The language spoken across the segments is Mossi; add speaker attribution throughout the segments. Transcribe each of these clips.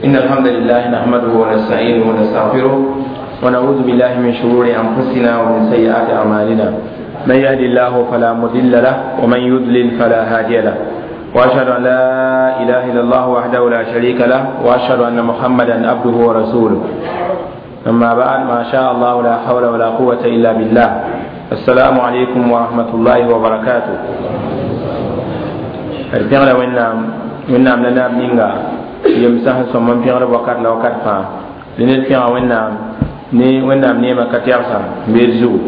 Speaker 1: إن الحمد لله نحمده ونستعينه ونستغفره ونعوذ بالله من شرور أنفسنا ومن سيئات أعمالنا. من يهد الله فلا مضل له ومن يضلل فلا هادي له. وأشهد أن لا إله إلا الله وحده لا شريك له وأشهد أن محمدا عبده ورسوله. أما بعد، ما شاء الله لا حول ولا قوة إلا بالله. السلام عليكم ورحمة الله وبركاته. D pẽgla Wẽnnaam, Wẽnnaam la naab ninga yemsã sẽn sõm n pẽgd wakat la wakat fãa. Dẽ ned pẽga Wẽnnaam ne Wẽnnaam neemã ka tɛgsã n beed zugu.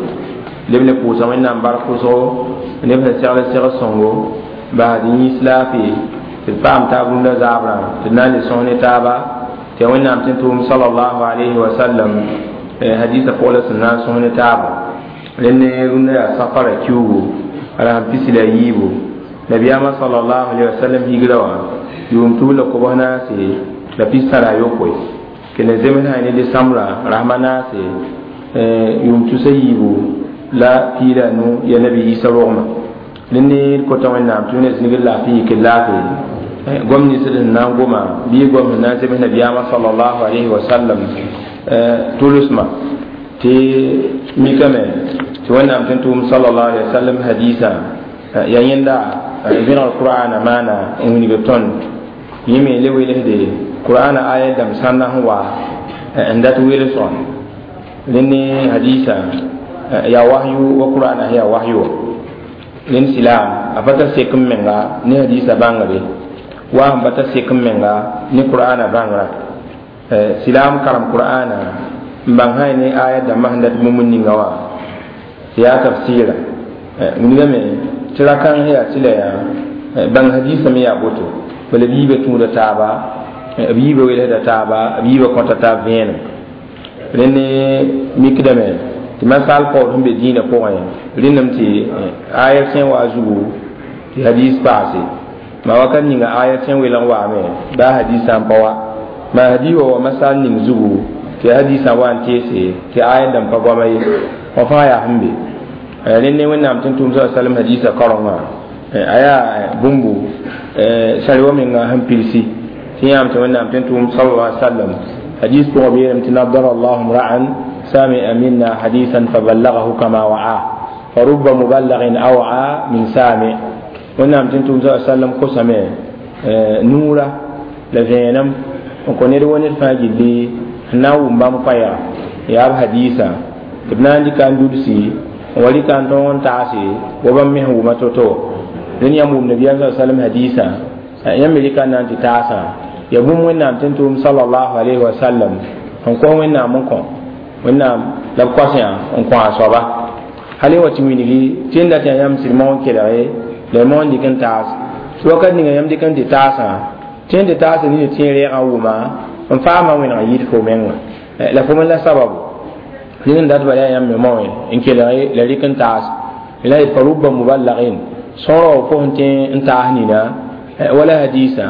Speaker 1: Leb ne pʋʋsa Wẽnnaam bark pʋsgo, neb sẽn segl segd sõngo basd yĩs laafee tɩ d paam taab rũndã zaabrã tɩ d na n le sõs ne taaba tɩ ya Wẽnnaam tɩ n tʋʋm salallahu alayhi wa sallam hadisa pʋg la sẽn na n sõs ne taaba. Rẽnd ne rũndã yaa safara kiugu a rasem 14, nabiyaamã salallahu alayhi wa sallam higra wã yʋʋm 1943. Kell zems sã ne desãmbrã rasma naase yʋʋm 2015 ya nabi Isa rogmã. Rẽnd ne d kota Wẽnnaam tɩ ne zĩgr laafɩ yik laafɩ gom nins d sẽn na n goma bɩ gom sẽn na n zems nabiyaamã salallahu alayhi wa sallam tʋlsmã tɩ mikame tɩ Wẽnnaam tɩ n tʋʋm salallahu alayhi wa sallam hadisa ya yẽnda vẽnegr qur'ana maana n wilg tõnd yẽ me le welsde qur'ana aya dãmb sãnda sẽn wa n dat welsgã. Rẽnd ne hadisa yaa wahyu wa qur'ana yaa wahyu wa. Rẽnd silaam a pa tar sek n menga ne hadisa bãngre wa sẽn pa tar sek n menga ne qur'ana bãngrã. Silaam karem qur'ana n bãng sã ne aya dãmbã sẽn dat bũmb ninga wã tɩ yaa tafsɩɩra. Wilgame tɩ ra-kãng yaa tɩ la yaa bãng hadisa me yaa boto bala b yiibã tũuda taaba, b yiibã welsda taaba, b yiibã kõta taab vẽenem. Rẽnd ne mikdame tɩ masaal paood sẽn be dĩinã pʋgẽ rẽndame tɩ aya sẽn wa zugu tɩ hadis paase ma wakat ninga aya sẽn welg waame baa hadisã n pa wa ma hadis wa wa masaal ning zugu tɩ hadisã wa n teese tɩ aya dãmb pa goama ye wã fãa yaa sẽn be. Rẽnd ne Wẽnnaam tɩ n tʋʋm sa sallam hadisa kaorengã a yaa bũmbu sari wa menga sẽn pilsi tɩ yãam tɩ Wẽnnaam tɩ n tʋʋm sala sallam hadis pʋgã b yeelame tɩ nadara allahu mra'an sami'a minna hadisan faballagahu kama wa'a fa rubba muballagin aw'a min sami. Wẽnnaam tɩ n tʋʋm sa sallam kosame nuura la vẽenem n kõ ned wa ned fãa gilli n na n wʋm bãmb koɛɛga yaa b hadisa tɩ b na n dɩka n dulsi n wa rɩka n tõog n taase wa bãmb me sẽn wʋma to-to. Rẽnd yãmb wʋm nabiyaam sa sallam hadisa yãmb me rɩka n na n tɩ taasã ya bũmb Wẽnnaam tɩ n tʋʋm salallahu alayhi wa sallam n kos Wẽnnaam n kõ Wẽnnaam la b kos yã n kõ a soaba hal wa tɩ wilgi tɩ n dat yaa yãmb sɩd mao n kelge la y mao n dɩk n taas tɩ wakat ninga yãmb dɩk n tɩ taasã tɩ n tɩ taasã nina tɩ reegã wʋma n faama wẽneg yɩɩd fo menga la fo me la sababu rẽnd n dat bala yaa yãmb me maoẽ n kelge la rɩk n taas la yet fa rubba muballagin sõora wa fo sẽn tẽ n taas nina wala hadisa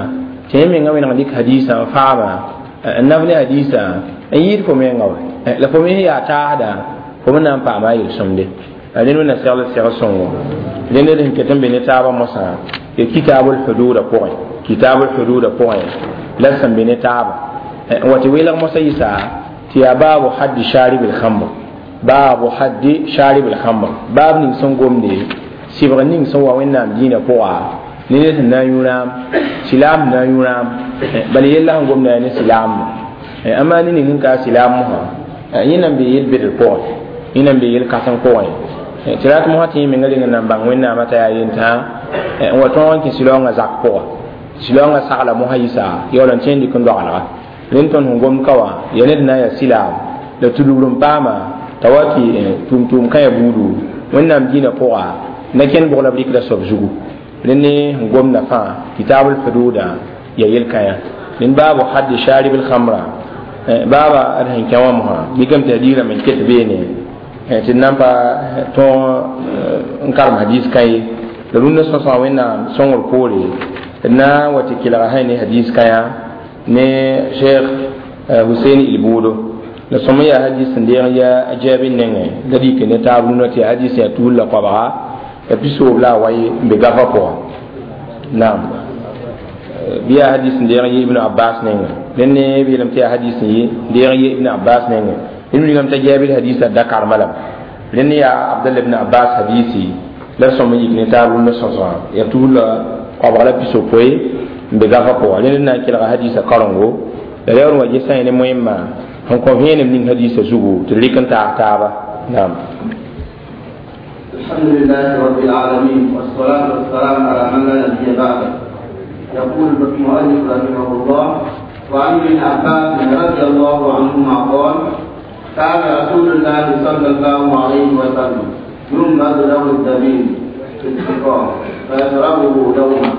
Speaker 1: tɩ yẽ menga wẽneg dɩk hadisa n faama n naf ne hadisa n yɩɩd fo menga wa la fo me sẽn yaa taasda fo me na n paama a yel-sõmde. Rẽnd wẽnna segl segl sõngo. Rẽnd d sẽn ket n be ne taabã mosã tɩ kitabul hududa pʋgẽ, kitabul hududa pʋgẽ la sẽn be ne taaba n wa tɩ welg mosã yɩsa tɩ yaa baabu haddi sharib lhamr, baabu haddi sharib lhamr, baab ning sẽn gomde sɩbg ning sẽn wa Wẽnnaam dĩinã pʋga ne ned sẽn na n yũ rãam silaam sẽn na n yũ rãam bala yella sẽn gomda yaa ne silaam amaa ne ning sẽn ka silaam mosã yẽ nan be yel-bedr pʋgẽ, yẽ nan be yel-kãseng pʋgẽ tɩ rat mosã tɩ yẽ menga reng n nan bãng Wẽnnaamã t'a yaa yentã n wa tõog n kẽ silaoongã zak pʋga silaoongã sagla mosã yɩsa yaool n tẽ n dɩk n doagelga. Rẽnd tõnd sẽn gomd ka wã yaa ned na n yaa silaam la tudgr n paama t'a wa tɩ tʋʋm-tʋʋm kãyã buudu Wẽnnaam dĩinã pʋga na kẽnd bʋg la b rɩkda soab zugu. Rẽnd ne sẽn gomda fãa kitabul hududa yaa yel-kãyã. Rẽnd baabu haddi sharib lhamra baaba d sẽn kẽ wã mosã mikame tɩ hadiisã me ket beene tɩ d na n pa tõog n karem hadis kã ye la rũndã sõsgã Wẽnnaam sõngr poore d na n wa tɩ kelga sã ne hadis kãyã ne Cheikh Husein Ilbuudo la sõm yaa hadis sẽn deeg ya a Jaabi nengẽ la rɩk ne taab rũnã tɩ hadis yaa 179 la a wai n be gafa pʋga naam bɩ yaa hadis sẽn deeg yɩ Ibn Abbas nengẽ. Rẽnd b yeelame tɩ yaa hadis n ye deeg ye Ibn Abbas nengẽ. Rẽnd wilgame t'a Jabir hadisa da karema lame. Rẽnd yaa Abdallah ibn Abbas hadisi la b sõm n yik ne taab rũndã sõsgã yaa tugl la koabg la pisopoe n be gafã pʋga. Rẽnd na n kelga hadisa karengo la yaool n wa ges sã ne moẽmã sẽn kõ vẽenem ning hadisa zugu tɩ d rɩk n taag taaba. Naam.
Speaker 2: الحمد لله رب العالمين والصلاة والسلام على من لا نبي بعده. يقول المؤلف رحمه الله: وعن ابن عباس رضي الله عنهما قال: كان رسول الله صلى الله عليه وسلم ينبذ له الزبيب في السقاء فيشربه دوما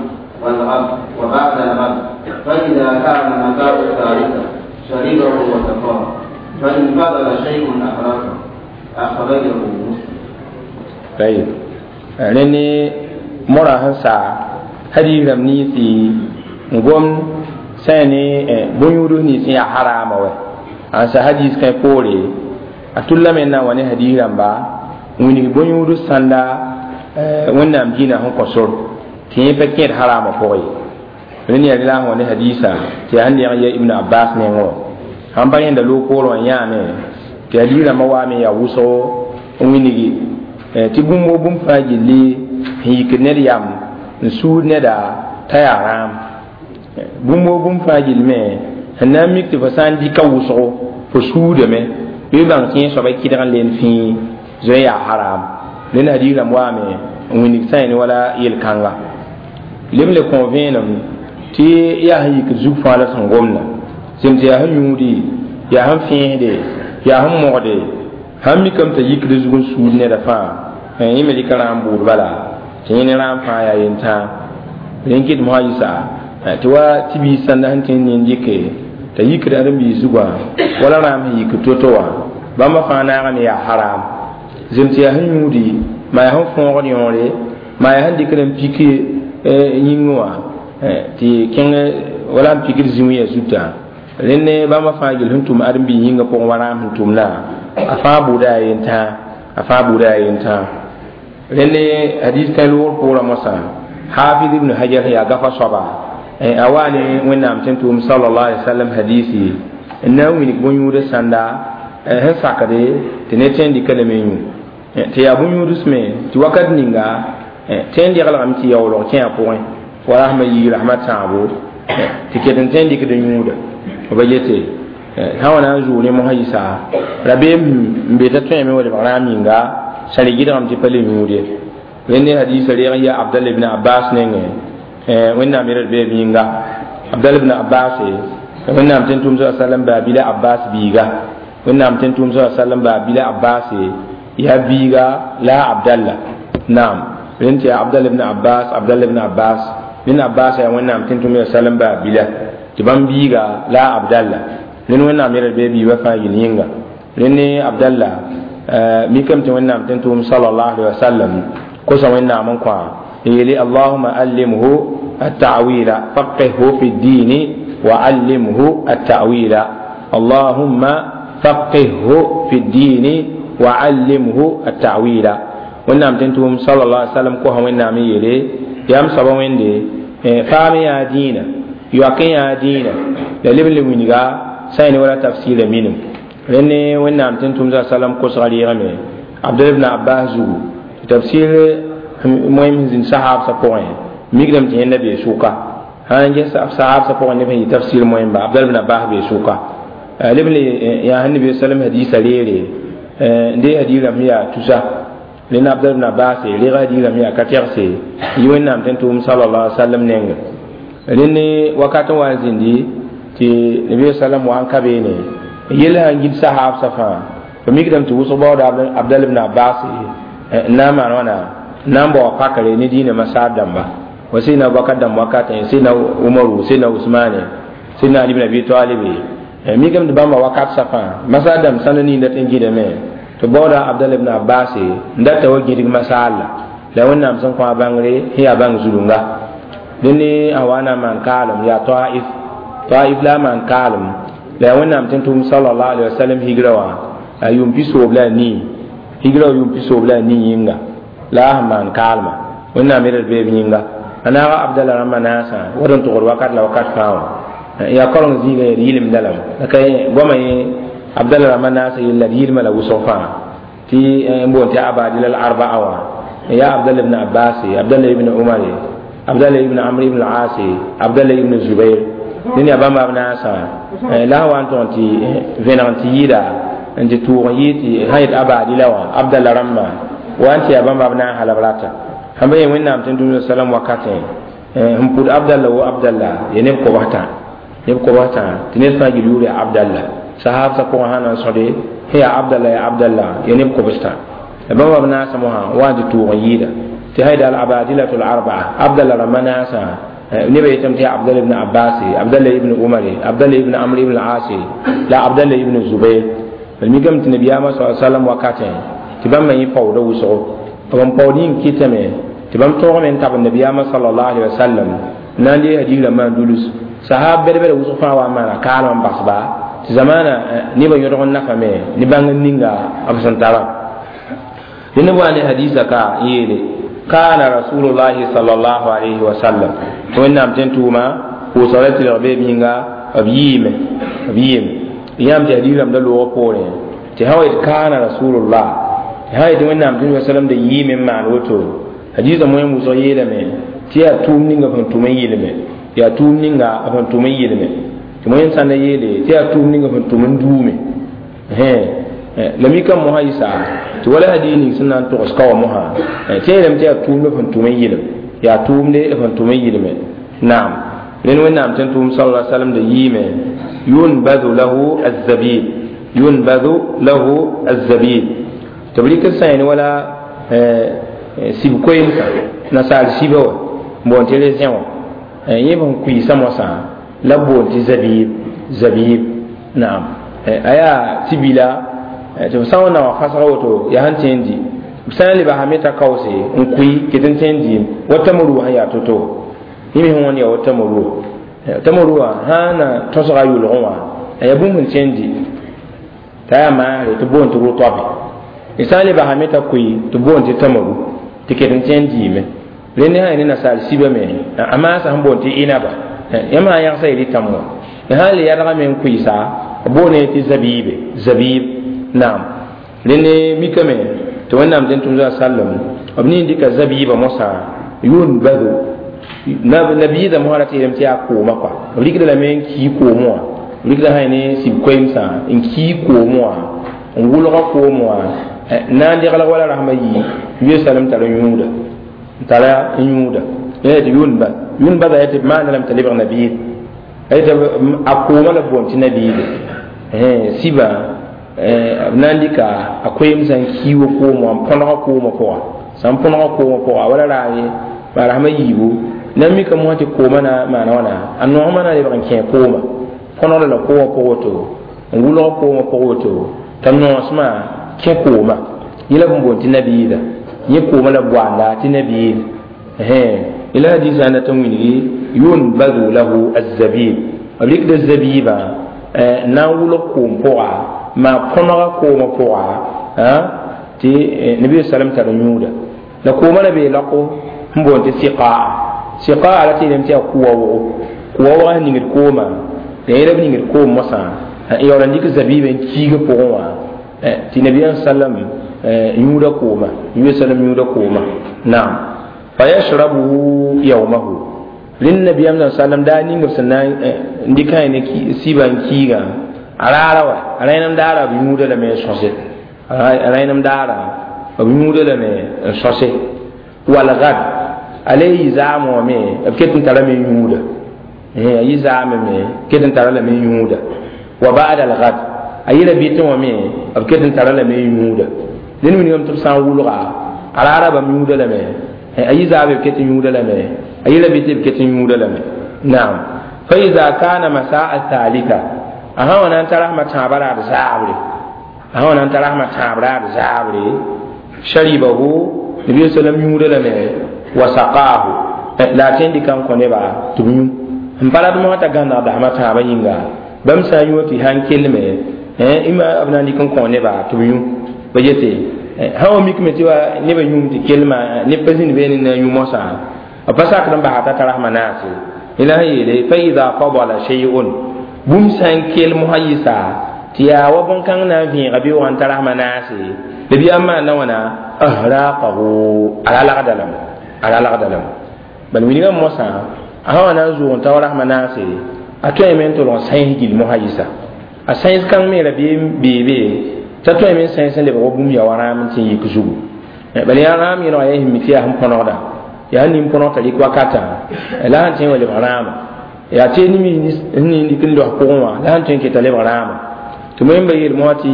Speaker 2: والغد وبعد الغد، فإذا كان مساء الثالثة شربه وسقاه، فإن فضل شيء أخرجه. أخرجه مسلم.
Speaker 1: طيب rẽnd mora sẽn sa hadiis rãmb ninsi n gom sã ne bõn-yũuds nins n yaa harama wɛ an sa hadis kẽ poore a tullame n na n wa ne hadis rãmba n wilg bõn-yũudg sãnda Wẽnnaam dĩinã sẽn kõ sor tɩ yẽ pa kẽed harama pʋgẽ ye. Rẽnd yaa rela sẽn wa ne hadisa tɩ yaa sẽn leg n yɛ Ibn Abbas nengẽ wã sãn pa rẽnda loog poorẽ wã yãame tɩ hadis rãmbã waame yaa wʋsgo n wilgi tɩ bũmb wo bũmb fãa gilli sẽn yikd ned yam n suud neda t'a yaa rãam. Bũmb wo bũmb fãa gill me sẽn na n mik tɩ fo sã n dɩka wʋsgo fo suudame bɩ bãng tɩ yẽ soaba kɩdg n len fẽe zoe yaa haram. Rẽnd hadiis rãmb waame n wilg sã ne wala yel-kãnga leb n le kõ vẽenem tɩ yaa sẽn yikd zug fãa la sẽn gomda zem tɩ yaa sẽn yũudi, yaa sẽn fẽesde, yaa sẽn mogde sãn mikame t'a yikd zug n suud neda fãa yẽ me rɩka rãam bʋʋd bala tɩ yẽ ne rãam fãa yaa yentãag. Rẽn kɩt mosã yɩsa tɩ wa tɩ biis sãnda sẽn tẽnd nin dɩke t'a yikd ãdem-biis zugã wala rãam sẽn yikd to-to wã bãmba fãa naagame yaa haram. Zem tɩ yaa sẽn yũudi maa yaa sẽn fõogd yõore maa yaa sẽn dɩkd n pik yĩngẽ wã tɩ kẽng wala n pikd zĩ-wɩyã zutã. Rẽnd bãmba fãa gill sẽn tʋm ãdem-biis yĩngã pʋgẽ wa rãam sẽn tʋmdã a fãa bʋʋda yaa yentãag, a fãa bʋʋda yaa yentãag. Rẽnd hadis kãe loogr pʋʋrã mosã Hafiz ibn Hajar yaa gafa soaba a waa ne Wẽnnaam tẽn tʋʋm sallallahu alaihi wasallam hadisi n na n wilg bõn-yũudã sãnda sẽn sakde tɩ ne tẽn dɩka lame yũ tɩ yaa bõn-yũuds me tɩ wakat ninga tẽn deglgame tɩ yaoolg kẽ a pʋgẽ wa rasmã yiig rasmã tãabo tɩ ket n tẽn dɩkd yũuda b yete sã wa na n zʋʋg ne mosã yɩsa rabeem n be t'a tõeme wa lebg rãam yĩnga sã re gɩdgame tɩ pa le yũud ye. Rẽnd hadisa reeg n yaa Abdallah ibn Abbas nengẽ Wẽnnaam yɛl d beeb yĩnga. Abdallah ibn Abbas Wẽnnaam tẽn tʋʋm sa sallam baa bila Abbas biiga. Wẽnnaam tẽn tʋʋm sa sallam baa bila Abbas yaa biiga la Abdallah. Naam, rẽnd tɩ yaa Abdallah ibn Abbas, Abdallah ibn Abbas rẽnd Abbas yaa Wẽnnaam tẽn tʋʋm sallam baa bila tɩ bãmb biiga la Abdallah. Rẽnd Wẽnnaam yɛl d beeb biibã fãa yel yĩnga. Rẽnd Abdallah mikame tɩ Wẽnnaam tẽn tʋʋm sallallahu alaihi wasallam kosa Wẽnnaam n kõ yeli: Allahumma allimhu التأويل فقهه في الدين وعلمه التأويل. اللهم فقهه في الدين وعلمه التأويل. ونعم تنتم صلى الله عليه وسلم كوها ونعم يلي يام سبا ويندي فامي يا دينا يوكي يا دينا للبن لوينغا ساين ولا تفسير منهم لأن ونعم تنتم صلى الله عليه وسلم كوس غري غمي عبد الله بن عباس زو تفسير مهم زين صحاب سبوين ميقدم تي النبي سوكا هان جس صحاب سبوين نبي تفسير مهم عبد الله بن عباس بي سوكا لبن يا النبي صلى الله عليه وسلم حديث ليري دي حديث لم يا تسا لأن عبد الله بن عباس لغا حديث لم يا كتيرسي يوين نام تنتم صلى الله عليه وسلم نينغ لأن وقت وازندي تي النبي صلى الله عليه وسلم وان كبيني يلا هنجيب صحاب صفا فميقدم توصل بعد عبد الله بن عباس نام وانا نام بوا فكر ندين مسار دمبا وسيدنا أبو بكر دم وقت سيدنا عمر سيدنا عثمان سيدنا علي بن أبي طالب ميقدم تبام وقت صفا مسار دم سنني نتنجي دمه تبودا عبد الله بن عباس ندت وجهك مسال لو أن أمسن قا بانغري هي بانغ زلونغا لأني أوانا من كالم يا طائف طائف لا من كالم لو أن أمتنتم صلى الله عليه وسلم هجروا يوم بيسو بلا ني هجروا يوم بيسو بلا ني ينغا لا من كالم وإن أمير البيب ينغا أنا عبد الله رما ناسا ودن تغر وقت لا وقت فاو Yaa kaoreng zĩigã yaa d yɩlemda lame la ka goamã yẽ abdalla rãmbã naasã yella d yɩlmã la wʋsg fãa tɩ n boond tɩ abadila al arbaa wã yaa abdalla ibn abbas, abdalla ibn umar, abdalla ibn amr ibn al-as, abdalla ibn zubair. Dẽn yaa bãmba b naasã la sã wa n tõg tɩ vẽneg n tɩ yɩɩda n tɩ tʋʋg n yɩɩ tɩ sã yet abadila wã abdalla rãmbã wa n tɩ yaa bãmba b naasã la b rata sãn ba yẽ wẽnnaam tɩ n tʋm salam wakatẽ sẽn pʋd abdalla wo abdalla ya neb kobs tã neb kobs tã tɩ ned fãa gil yʋʋr yaa abdalla sahabsã pʋgẽ sã na n sõde sẽn yaa abdalla ya abdalla ya neb kobs tã la bãmba b naasã mosã wa n tɩ tʋʋg n yɩɩda tɩ sã yet al abadilatu l arbaa abdalla rãmbã naasã neba yetame tɩ yaa abdalla ibn abbas, abdalla ibn umar, abdalla ibn amr ibn al-as la abdalla ibn zubair. B mikame tɩ nabiyaamã sa sallam wakatẽ tɩ bãmba yẽ paooda wʋsgo b n paood yĩng kɩtame tɩ bãmb tõogame n tab nabiyaamã sallallahu alaihi wasallam na n dee hadiis rãmbã n dulus sahab bɛd-bɛda wʋsg fãa wa n maana kaalem n basba tɩ zamaana nebã yõdg n nafame ne bãng n ninga b sẽn tara dẽnd b wa ne hadiisa ka n yeele kana rasulullahi sallallahu alaihi wasallam tɩ wẽnnaam tẽn tʋʋma pʋʋsg la tɩlg beeb yĩnga b yɩɩme b yɩɩme yãmb tɩ hadiis rãmb da loogã poorẽ tɩ sã wa yet kana rasulullah tɩ sã yetɩ wẽnnaam tẽn sallam da yɩɩme n maan woto hadiisã moẽ wʋsg yeelame tɩ yaa tʋʋm ninga b sẽn tʋm n yɩlme yaa tʋʋm ninga b sẽn tʋm n yɩlme tɩ moẽ sãnda yeele tɩ yaa tʋʋm ninga b sẽn tʋm n duume la mikame mosã yɩsa tɩ wala hadiis ning sẽn na n togs ka wã mosã tɩ yeelame tɩ yaa tʋʋmd b sẽn tʋm n yɩlem yaa tʋʋmde b sẽn tʋm n yɩlme naam rẽnd wẽnnaam tẽn tʋʋm sala sallam da yɩɩme yunbadu lahu azabib yunbadu lahu azabib tɩ b rɩk n sã wala sib koeemsã nasaar sibã wã n boond tɩ rezẽ wã yẽ b sẽn kuiisã mosã la b boond tɩ zabib zabib naam a yaa tɩ-bila tɩ b sã n wa na wã fasga woto yaa sẽn tẽ n dɩ b sã n le basame t'a kaoose n kʋɩ ket n tẽ n dɩɩm wa tamaru sẽn yaa to-to yẽ me sẽn wãnd yaa wa tamaru tamaru wã sã n na tõsga a yʋlgẽ wã a yaa bũmb sẽn tẽ n dɩ t'a yaa maasre tɩ boond tɩ rʋtoabe d sã n le basame t'a kʋɩ tɩ boond tɩ tamaru tɩ ket n tẽ n dɩɩme rẽnd sã ne nasaar sibame a maasã sẽn boond tɩ inaba yãmb sã n yãgsa yel y tãm wã sã n le yadgame n kʋɩsa b boone tɩ zabiibe zabiib naam rẽnd mikame tɩ wẽnnaam tẽn tʋm sallam b ning dɩka zabiibã mosã yunbadu nabiidã mosã ra tɩ yeelame tɩ yaa koomã kɔa b rɩkda lame n kii koom wã b rɩkda sã ne sib koeemsã n kii koom wã n wʋlga koom wã na n degl wala rasmã yii ye salem tara yũuda tara yũuda tɩ yʋnba yʋnbada yaa tɩ b maanda lame t'a lebg nabiid tɩ a koomã la boond tɩ nabiide sibã b na n dɩka a koeemsã n kii wa koom wã n põdga koomã pʋga sã n põdga koomã pʋga wala raare maa rasmã yiibu na n mika mosã tɩ koomã na maana wãna a noosmã na lebg n kẽ koomã põdgda la koomã pʋg woto n wʋlg koomã pʋg woto t'a noosmã kẽ koomã yẽ la b n boond tɩ nabiida yẽ koomã la boanda tɩ nabiid ila hadisa na tɩ wilgi yunbadu lahu azabib b rɩkda zabiibã na n wʋlg koom pʋga maa põnega koomã pʋga tɩ nabi salam tar yũuda la koomã la bee lako n boond tɩ siqaa siqaa la tɩ yeelame tɩ yaa kʋwa wogo kʋwa wogã sẽn ningd koomã la yẽ la b ningd koom mosã n yaool n dɩk zabiibã n kiigã pʋgẽ wã tɩ nabiyaam sallam yũuda kooma nabi sallam yũuda kooma naam fayashrabuhu yawmahu rẽnd nabiyaam sallam daa ning b sẽn na n dɩk ne sibã n kiigã a raara wa a rẽnem daara b yũuda lame n sõse a rẽnem daara b yũuda lame n sõse walgad a le yɩ zaam wã me b ket n tarame yũuda a yɩ zaame me ket n tara lame yũuda wa ba'da algad a yɩla bɩtẽ wã me b ket n tara lame yũuda dẽnd wilgame tɩ b sã n wʋlga a raara bãmb yũuda lame a yɩ zaabe b ket n yũuda lame a yɩla bɩtẽ b ket n yũuda lame naam fa ida kana masaa thalitha a sã wa na n ta rasmã tãabã raad zaabre a sã wa na n ta rasmã tãab raad zaabre sharibahu nabi sallam yũuda lame wa saqaahu la a tẽn dɩka n kõ neba tɩ b yũ n pa rat mosã t'a gãneg dasmã tãabã yĩnga bãmb sã n yũ tɩ sãn kelme ima b na n dɩk n kõ neba tɩ b yũ ba yete sã wa mikme tɩ wa nebã yũum tɩ kelma neb pa zĩnd beene na yũ mosã b pa sakd n basa t'a ta rasmã naase Ila yele fa idha fadala shay'un bũmb sã n kell mosã yɩsa tɩ yaa wa bõn-kãng na n vẽega beoogã n tar rasmã naase nabiyaam maanda wãna ahraqahu a ra lagda lame a ra lagda lame bal wilgã mosã a sã wa na n zʋʋg n ta wa rasmã naase a tõeme n tolg n sãens gill mosã yɩsa a sãens kãng me ra beebe t'a tõeme n sãens n lebg wa bũmb ya wa rãam n tɩ n yik zugu bal yaa rãam yẽnega yaa sẽn mi tɩ yaa sẽn põnegda yaa sẽn nin põneg t'a rɩk wakatã la sẽn tõe n wa lebg rãama yaa tɩ sẽn nin dɩk n los pʋgẽ wã la sẽn tõe n keta lebg rãama tɩ moẽmba yeel mosã tɩ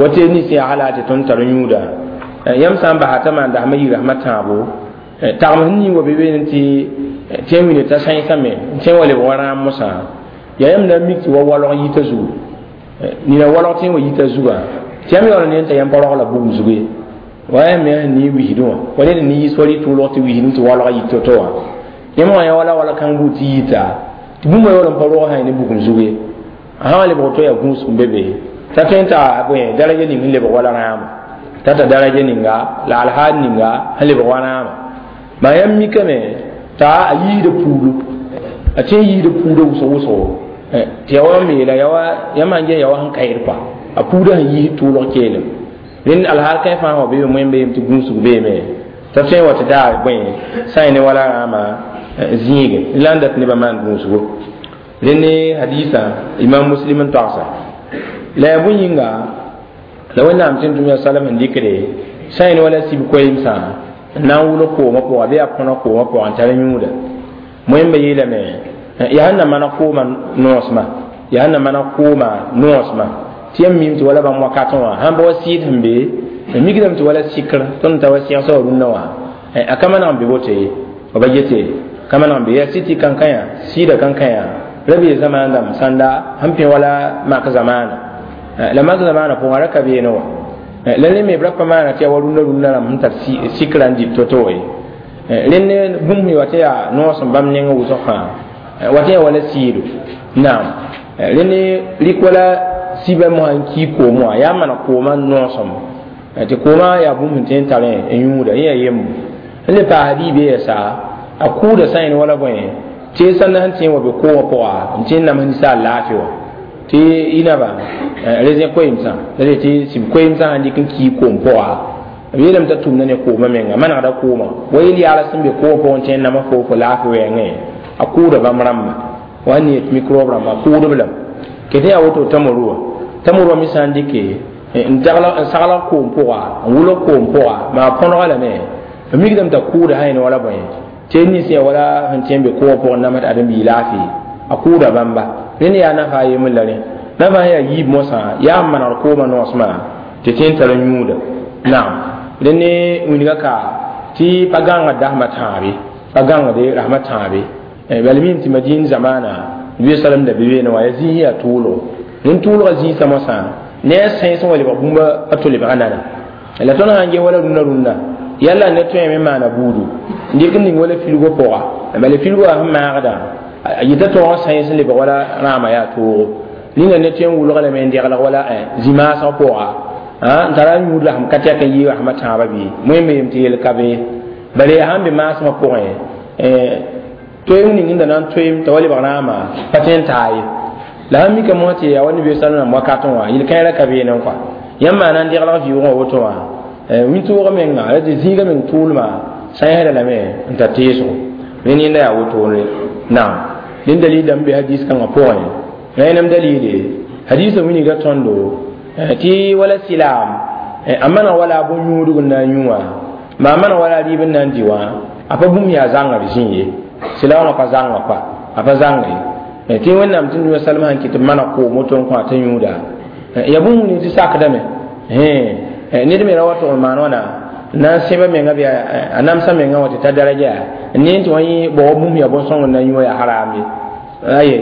Speaker 1: wa tɩ nins yaa hala tɩ tõnd tar yũuda yãmb sã n basa t'a maan dasmã yɩ rasmã tãabo tagem sẽn ning wa be beene tɩ tɩ n wilg t'a sãensame n tẽ wa lebg wa rãam mosã yaa yãmb na n mik tɩ wa walg yita zugu nina walg tɩ n wa yita zugã tɩ yãmb yaool ne n t'a yãmb pa rogla bugum zug ye wa yaa me sẽn ne wisdẽ wã wa ned n ne yis wa rɩ tʋʋlg tɩ wisdẽ tɩ walg yit to-to wã yãmb wã yaa wala wala kãng buud tɩ yita tɩ bũmba yaool n pa rog sã ne bugum zug ye a sã wa lebg to yaa gũus n be be t'a tõe n t'a bõe daraja ning sẽn lebg wala rãama t'a ta daraja ninga la alhaal ninga sẽn lebg wa rãama maa yãmb mikame t'a a yiida puudu a tẽ yiida puuda wʋsg wʋsgo tɩ ya wa meela yãmb sãn ges ya wa sẽn kaɩd kɔa a puuda sẽn yiis tʋʋlg keelem rẽnd alhaal kãe fãa wa beebe moẽmba yem tɩ gũusg beeme t'a tõe n wa tɩ daa bõe sã ne wala rãama zĩige la n dat nebã maan gũusgo rẽnd ne hadisa imam muslim n togsa la yaa bõe yĩnga la wẽnnaam tɩ tʋm ya salam sẽn dɩkde sã ne wala sib koeemsã n na n wʋlg koomã pʋga bɩ a põneg koomã pʋga n tar yũuda moẽmba yeelame yaa sẽn na maneg koomã noosmã yaa sẽn na maneg koomã noosmã tɩ yãmb mim tɩ wala bãmb wakatẽ wã sãn ba wa sɩɩd sẽn be n mikdame tɩ wala sɩkr tõnd ta wa sɩgsa wa rũnnã wã a ka maneg n be woto ye ba yete ka maneg n be yaa sɩ tɩ kankãyã sɩɩda kankãyã ra bee zamaan dãmb sãnda sẽn pẽ wala mak zamaana la mak zamaana pʋgã ra ka beene wã la rẽ me b ra pa maana tɩ yaa wa rũnnã rũnnã rãmb sẽn tar sɩkrã n dɩt to-to ye rẽnd bũmb wa tɩ yaa noos n bãmb neng wʋsg fãa wa tɩ yaa wala sɩɩdo naam rẽnd rɩk wala sibã mosã n kii koom wã yaa maneg koomã noosem tɩ koomã yaa bũmb sẽn tõe n tarẽ n yũuda yẽ yaa yembo n le paas riib yɛsa a kʋʋda sã yẽn wala bõe tɩ sãnda sẽn tẽ wa be koomã pʋga n tẽ n nams ninsaal laafɩ wã tɩ y naba raisin koeemsã la de tɩ sib koeemsã sãn dɩk n kii koom pʋga b yeelame t'a tʋmda ne koomã menga manegda koomã wa yel yaala sẽn be koomã pʋgẽ tẽ n nama fo laafɩ wɛɛngẽ a kʋʋda bãmb rãmba wa ne yet microbe rãmba a kʋʋdb lame ket yaa woto tamorua tamorua me sã n dɩke n sagl koom pʋga n wʋlg koom pʋga maa põnega lame b mikdame t'a kʋʋda sã yẽne wala bõe tɩ nins yaa wala sẽn tẽ n be koomã pʋgẽ namsd adem-biig laafɩ a kʋʋda bãmba rẽnd yaa nafa a yembr la rẽ nafa sẽn yaa yiib mosã yaa n manegd koomã noosmã tɩ tẽ n tar n yũuda naam rẽnd ne wilga ka tɩ pa gãngd dasmã tãabe pa gãngde rasmã tãabe bala mim tɩ madin zamaana nabi salam da be beene wã yaa zĩis yaa tʋʋlgo rẽnd tʋʋlgã zĩisã mosã ne a sãens n wa lebg bũmba a to lebga nana la tõnd sã n ges wala rũnnã rũnnã yalla ne tõeme n maana buudu n dɩk n ning wala filgo pʋga bala filgo wã sẽn maagdã a yita tõog n sãens n lebg wala rãamã yaa toogo ninga ne tõe n wʋlg lame n degleg wala zĩ-maasg pʋga n tara n yũud la sẽm ka tɛk n yɩ rasmã tãabã bɩ moẽmbe yem tɩ yel ka be bala yaa sãn be maasmã pʋgẽ toeem ning n da na n toeem t'a wa lebg rãamã pa tõe n taa ye la sãn mika mosã tɩ yaa wa nabi sallam wakatẽ wã yel-kãerã ka beene n kɔa yãmb maana n deglg vɩʋʋgã woto wã wĩntoogã menga la tɩ zĩigã meng tʋʋlmã sãensda lame n tar teesgo rẽnd yẽnda yaa wotone naam rẽnd dalil dãmb be hadis kãngã pʋgẽ rẽnem dalile hadisã wilga tõndo tɩ wala silaam a maneg wala a bõn-yũudg n na n yũ wã maa maneg wala a rɩɩb n na n dɩ wã a pa bũmb yaa zãngd zĩ ye silaamã pa zãnga kɔa a pa zãnga ye tɩ wẽnnaam tɩ nua salma sẽn kɩt tɩ maneg koom woto n kõ a t'a yũuda ya bũmb ning tɩ sakdame ned me ra wa tʋg n maan wãna n na n sẽba menga bɩ a namsã mengã wã tɩ ta daraja n ne tɩ wã yẽ bɔg bũmb yaa bõn-sõng n na n yũ yaa haram ye aye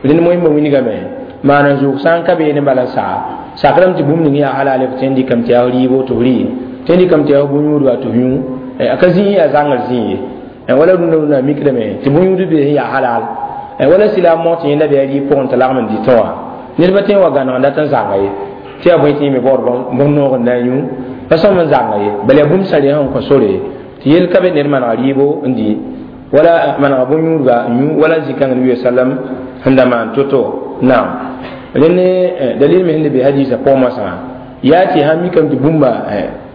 Speaker 1: rẽnd moẽmbã wilgame maan n zʋʋg sã n ka beene bala n saa sakrame tɩ bũmb ning yaa halal f tõe n dɩkame tɩ yaa rɩɩbo tɩ f rɩ tõe n dɩkame tɩ yaa bõn-yũudba tɩ f yũ a ka zĩig yaa zãngr zĩig ye wala rũndã rũndã mikdame tɩ bõn-yũud be sẽn yaa halal wala silaam mog tɩ yẽnda bɩ a rɩɩb pʋgẽ tɩ lagm n dɩtẽ wã ned pa tõe n wa gãneg n dat n zãnga ye tɩ yaa bõe tɩ yẽ me baood bõn-noog n na n yũ pa sõm n zãnga ye bala yaa bũmb sã rẽ sẽn kõ sore tɩ yel ka be ned maneg rɩɩbo n dɩ Wala manega bõn-yũudba n yũ wala zĩ-kãng nabi sallam sẽn da maan to-to. Naam, rẽnd dalil me sẽn be hadisa pʋgẽ moasã yaa tɩ sãn mikame tɩ bũmba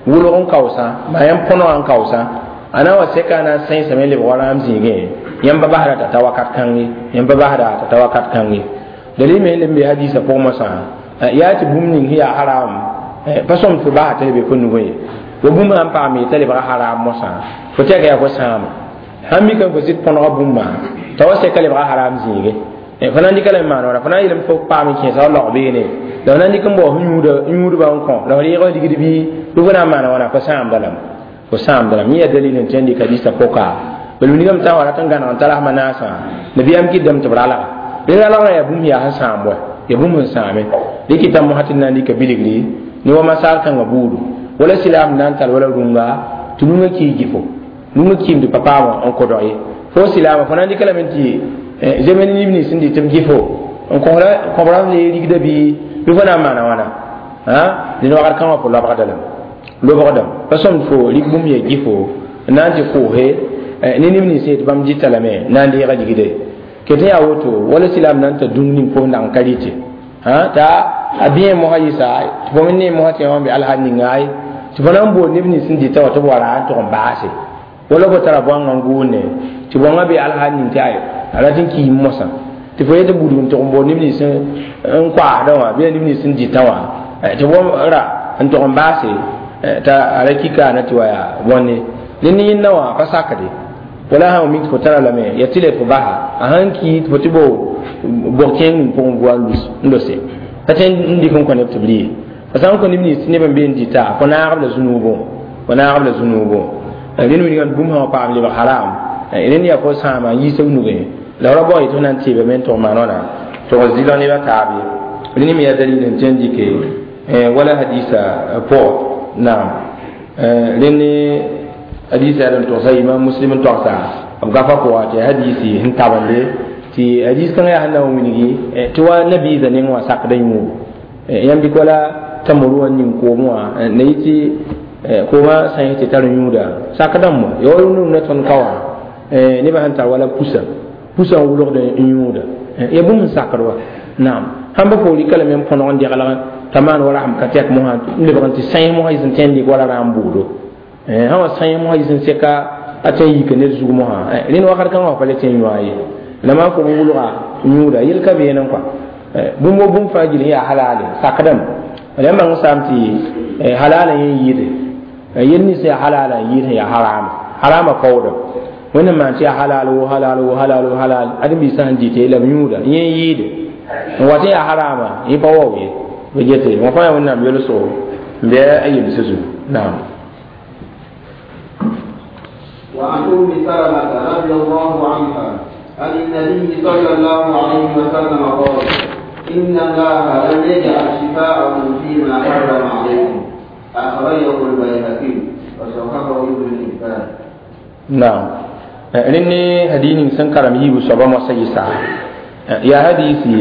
Speaker 1: wʋlg n kaoosã, maa yãmb põnegã n kaoosã, a na n wa sɛka a na n sẽesame n lebg wa rãam zĩigẽ, yãmb pa basda t'a ta wakat kãng ye, yãmb pa basda t'a ta wakat kãng ye. Dalil me sẽn be hadisa pʋgẽ moasã yaa tɩ bũmb ning sẽn yaa haram pa sõm tɩ fo basa t'a lebe fo nugẽ ye. Wa bũmb sãn paame t'a lebga haram moasã, fo tɛka yaa fo sãama. Sãn mikame fo sɩd põnega bũmba t'a wa sɛka lebga haram zĩigẽ, fo na n dɩka lame n maan wãna, fo na n yeelame fo paam n kẽesa wa laog beene, la fo na n dɩk n bao sẽn yũudbã n kõ, la fo reeg f ligd bɩ bɩ fo na n maana wãna, fo sãamda lame, fo sãamda lame. Yẽ yaa dalil n tõe n dɩk hadisa pʋka. Bala wilgame t'a wa rat n gãneg n tar rasmã naasã, nabiyaam kɩtdame tɩ b ralga. Rẽ ralgrã yaa bũmb yaa sẽn sãam wa, yaa bũmb sẽn sãame. Rɩ kɩta mosã tɩ d na n dɩka bilgri ne wa masaar kãngã buudu, wala silaam na n tar wala rũnga tɩ rũngã kii gɩfo, rũngã kiim tɩ pa paam n kodg ye. Fo silaamã fo na n dɩka lame tɩ zemen nib nins sẽn dɩt b gɩfo n kõbra le rigda bɩ fo na n maana wãna, dẽn wakat kãngã fo lobgda lame, lobgdame pa sõmd fo rig bũmb yaa gɩfo n na n tɩ koose ne neb nins yetɩ bãmb dɩta lame na n deega ligde ket. Yaa woto wala silaam na n ta dũng ning fo sẽn dag n ka rɩtɩ t'a a bɩẽ mosã yɩsa tɩ fo me ne mosã tɩ wã be alhal ninga ye, tɩ fo na n bool neb nins sẽn dɩta wã tɩ b wa ra n tʋg n baase, wala fo tara bõanga n gʋʋnde tɩ bõangã be alhal ning tɩ ay a rat n kiim mosã, tɩ fo yetɩ budg n tʋg n bool neb nins n koaasdã wã bɩ neb nins sẽn dɩtã wã tɩ bõmb ra n tʋg n baase t'a a ra kika na tɩ wa yaa bõnne. Rẽnd ne yẽnda wã pa sakde, wala sã mik tɩ fo tara lame ya tɩ le fo basa a sãn ki tɩ fo tɩ bo bog kẽeng ning pʋgẽ bʋa n lose pa tõe n dɩk n kõ neb tɩ b rɩ fa sã n kõ neb nins tɩ neb n be n dɩta, fo naagb la zũnuubõ, fo naagb la zũnuubõ. Rẽnd wilgame bũmb sã wa paam lebg haram, rẽnd yaa fo sãama n yiis b nugẽ, la ra bao yetɩ f na n teebame n tʋg maan wãna tʋg zɩlg nebã taab ye. Rẽnd me yaa dalil n tõe n dɩke wala hadisa pʋgã. Naam, rẽnd hadisa yaa n togsa imam Muslim n togsa b gafa pʋga tɩ hadisi sẽn tabende tɩ hadis kãngã yaa sẽn na n wilgi tɩ wa nabiisã neng wã sakda yũugo. Yãmb dɩk wala tamuru wã ning koom wã na yɩ tɩ koomã sã tɩ tar yũuda sakdãmb wã ya wa rũndũm na tõnd ka wã nebã sẽn tar wala pusa pusa n wʋlgd n yũuda ya bũmb n sakd wa. Naam, sãn pa fo rɩka lame n põneg n degl t'a maan wa rasem ka tɛk mosã n lebg n tɩ sãens mosã yɩs n tõe n dɩk wala rãam buudo, sã wa sãens mosã yɩs n sɛka a tõe n yika ned zug mosã. Rẽnd wakat kãngã wã pa le tõe n yõa ye, la maan fo n wʋlga yũuda yel ka beene kɔa. Bũmb wo bũmb fãa gill sẽn yaa halale sakdame la yãmb bãng saam tɩ halala yẽ yɩɩde yel nins yaa halala n yɩɩd sẽn yaa harama, harama kaoodame. Wẽnnaam maan tɩ yaa halal wo halal wo halal wo halal ãdem-biisã sẽn dɩte la b yũuda yẽ n yɩɩde n wat n yaa harama yẽ pa wao ye b gete wã fãa yaa Wẽnnaam yolsgo n bɩ a yemsã zugu. Naam.
Speaker 2: وعن أم سلمة رضي الله عنها عن النبي صلى الله عليه وسلم قال: إن الله لم يجعل شفاءكم فيما حرم عليكم. أخرجه البيهقي وصححه ابن حبان.
Speaker 1: Naam, rẽnd ne hadii ning sẽn karem yiibu soaba moasã yɩsa yaa hadisi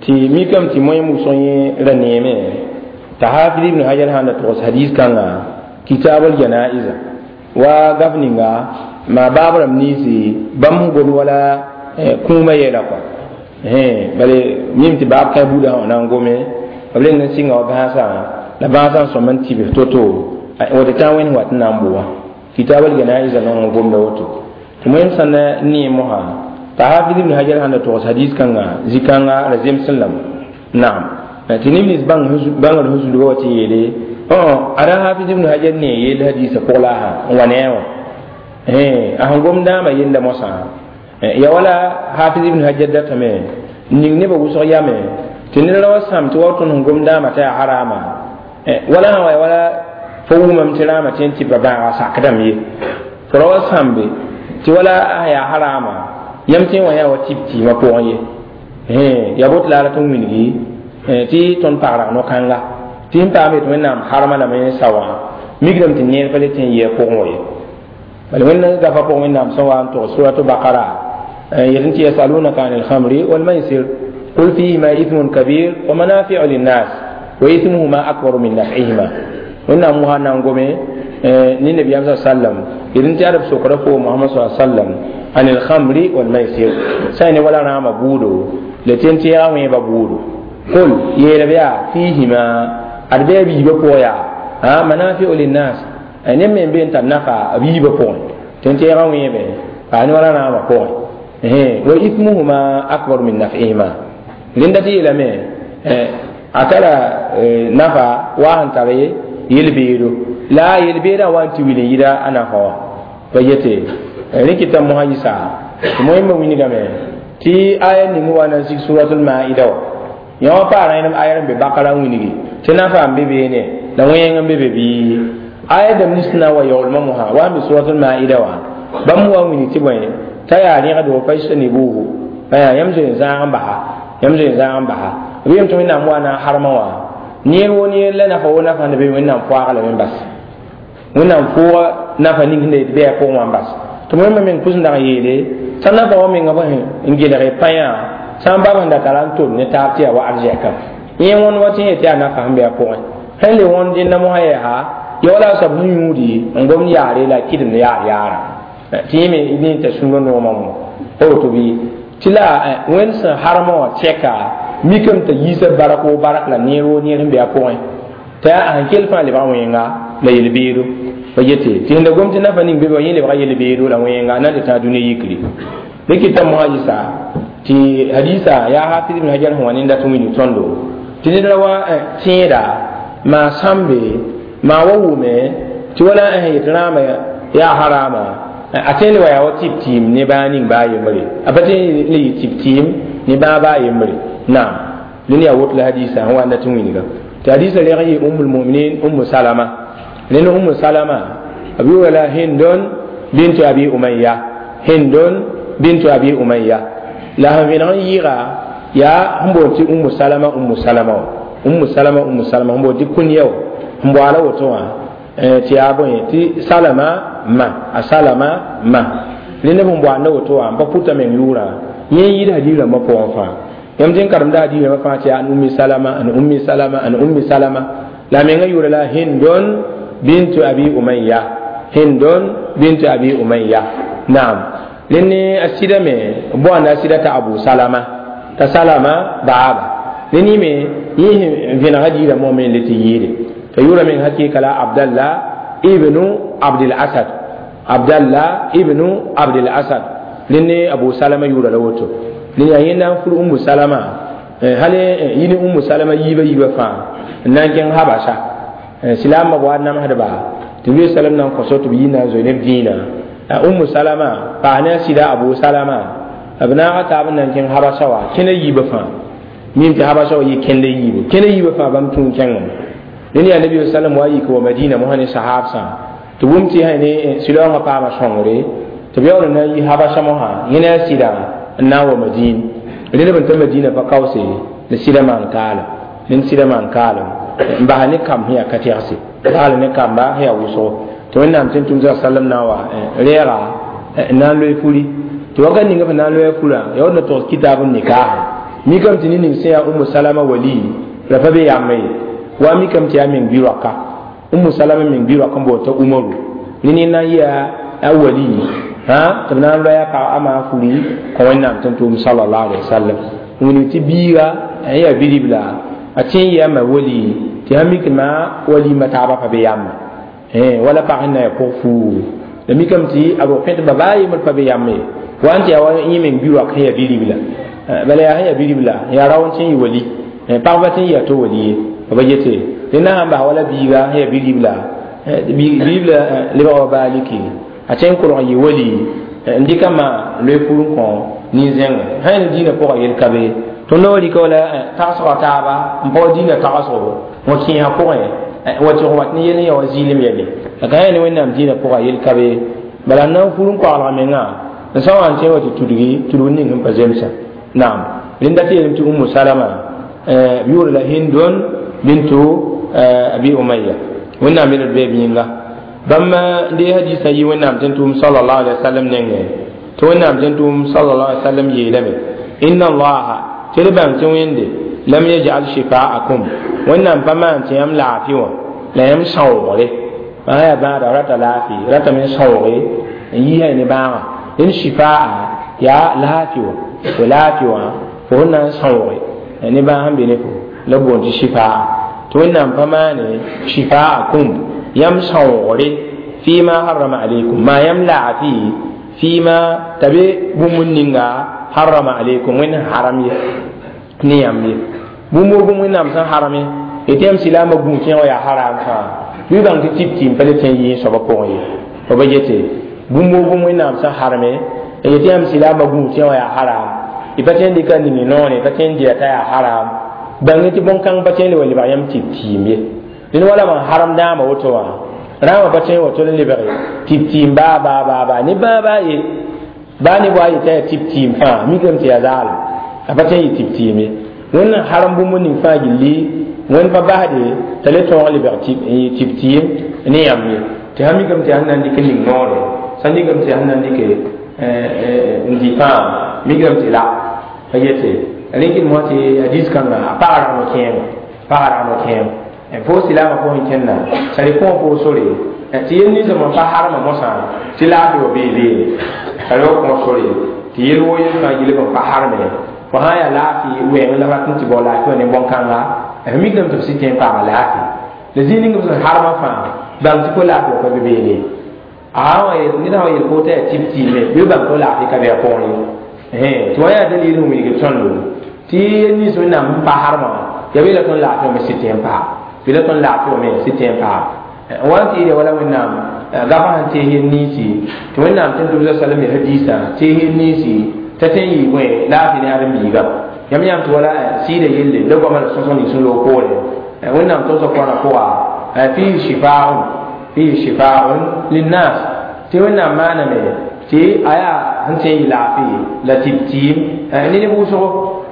Speaker 1: tɩ mikame tɩ moẽm wʋsg yẽ ra neeme t'a Hafid ibn Hajar sãn da togs hadis kãnga kitabl janaiza wa gaf ninga maa baab rãmb ninsi bãmb sẽn gom wala kũumã yɛla kɔa. Bale mim tɩ baab kã buudã wã na n gome b reng n sɩnga wa bãasã la bãasã n sõm n tɩbs to-to woto tã wẽnd wat n na n bo wã kitabl janaiza nong n gomda woto tɩ moẽm sã na nee mosã t'a Hafid ibn Hajar sãn da togs hadis kãnga zĩ-kãnga ra zemsẽ lame. Naam, tɩ neb nins bãngr sẽn zulga wa tɩ yeele ada Hafiz ibn Hajar ne yel hadisa pʋg la a n wa ne a wã a sẽn gom dãamã yella moasã ya wala Hafiz ibn Hajar datame n ning nebã wʋsg yame tɩ ned ra wa sãam tɩ wa tõnd sẽn gom dãamã t'a yaa harama wala sã wa ya wala fo wumame tɩ rãamã tõe n tɩ pa bãaga sakdame ye fo ra wa sãmbe tɩ wala a yaa harama yãmb tẽ wã yaa wa tɩb tɩɩmã pʋgẽ ye ya boto la a rat n wilgi tɩ tõnd pagrag no-kãnga tɩ sẽn paam yetɩ Wẽnnaam harma lame n sa wã mikdame tɩ neer pa le tẽ n yɩ a pʋgẽ wa ye. Bala Wẽnd gafa pʋgẽ Wẽnnaam sẽn wa n togs suratu Bakara yetɩ tɩ yasalunaka an alkhamri walmaisir qul fihima ithmun kabir wa manafiu linnas wa ithmuhuma akbaru min naf'ihima. Wẽnnaam mosã na n gome ne nabiyaam sa sallam yetɩ tɩ ad b sokra fo Mohamad sa sallam Anil khamri wal maisir sã ne wala rãamã buudo la tẽn-tɛɛgã wẽeba buudo qul yeelb yaa fihima ad bɩ a biibã pʋgã yaa manafiu linnas neb me n be n tar nafa a biibã pʋgẽ tẽn-tɛɛgã wẽebe paas ne wala rãamã pʋgẽ wa ithmuhuma akbar min naf'ihima rẽnda tɩ yeelame a tara nafa wa sẽn tar yel-beedo la yel-beedã wa n tɩ wil n yida a nafa wã pa yete rẽ kɩta mosã yisa tɩ moẽmba wilgame tɩ aya ning wa na n sig suratul maida wã yã wã paa rẽnem aya n be bakara n wilgi tɩ nafa n be beene la wẽeng n be be bɩ aya dãmb nins na n wa yaoolmã mosã wa n be suratul maida wã bãmb wa n wilg tɩ bõe t'a yaa rẽgdo fajtanibuhu yãmb zoe n zãag n basa yãmb zoe n zãag n basa b yem tɩ wẽnnaam wa na n harmã wã neer wo neer la nafa wo nafa sẽn be wẽnnaam poaaga lame n bas wẽnnaam pʋʋga nafa ning sẽn da yet bɩ a pʋgẽ wã n bas tɩ wẽnnaam meng pʋs n dag n yeele sã nafa wã menga bõe n gelg pãyã sã n bab sẽn da tara n tol ne taab tɩ yaa wa arzɛka yẽ wõnd wa tɩ yẽ tɩ yaa nafa sẽn be a pʋgẽ sẽn le wõnd dẽnda mosã yɛɛsa ya wala a soab sẽn yũudi n gomd yaare la kɩdemd yaar yaara tɩ yẽ me ne t'a sũurã noomã mo pa woto bɩ tɩ la wẽnd sẽn harmã wã tɛka mikame t'a yiisa barak wo barak la neer wo neer sẽn be a pʋgẽ t'a yaa sẽn kell fãa lebga wẽnga la yel-beedo pa yete tɩ sẽn da gom tɩ nafa ning be yẽ lebga yel-beedo la wẽnga na n tɩ tã dũni yikri rẽ kɩta mosã yisa tɩ hadisa yaa hafiz ibn hajar sẽn wa nenda tɩ wilg tõndo tɩ ned ra wa tẽeda maa sãmbe maa wa wʋme tɩ wala yet rãamã yaa harama a tõe n le wa yaa wa tɩb tɩɩm ne bãa ning baa yembre a pa tõe n le yɩ tɩb tɩɩm ne bãa baa yembre naam rẽnd yaa woto la hadisa sẽn wa n dat n wilga tɩ hadisa reg n yɩ ummul muminin ummu salama rẽnd ummu salama b yʋʋra la hindon bintu abi umayya hindon bintu abi umayya la sẽn vẽneg n yɩɩga yaa sẽn boond tɩ ummu salama ummu salama wã ummu salama ummu salama sẽn boond tɩ kunya wã sẽn boala woto wã tɩ yaa bõe tɩ salama ma a salama ma rẽnd b sẽn boanda woto wã n pa pʋta meng yʋʋrã yẽ n yɩɩd hadiis rãmbã pʋgẽ fãa yãmb tɩ n karemda hadiis rãmbã fãa tɩ yaa an ummi salama an ummi salama an ummi salama la menga yʋʋra la hindon bintu abi umayya hindon bintu abi umayya naam rẽnd ne a sɩda me boanda a sɩda t'a abu salama t'a salama baaba rẽnd yẽ me yẽ sẽn vẽneg hadiisã moa me n le tɩ yɩɩde t'a yʋʋra meng hakɩɩka la abdallah ibnu abdil asad abdallah ibnu abdil asad rẽnd ne abu salama yʋʋra la woto rẽnd yaa yẽnda n fur ummu salama hal yɩ ne ummu salama yiibã yiibã fãa n na n kẽng habasa silaambã wa namsdba tɩ bi salam na n kõso tɩ b yi na n zoe neb dĩinã ummu salama paas ne a sɩda abu salama b naaga taab n na n kẽng habasa wã kẽna yiibã fãa mim tɩ habasa wã yɩ kẽnda yiibu kẽna yiibã fãa bãmb tũu kẽngame rẽnd yaa nabi sallam wa yik wa madina mosã ne sahabsã tɩ wʋm tɩ ne silaoongã paama sõngre tɩ b yaool n na n yi habasa mosã yẽ ne a sɩda n na n wa madin rẽnd b n ta madina pa kaoose la sɩda maan kaalem rẽnd sɩda maan kaalem n basa ne kamb sẽn yaa ka tɛgse baal ne kamba sẽn yaa wʋsgo tɩ wẽnnaam tɩ n tʋm sallam na n wa rɛɛga n na n loe furi tɩ wakat ninga fo na n loe furã ya wot na togs kitaab n nikaaha mikame tɩ ne ning sẽn yaa umu salama wali la pa be yamba ye wa mikame tɩ yaa meng bi-roaka umu salama meng bi-roak n boond t'a umaru ne ne na n yɩa a wali tɩ b na n loɛa pag a maa furi kõ wẽnnaam tɩ n tʋʋm sallallahu alaihi wasallam wilg tɩ biiga n yaa bi-ribla a tẽ n yɩa ma wali tɩ sã mik maa walima taabã pa be yamba wala pag sẽn na ya pʋg fuugu la mikame tɩ a rog pẽtba baa yembr pa be yamba ye wa n tɩ yaa wa yẽ meng bi-roak sẽn yaa bi-ribla bala yaa sẽn yaa bi-ribla yaa rao n tẽ n yɩ wali pagba tẽ n yɩ a to wali ye ba yete rẽnda sãn bas wala biiga sẽn yaa bi-ribla bi-ribla lebga wa baaliki a tẽ n kolg n yɩ wali n dɩka ma loe pur n kõ nin-zẽngã sã ne dĩinã pʋgã yel ka be tõnd wa rɩka wala tagsga taaba n pa wa dĩinã tagsgo wã kẽesã pʋgẽ wa tɩg wat ne yel n ya wa zɩɩlem yɛle la ka yã ne wẽnnaam dĩinã pʋgã yel ka be bala n na n fur n koagelga mengã n sã wa n tẽ wa tɩ tudgi tudg ning sẽn pa zemsã naam rẽnda tɩ yeelame tɩ umu salama b yʋʋra la hindon bintu abi umayya wẽnnaam yel d bee b yĩnga bãmb n dee hadisã yɩ wẽnnaam tɩ n tʋʋm sallallahu alaihi wasallam nengẽ tɩ wẽnnaam tɩ n tʋʋm sallallahu alaihi wasallam yeelame inna allaha tɩ d bãng tɩ wẽnde lam yaj'al shifaakum wẽnnaam pa maan tɩ yãmb laafɩ wã la yãmb sãoogre maa yaa bãada rata laafɩ ratame n sãooge n yiisã ne bãaga dẽn shifaa yaa laafɩ wã fo laafɩ wã fo sẽn na n sãooge ne bãag sẽn be ne fo la b boond tɩ shifaa tɩ wẽnnaam pa maane shifaakum yãmb sãoogre fima harrama alaykum maa yãmb laafɩ fima t'a be bũmb ninga harrama alaykum wẽnd haram ye ne yãmb ye bũmb wo bũmb wẽnnaam sẽn harame tɩ yãmb silaamã gũus yẽ wã yaa haram fãa bɩ bãng tɩ tib-tɩɩm pa le tẽ yɩ soabã pʋgẽ ye fo ba yete bũmb wo bũmb wẽnnaam sẽn harame tɩ yãmb silaamã gũus yẽ wã yaa haram y pa tõe n dɩka ning noore pa tõe n dɩa t'a yaa haram bãng tɩ bõn-kãng pa tõe n le wa lebg yãmb tib-tɩɩm ye dẽn wala man haram dãama woto wã rãambã pa tõe n wa tol n lebge tib-tɩɩm baa baa baa baa ne bãa baa ye baa ne wa yetã yaa tib-tɩɩm fãa mikame tɩ yaa zaalem a pa tõe n yɩ tib-tɩɩm ye wẽnd n haram bũmb ning fãa gilli wẽnd pa basde t'a le tõog lebg tib-tɩɩm ne yãmb ye tɩ sã mikame tɩ yaa sẽn na n dɩk n ning noore sã mikame tɩ yaa sẽn na n dɩke n dɩ fãa mikame tɩ la pa yete rẽkd moa tɩ hadis kãngã a pag ragno kẽema pag ragno kẽem fo silaamã pʋgẽ kẽnna sã rɩ kõo fo sore tɩ yel ninsã pa harma mosã tɩ laafɩ wa bee beene t'a re wa kõ sore tɩ yel wo yel fãa gilb n pa harme fo sã n yaa laafɩ wɛɛng la rat n tɩ bao laafɩ wã ne bõn-kãnga f mikame tɩ f sɩ tẽ n paama laafɩ la zĩig ning b sẽn harmã fãa bãng tɩ fo laafɩ wa pa be beene ned sã wa yel fo t'a yaa tib-tɩɩme bɩ bãng fo laafɩ ka be a pʋgẽ ye tɩ wã yaa dalil sẽn wilg tõndo tɩ yel nins wẽnnaam n pa harmã yaa bɩ la tõnd laafɩ wã me sɩ tẽ n paa bɩ la tõnd laafɩ wã me sɩ tẽ n paa n wa n tɩ wala wẽnnaam gafã sẽn tees yel ninsi tɩ wẽnnaam tɩ tʋbsa salam ya hadiisã tees yel ninsi t'a tõe n yɩ bõe laafɩ ne ãdem-biiga yãmb yãmb tɩ wala sɩɩda yelle la goamã la sõsg ning sẽn loog poore wẽnnaam togsã koanã pʋga fihi shifaun linnas tɩ wẽnnaam maaname tɩ a yaa sẽn tõe n yɩ laafɩ la tib-tɩɩm ne neb wʋsgo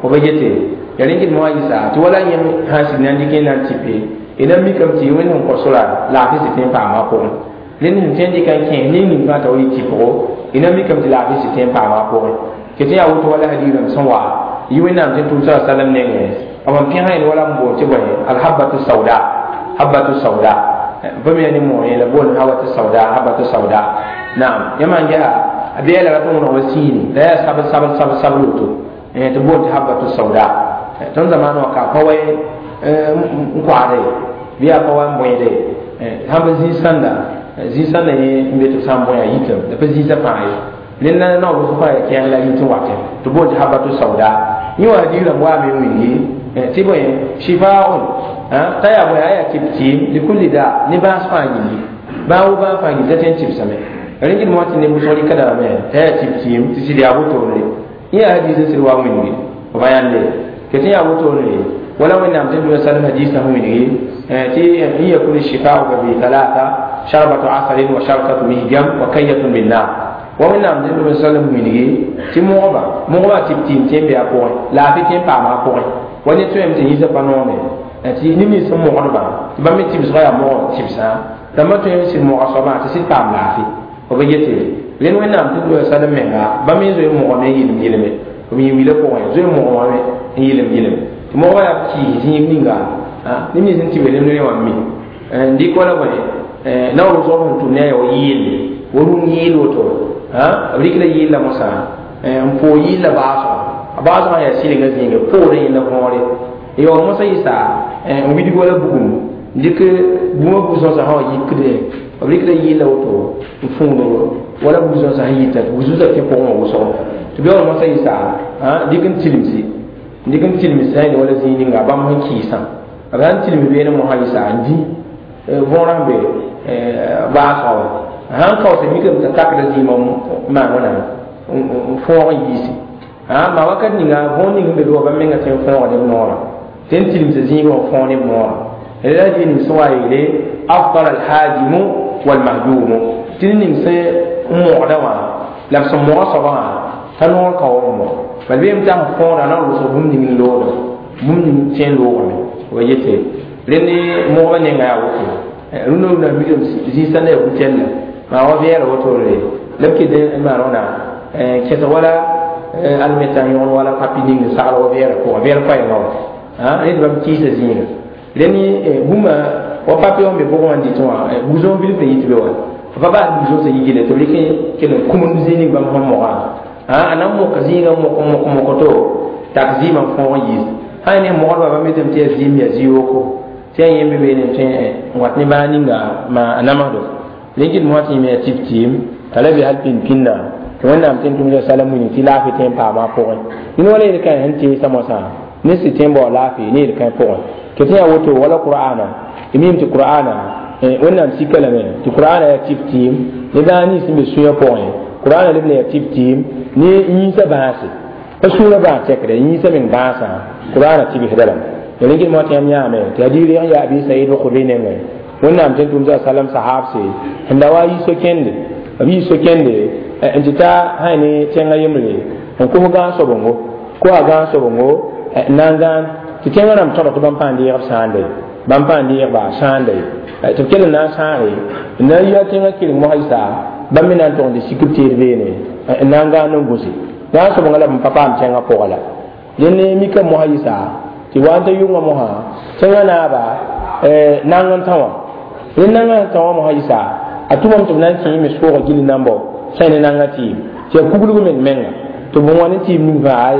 Speaker 1: fo ba yete ya rẽkd moa yɩsa tɩ wala yẽmb sã n sig na n dɩk n na n tɩpe y na mikame tɩ wẽnd sẽn kõ sora laafɩ sɩ tõe n paama a pʋgẽ rẽnd sẽn tõe n dɩka n kẽes ning ning fãa t'a wa yɩ tɩpgo y na mikame tɩ laafɩ sɩ tõe n paama a pʋgẽ tɩ tɩ yaa woto wala hadiirame sẽn wa yɩ wẽnnaam tɩ tʋʋm sa salam nengẽ b n pẽsã yẽl wala n boond tɩ bõe alhabatu sauda habatu sauda bãmb yaa ne moor yẽla boond habatu sauda habatu sauda naam yãmb sãn gesa a beɛla rat n wõneg wa sĩine la yaa sabl sabl sabl sabl woto tɩ boond tɩ habatu sauda tõnd zamaanã wã ka pa wa n koasde bɩ yaa pa wa n bõede sãn pa zĩig-sãnda zĩig-sãnda yẽ n be tɩ b sã n bõe a yitame la pa zĩisã fãa ye rẽnd na naoor wʋsg fãa yaa kẽeng la yit n watẽ tɩ boond tɩ habatu sauda yẽ wã hadiis rãmb waame n wilgi tɩ bõe shifaun t'a yaa bõe a yaa tɩb-tɩɩm likulli da ne bãas fãa gilli bãa wo bãag fãa gilli t'a tõe n tɩbsame rẽnd moa tɩ neb wʋsg rɩka dame t'a yaa tɩb-tɩɩm tɩ sɩd yaa wotone yẽ yaa hadiis n sɩd wa n wilgi b pa yãnde tɩ tɩ yaa wotone wala wẽnnaam tɩ dũniyã salem hadiisã sẽn wilgi tɩ in yakun shifaau fa bi talata sharbatu asalin wa shartatu mihjam wa kayyatun min nar wa wẽnnaam tɩ dũniyã salem wilgi tɩ mogba mogba tɩb-tɩɩm tẽ n be a pʋgẽ laafɩ tẽ n paama a pʋgẽ wa ne tõeme tɩ yĩsã pa noome tɩ neb nins sẽn mogdbã tɩ bãmb me tɩbsgã yaa mog tɩbsã rãmbã tõe n sɩd moga soabã tɩ sɩd paam laafɩ b ba yete rẽnd wẽnnaam tɩ dũniyã salem menga bãmb me zoe n mogame n yɩlem yɩleme b yẽ wila pʋgẽ zoe n mogame n yɩlem yɩlem tɩ mogba yaa kiis zĩig ninga neb nins n tɩ be rẽ wã mi n dɩk wala bõe naoor wʋsg sẽn tʋm ne a yaa wa yɩɩlle wa rũm yɩɩl woto b rɩkla yɩɩlla mosã n poog yɩɩlla baasgã a baasgã yaa sɩlenga zĩiga poorẽ yẽnda võore yaoor mosã yɩsa n widg wala bugum n dɩk bũmã bu-sõsã sã wa yikde b rɩkla yɩɩlla woto n fũud wala bu-sõsã sẽn yita tɩ bu-sõsã kẽ pʋgẽ wã wʋsgo tɩ beoor mosã yɩsa dɩk n tilimsi dɩk n tilms sã yẽl wala zĩig ninga bãmb sẽn kɩɩsã b sã n tilms beene mosã yɩsa n dĩ võorã sẽn be baasgã wã sãn kaoose mikame t'a takda zĩigã maan wãna n fõog n yiisi maa wakat ninga võor ning n be be wa bãmb menga tõe n fõoga neb noorã tɩ n tilimsa zĩigã wã fõog neb noorã la dɩ ning sẽn wa yeele afdal alhajimu walmahjumu tɩ ned ning sẽn n mogda wã la b sẽn moga soabã wã t'a noor ka wa n mog bal beem t'a sẽn fõoda na n wʋsg bũmb ning n loogda bũmb ning tõe n loogame wa yete rẽnd mogba nenga yaa woto rũndã rũndã mikame zĩig-sãndã yaa bu-tɛlla maa wa vɛɛla wotore la b ket n maan wãna kẽsg wala almeta n yõgen wala papi ning n sagl wa vɛɛra pʋgã vɛɛr koɛɛngã wã rẽ tɩ bãmb kɩɩsa zĩiga rẽnd bũmba wa papi wã n be pʋgẽ wã n dɩtẽ wã bu-zõog bilf n yit be wa Pa bas buso sa yigile tɩ b rɩk kell n kumd zĩig ning bãmb sẽn mogã a na n moka zĩigã mok mok mok to tak zɩɩmã fõog n yiis sã ne mogdbã bãmb yetame tɩ yaa zɩɩm yaa zĩ-yooko tɩ yaa yẽmb beene tõe n wat ne baa ninga ma a namsdo rẽn mosã tɩ yẽme yaa tɩb tɩɩm t'a la be hal pĩnd pĩnda tɩ wẽnnaam tɩ n tʋmsa salam wilg tɩ laafɩ tõe n paama a pʋgẽ ned wala yel-kãe sẽn teesa mosã ne sɩ tõe n bao laafɩ ne yel-kãe pʋgẽ tɩ tɩ yaa woto wala qur'ana tɩ miime tɩ qur'ana wẽnnaam sika lame tɩ qur'ana yaa tɩb tɩɩm ne bãag nins sẽn be sũyã pʋgẽ qur'ana leb la yaa tɩb tɩɩm ne yĩnsã bãase pa sũurã bãas tɛkdɛ yĩnsã meng bãasã qur'ana tɩbsda lame rẽn mosã tɩ yãmb yãame tɩ hadiis reg n yaa abi said al-khudri nengẽ wẽnnaam tɩ n tʋmsa salam sahabse sẽn da wa yi so-kẽnde b yi so-kẽnde n tɩ ta sã ne tẽngã yembre n kos gãag-sobongo koa gãag-sobongo n na n gãan tɩ tẽngã rãmb tõdg tɩ bãmb pãa deeg b sãande bãmb pãa deegba sãande tɩ b kell n na n sãage n na n yi a tẽngã keleng mosã yisa bãmb me na n tog n tɩ sik b teed beene n na n gãan n gũse gãag-sobongã la b n pa paam tẽngã pʋgã la dẽnd mika mosã yisa tɩ wa n ta yʋngã mosã tẽngã naaba nang n tã wã rẽnd nangã sẽn tã wã mosã yisa a tʋmame tɩ b na n kẽ me soogã gil nambɔ sã ne nangã tɩɩm tɩ yaa kuglg meng menga tɩ bõn wa ne tɩɩm ning fãa ay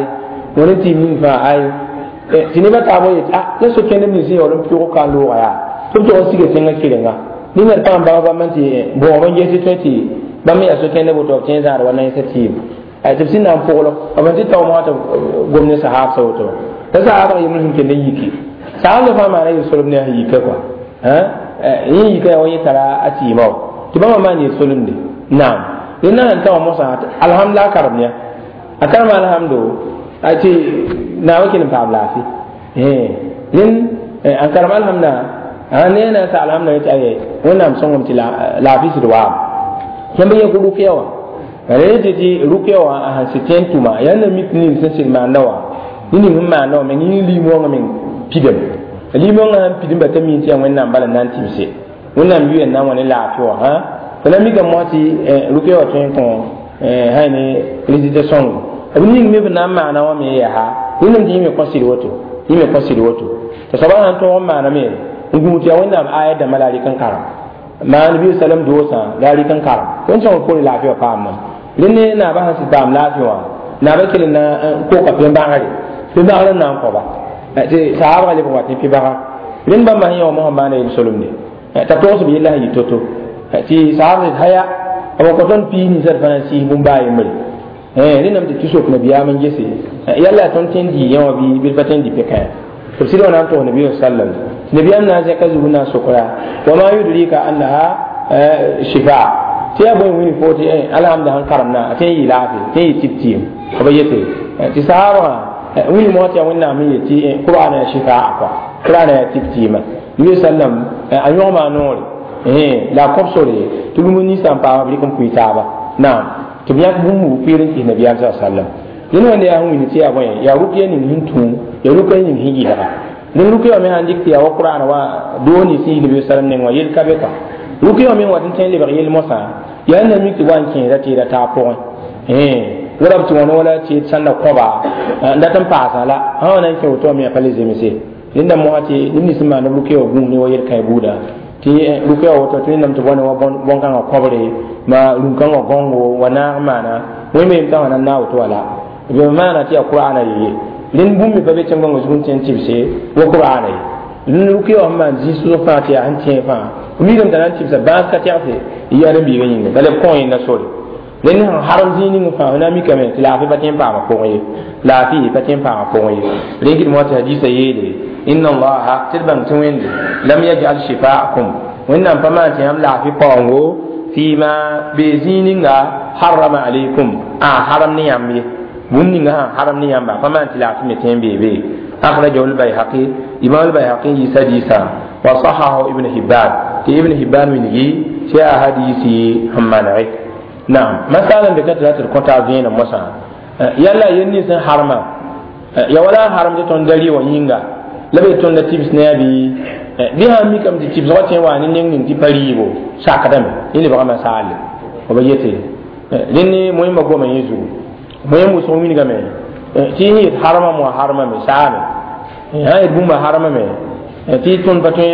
Speaker 1: wã ne tɩɩm ning fãa ay tɩ nebã taabã yet a la so-kẽndem nins sẽn yaool n pʋʋg ka n looga yaa tɩ b tog n siga tẽngã kerenga ningã d pãa n bãng bãmb n tɩ bõog n ges tɩ tõe tɩ bãmb me yaa so-kẽndã woto b tõe n zãad wa naensã tɩɩm tɩ b sẽn na n pʋgl b n tɩ tao mosã tɩ gom ne sahaabsã woto la sahaabã yembr sẽn kell n yiki sahaabsã fãa maana yel-solem ne a sẽn yika kɔa yẽ yika yaa wa yẽ tara a tɩɩmã wa tɩ bãmba maan yel-solemde naam rẽnd na sẽn tã wã mosã alhamd la a karem ya a karem alhamdo tɩ naawã kell n paam laafɩ rẽnd n karem alhamdã ne na n sa alhamdã tɩ aye wẽnnaam sõngame tɩ laafɩ sɩd waam yãmb yẽ rʋkya wã rẽ tɩ tɩ rʋkya wã sẽn sɩd tõe n tʋma yaa na mik ning sẽn sɩd maanda wã ne ning sẽn maanda wã meng yẽ liim-wãngã meng pidem liim-wãngã sãn pidem ba t'a mi tɩ yaa wẽnnaam bala n na n tɩbse wẽnnaam yʋya n na n wa ne laafɩ wã tɩ la mikame mosã tɩ rʋkya wã tõe n kõ sã ne résultat sõngo b ning me b na n maana wã me yaa rẽndame tɩ yẽ me kõ sɩd woto yẽ me kõ sɩd woto tɩ soaba sãn tõog n maaname n gũus tɩ yaa wẽnnaam aya dãmbã la a rɩk n karem maan bi salam doosã la a rɩk n karem tõnd sõng poore laafɩ wã paam mam rẽnd ne naabã sãn sɩd paam laafɩ wã naabã kell n na n koka pẽ-bagre pẽ-bagr n na n kõba tɩ sahaabgã leb n wat ne pẽ-baga rẽnd bãmba sẽn yã wã mosã maana yel-solemde t'a togs b yella sẽn yɩ to-to tɩ sahaab sẽd haya b kõ tõnd piis ninsã d fãa na n sɩɩs bũmb-baa yembre rẽndame tɩ tɩ sok nabiyaam n gese yalla tõnd tõe n dɩ yẽ wã bɩ d pa tõe n dɩ pekã tɩ b sɩd wã na n tog nabi sallam tɩ nabiyaam na n zẽka zug n na n sokra wa ma yudrika annaha shifa tɩ yaa bõe wĩni fo tɩ alhamda sẽn karemna a tõe n yɩ laafɩ tõe n yɩ tɩb tɩɩm b yete tɩ sahaabgã wĩni mosã tɩ yaa wẽnnaam n yet tɩ qur'ana yaa shifaa kɔa qur'ana yaa tɩb tɩɩma nabi sallam a yõgma a noore la a kõb sore tɩ bũmb ninsã n paama b rɩk n pʋɩ taaba naam tɩ b yãk bũmb wʋ pɩɩr n kɩs nabiyaam sa sallam rẽnd wẽnde yaa sẽn wĩni tɩ yaa bõe yaa rʋkya ning sẽn tũ yaa rʋkya ning sẽn yɩlga rẽnd rʋkya wã me sãn dɩk tɩ yaa wa qur'an wa doo nins sẽn yi nabi sallam neng wã yel ka be kɔa rʋkya wã me wat n tõe n lebg yel mosã yaa na mik tɩ wa n kẽeda tɩɩda taab pʋgẽ wala b tɩ wãna wala tɩ sãn na kõba n dat n paasã la sã wã na n kẽ woto wã me yaa pa le zemse rẽnda mosã tɩ neb nins sẽn maand b rʋkya wã gũus ne wa yel-kãe buuda tɩ rʋkya wã woto tɩ wẽnnaam tɩ bõne wa bõn-kãngã kõbre ma rũn-kãngã gõngo wa naag maana wẽnde yem t'a wã na n naag woto wala b maana tɩ yaa qur'ana ye rẽnd bũmb me pa be tẽn-gõngã zug n tõe n tɩbse wa qur'ana ye rẽnd rʋkya wã sẽn maan zĩ-sʋsg fãa tɩ yaa sẽn tẽeg fãa mikame t'a na n tɩbsa bãas ka tɛgse y yaa rẽn-biigã yĩnga bala b kõ yẽnda sore rẽnd sẽn harem zĩig ning fãa f na n mikame tɩ laafɩ pa tõe n paama pʋgẽ ye laafɩ pa tõe n paama pʋgẽ ye rẽn kɩd mosã tɩ hadiisã yeele inna allaha tɩ d bãng tɩ wẽnde lam yajal shifaakum wẽnnaam pa maan tɩ yãmb laafɩ paoongo fima bee zĩig ninga harama alaykum a haram ne yãmb ye bũmb ninga sãn haram ne yãmba pa maan tɩ laafɩ me tõe n bee be akhrajahu lbayhaqi imam albayhaqi n yiisa hadiisã wa sahahu ibn hibban tɩ ibn hibban wilgi tɩ yaa hadiisi sẽn manege naam masala n be ka tɩ ra tɩ d kõta vẽenem mosã yalla yel nins sẽn harma ya wala n harem tɩ tõnd da rɩ wã yĩnga la be tõnd da tɩbs ne a bɩ bɩ sãn mikame tɩ tɩbsgã tõe n wa ne neng ning tɩ pa rɩɩbo sakdame yẽ lebgame saalle b yete rẽnd ne moẽmba goma yẽ zugu moẽm wʋsg wilgame tɩ yẽ yet harma moa harmame saame sã yet bũmba harmame tɩ tõnd pa tõe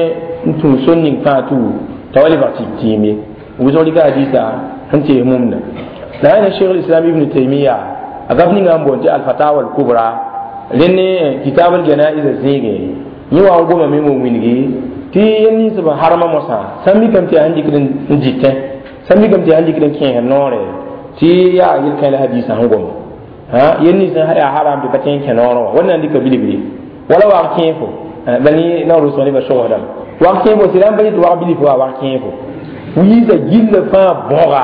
Speaker 1: n tũ sor ning fãa tu t'a wa lebg tɩb tɩɩm ye Wʋsg rɩka hadisa sẽn tees mumda la yaa ne Cheikh Islam Ibn Taymiya a gaf ninga n boond tɩ Alfatawa Alkubra rẽnd ne kitab aljanaiza zĩige yẽ wa n gomame n wilgi tɩ yel nins b harma mosã sã n mikame tɩ yaa sẽn dɩkd n dɩtẽ sã n mikame tɩ yaa sẽn dɩkd n kẽesd noore tɩ yaa yel-kãe la hadisã sẽn goma yel nins yaa haram tɩ pa tõe n kẽ noorẽ wã wẽnnaam dɩka bilibili wala wag kẽefo bal naoor wʋsg nebã sogsdame wag kẽefo sɩda n pa tɩ wag bilif wa wag kẽefo wiisa gilla fãa bõga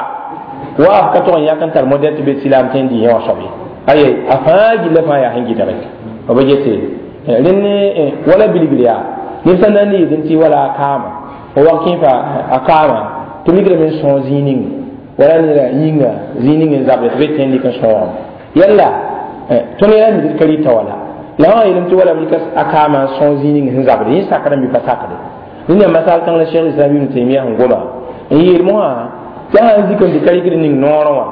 Speaker 1: wa b ka tog n yãk n tar modɛl tɩ be silaam tõe n dɩ yẽ wã soab ye aye a fãa gilla fãa yaa sẽn gɩdge b yete rẽnd wala bilibl yaa neb sã n na n yetẽ tɩ wala a kaama fo wag kẽefa a kaama tɩ migrame n sõog zĩig ning wala neda yĩnga zĩig ning n zabde tɩ be tõe n dɩk n sõogame yalla tõnd yɛla mi d ka rɩta wala la wã yeelame tɩ wala b rɩka a kaama n sõog zĩig ning sẽn zabde yẽ sakdame bɩ pa sakde rẽnd yaa masal kãng la Cheikh Islam Ibn Taymiya sẽn goma n yeel mosã tɩ sã n zikame tɩ ka rɩkd ning noorẽ wã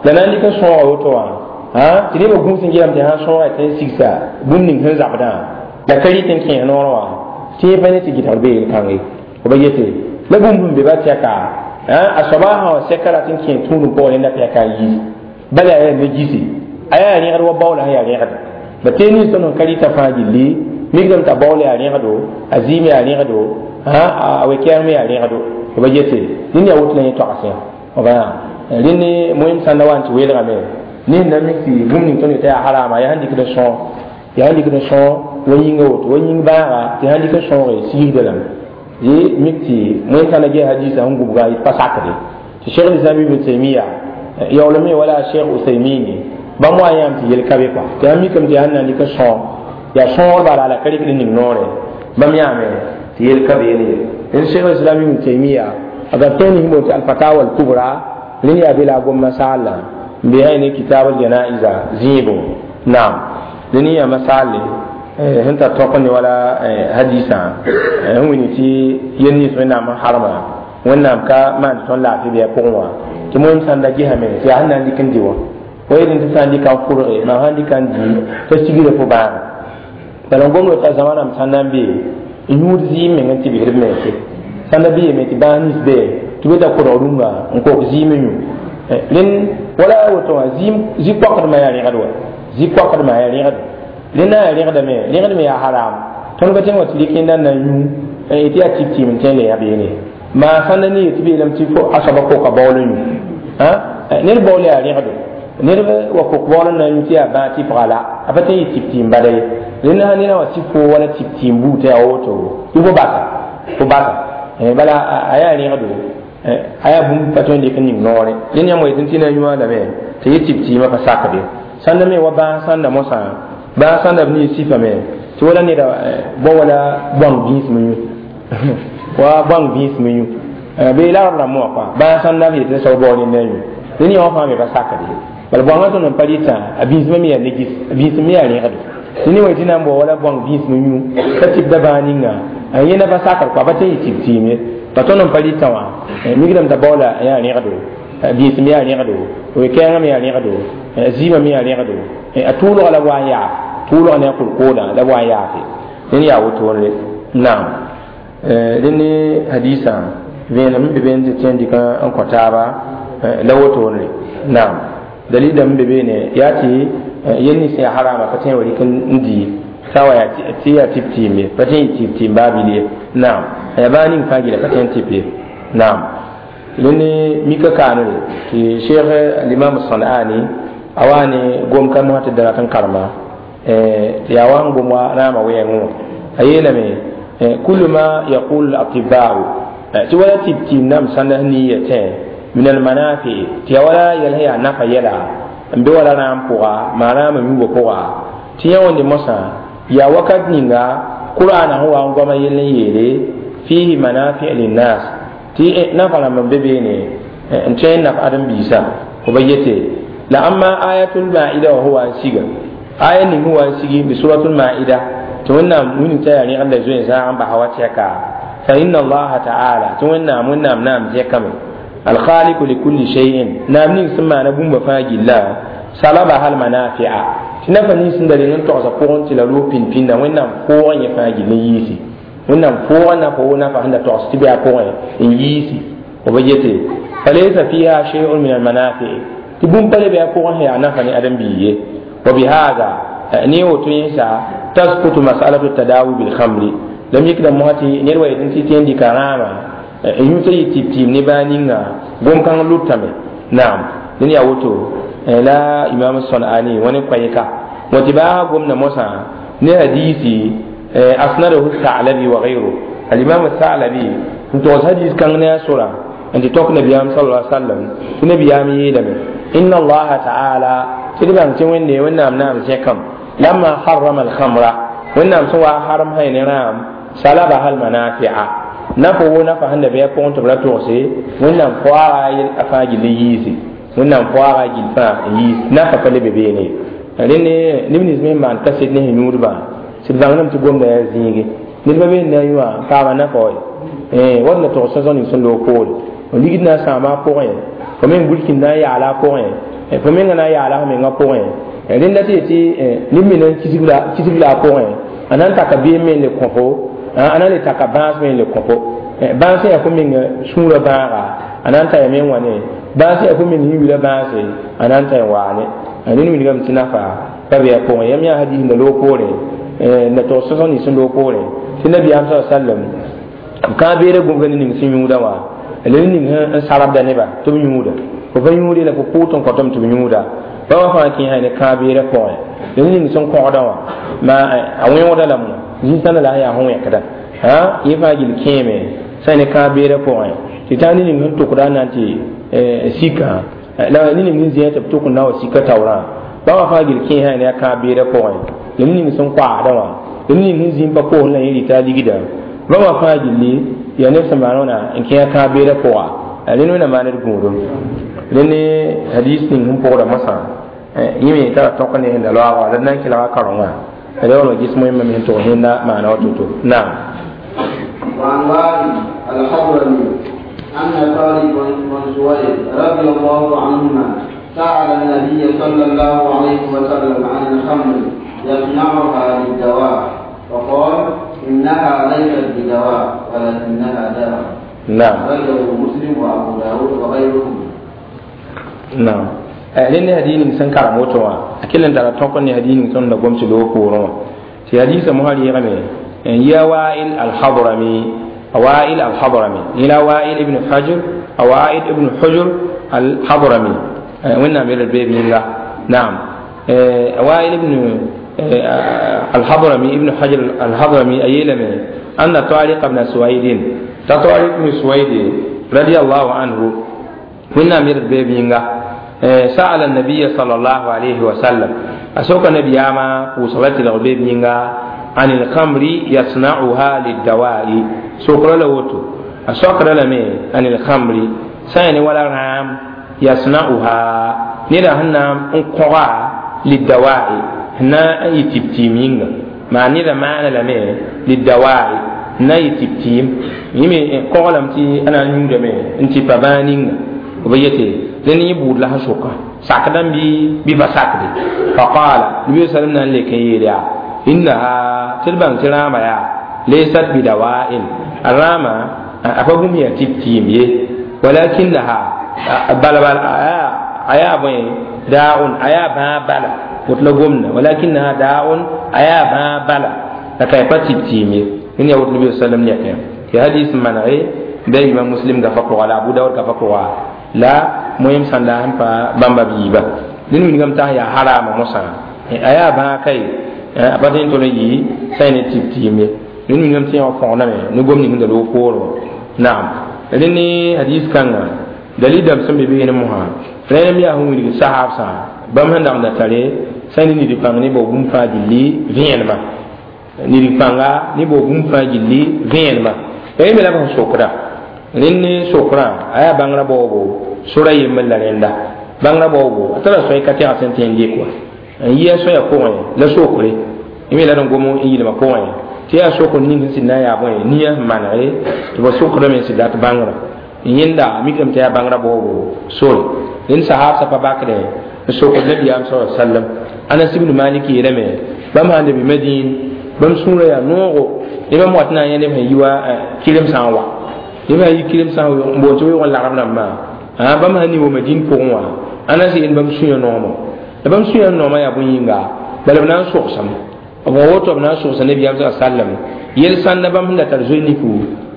Speaker 1: la na n dɩk n sõoga woto wã tɩ nebã gũus n geelame tɩ sãn sõoga tɩ n sigsa bũmb ning sẽn zabdã la ka rɩt n kẽes noorẽ wã tɩ yẽ pa ne tɩ gɩdgr bee yel-kãnge b yete la bũmb sẽn be ba tɛka a soaba sã wa sɛka rat n kẽ tũudum pʋgẽ rẽnda pɛka n yiis bala yaa ne gisi a yaa rẽgd wa baoola sẽn yaa rẽgd ba tee nins tõnd sẽn ka rɩta fãa gilli mikdame t'a baool yaa rẽgdo a zɩɩm yaa rẽgdo a we-kɛɛng me yaa rẽgdo b yete rẽnd yaa woto la yẽ toagsẽ rẽnd moem sãnda wa n tɩ weelgame ned na mik tɩ bũmb ning tõnd yetã yaa harama yaa sẽn dɩkd n sõog yaa sẽn dɩkd n sõog wa yĩnga woto wa yĩng bãaga tɩ sãn dɩk n sõoge sigsda lame ye mik tɩ moem sãnda ges hadisa sẽn gubga yɩ pa sakde tɩ Cheikh Lislam Ibn Taymiya yaoolame wala Cheikh Usaymini bãmb wa yãam tɩ yel ka be kɔa tɩ sãn mikame tɩ yaa sẽn na n dɩk n sõog yaa sõogr bala la ka rɩkd ning noore bãmb yãame tɩ yel ka beene ye rẽnd Cheikh Islam Ibn Taymiya a gab tõe ning boond tɩ Alfatawa Alkubra rẽnd yaa be la a gom masaala n be ne kitab aljanaiza zĩigo naam rẽnd yaa masaale sẽn tar tõk ne wala hadisã n wilg tɩ yel nins wẽnnaam n harma wẽnnaam ka maan tɩ tõnd laafɩ bɩ a pʋgẽ wã tɩ moem sãn da gesame tɩ yaa sẽn na n dɩk n dɩ wã wa yetẽ tɩ sã n dɩka n fʋrge mam sãn dɩka n dɩ t'a sigra fo bãaga bala n gomd t'a zãma rãmb sãn na n be n yũud zɩɩm meng n tɩ bisd b mense sãn da beeme tɩ bãas nins be tɩ be ta kodg rũnga n kok zɩɩm n yũ rẽnd wala woto wã zĩ-koakdmã yaa rẽgd wa zĩ-koakdmã yaa rẽgd rẽnd na yaa rẽgdame rẽgd me yaa haram tõnd ka tõe n wa tɩ rɩk yẽnda n na n yũ tɩ yaa tɩp tɩɩm n tõe n le yã beene maa sãn da ne yet tɩ beelame tɩ fo a soaba koka baool n yũ ned baool yaa rẽgdo ned wa kok baool n na n yũ tɩ yaa bãag tɩpga la a pa tõe n yɩ tɩp tɩɩm bala ye rẽnd sã ned wa tɩ fo wala tɩp tɩɩm buud tɩ yaa woto tɩ fo basa bala a yaa rẽgdo a yaa bũmb pa tõe n dɩk n ning noore rẽnd yãmb wa yetẽ tɩ na n yũa lame tɩ yɩ tɩp tɩɩmã pa sakde sãnda me wa bãas sãnda mosã bãas sãnda b niis sifame tɩ wala neda bao wala bõang vĩisem yũ wa bõang vĩisem yũ bee la rab rãmb wã kɔa bãas sãnda b yetẽ soab bao nenda yũ rẽnd yã wã fãa me pa sakde bala bõangã tõnd n pa rɩtã a vĩismã me yaa negis a vĩisem me yaa rẽgdo rẽnd wa tɩ na n bao wala bõang vĩisem yũ t'a tɩpda bãag ninga a yẽnda pa sakd kɔa pa tõe n yɩ tɩp tɩɩm ye pa tõnd n pa rɩtã wã mikdame t'a baoola yaa rẽgdo vĩisem yaa rẽgdo we-kɛɛngã me yaa rẽgdo zɩɩmã me yaa rẽgdo a tʋʋlga la b wa n yaaf tʋʋlga ne a kolkoodã la b wa n yaafe rẽnd yaa wotone naam rẽnd ne hadisã vẽenem n be beene tɩ tõe n dɩk n kõ taaba la wotone naam dalila n be beene yaa tɩ yel nins yaa harama pa tõe n wa rɩk n dɩ sã wa tɩ yaa tɩp tɩɩm ye pa tõe n yɩ tɩp tɩɩm baa bil ye naam a yaa baa ning fãa gila pa tõe n tɩp ye naam rẽnd ne mika kaanre tɩ Cheikh Alimam Sanaani a wa ne gom ka mosã tɩ da rat n karema tɩ yaa wa n gom wa rãamã wɛɛngẽ wã a yeelame kullu ma yaqulu al-atiba'u tɩ wala tɩp tɩɩm nam sãnda sẽn niya tẽ min almanafi tɩ yaa wala yɛl sẽn yaa nafa yɛla n be wala rãam pʋga maa rãamã yũubã pʋga tɩ yã wẽnde mosã yaa wakat ninga qur'ana sẽn wa n goama yell n yeele fihi manafi linnas tɩ nafa rãmb n be beene n tõe n naf ãdem-biisã b yete la amma ayatul maida wa huwa n siga aya ning sẽn wa n sigi bi suratul maida tɩ wẽnnaam wilg t'a yaa rẽgd la zoe zãag n basa wa tɛka fa inna allaha taala tɩ wẽnnaam wẽnnaam naam zɛkame alkhaliku likulli shay'in naam ning sẽn maana bũmba fãa gilla salabaha almanafia tɩ nafa nins sẽn da reng n togsã pʋgẽ tɩ la loog pĩnd-pĩndã wẽnnaam foogã yẽ fãa gill n yiisi wẽnnaam foogã nafa wo nafa sẽn da togs tɩ bɩ a pʋgẽ n yiisi b yete فليس فيها شيء من المنافع تبون بل بيكون هي نفني أدم بيه وبهذا نيو تنسى تسقط مسألة التداوي بالخمر لم يكن مواتي نروي تنتي تندي كرامة يوتي تيب نبانينا قوم كان لوتامي نعم لن يوتو لا إمام الصنعاني ونقيكا وتباع قمنا موسى نهديسي أسنده الثعلبي وغيره الإمام الثعلبي انت حديث كان ناسورا انت توك نبي صلى الله عليه وسلم نبي يلم إن الله تعالى تلبان توني ونام نام سيكم لما حرم الخمر ونام سوى حرم هاي نرام سلبها المنافع نفو نفع النبي يكون تبلا توسي ونام فواغا أفاجي ليزي ونام فواغا جلفا يز نفع فلبيني لأن نبني زمين ما انتسد نهي نور با سيدبان نم تقوم دا زينجي نبا بين نيوا كاما نفوي wadna togsa zõn sẽn loog poore f ligd na n sãama a pʋgẽ fo meng bulkin na n yaala a pʋgẽ fo menga na n yaala f mengã pʋgẽ rẽnda tɩ yetɩ neb me na n kisg la a pʋgẽ a na n taka beem me n le kõ fo a na n le taka bãas me n le kõ fo bãas yaa fo meng sũurã bãaga a na n ta ya me n wa ne bãas yaa fo meng yĩwila bãase a na n ta n waane rẽnd wilgame tɩ nafa pa be a pʋgẽ yam yaa hadis n da loog poorẽ na togs sõs nins n loog poorẽ tɩ nabiyaam sa sallam kãa beera gũbga ne ning sẽn yũuda wã la ning n sarabda neba tɩ b yũuda fo pa yũude la fo pʋʋt n kõtame tɩ b yũuda bãmba fãa kẽesa ne kãa beera pʋgẽ la ning sẽn kõgda wã ma a wẽoogda lame zĩ-sãnda la sẽn yaa sẽn wẽkda yẽ fãa gill kẽeme sã ne kãa beera pʋgẽ tɩ taa ne ning sẽn tʋkda n na n tɩ sika la ne ning sẽn zĩa tɩ b tʋk n na wa sika taoorã bãmba fãa gill kẽesa ne a kãa beera pʋgẽ la ning sẽn koaasda wã la ning sẽn zĩ n pa koosd la yẽ rɩta a ligda bãmba fãa gilli yaa neb sẽn maan wãna n kẽ a kãa beera pʋga rẽnd wẽnnaam maan d gũudum rẽnd hadis ning sẽn pʋgda mosã yẽ me tara tõk ne sẽn da loaagã la d na n kelga karengã la wala ges moẽmba me sẽn tʋg sẽnda maana wa to-to naam
Speaker 2: وعن وائل الحضرمي أن خالد بن سويد رضي الله عنهما سأل النبي صلى الله عليه وسلم عن الخمر يصنعها للدواء فقال إنها ليست بدواء ولكنها دواء.
Speaker 1: نعم.
Speaker 2: أخرجه مسلم وأبو داود وغيرهم.
Speaker 1: نعم. لأن هدين إنسان كرموتوا أكيد أن ترى تقول هدين إنسان نقوم سلوك ورما في حديث مهاري يغني يا وائل الحضرمي وائل الحضرمي إلى وائل ابن حجر وائل ابن حجر الحضرمي وين نعمل البيب الله نعم وائل ابن الحضرمي ابن حجر الحضرمي أيلم أن طارق بن سويد طارق بن سويد رضي الله عنه وين نعمل البيب الله سأل النبي صلى الله عليه وسلم أسوك النبي أما وصلت البيب الله عن الخمر يصنعها للدواء سوكر لوتو أسوكر لمي عن الخمر سين ولا رام يصنعها نرى هنا انقرا للدواء هنا يتبتيمين ما نرى معنى لمي للدواء هنا يتبتيم يمي قولم تي أنا نيودمي انتي بابانين وبيتي لن يبود لها شوكا ساكدن بي بفساكدي فقال النبي صلى الله عليه وسلم إنها تلبان ترامة يا ليست بدواء الرامة أفهم يتبتيم ولكنها بل بل أيا بين داء أيا با بلا وتلقمنا ولكنها داء أيا با بلا لكي بتبتيم إن يقول النبي صلى الله عليه وسلم يكيم في حديث منعي بين إمام مسلم غفقوا على أبو داود غفقوا لا مهم سندهم بامبا بيبا لأنه من قام تهيا حرام مصر أيا با كي a pa tõe n tol n yɩ sã ne tɩb-tɩɩm ye rẽnd wilgame tɩ yã wã fõgename ne gom ning sẽn da loog poorẽ wã naam rẽnd ne hadis kãnga dalil dãmb sẽn be beene mosã rẽnd yaa sẽn wilg sahaabsã bãmb sẽn dag n da tare sã ne nid pãng ne bao bũmb fãa gilli vẽenemã nid pãnga ne bao bũmb fãa gilli vẽenemã rẽnd me la b sẽn sokda rẽnd ne sokrã a yaa bãngrã baoobo sora yembr la rẽnda bãngrã baoobo a tara sõe ka tɛgd sẽn tõe n lek wa n yɩ a soya pʋgẽ la sokre yẽ la d n gom n yɩlmã pʋgẽ tɩ yaa sokr ning sẽn sɩd na n yaa bõe nia sẽn manege tɩ ba sokdame n sɩd dat bãngrã n yẽnda mikdame tɩ yaa bãngrã baoobo sore rẽnd sahaabsã pa bakdẽ n sokd nabiyaam sa sallam Anas ibn Malik yeelame bãmb sãn da be Madin bãmb sũurã yaa noogo ne bãmb wat na n yã neb sẽn yi wa kɩremsã n wa neb sã n yi kɩremsã n boond tɩ weoog n lagem rãmbã Bãmb sã ning wa Madin pʋgẽ wã a na ze'end bãmb sũyã noamo la bãmb sũyã noamã yaa bõe-yĩnga bala b na n sogsame b wa woto b na n sogsa nabiyaam sa sallam yel sãnda bãmb sẽn da tar zoe niku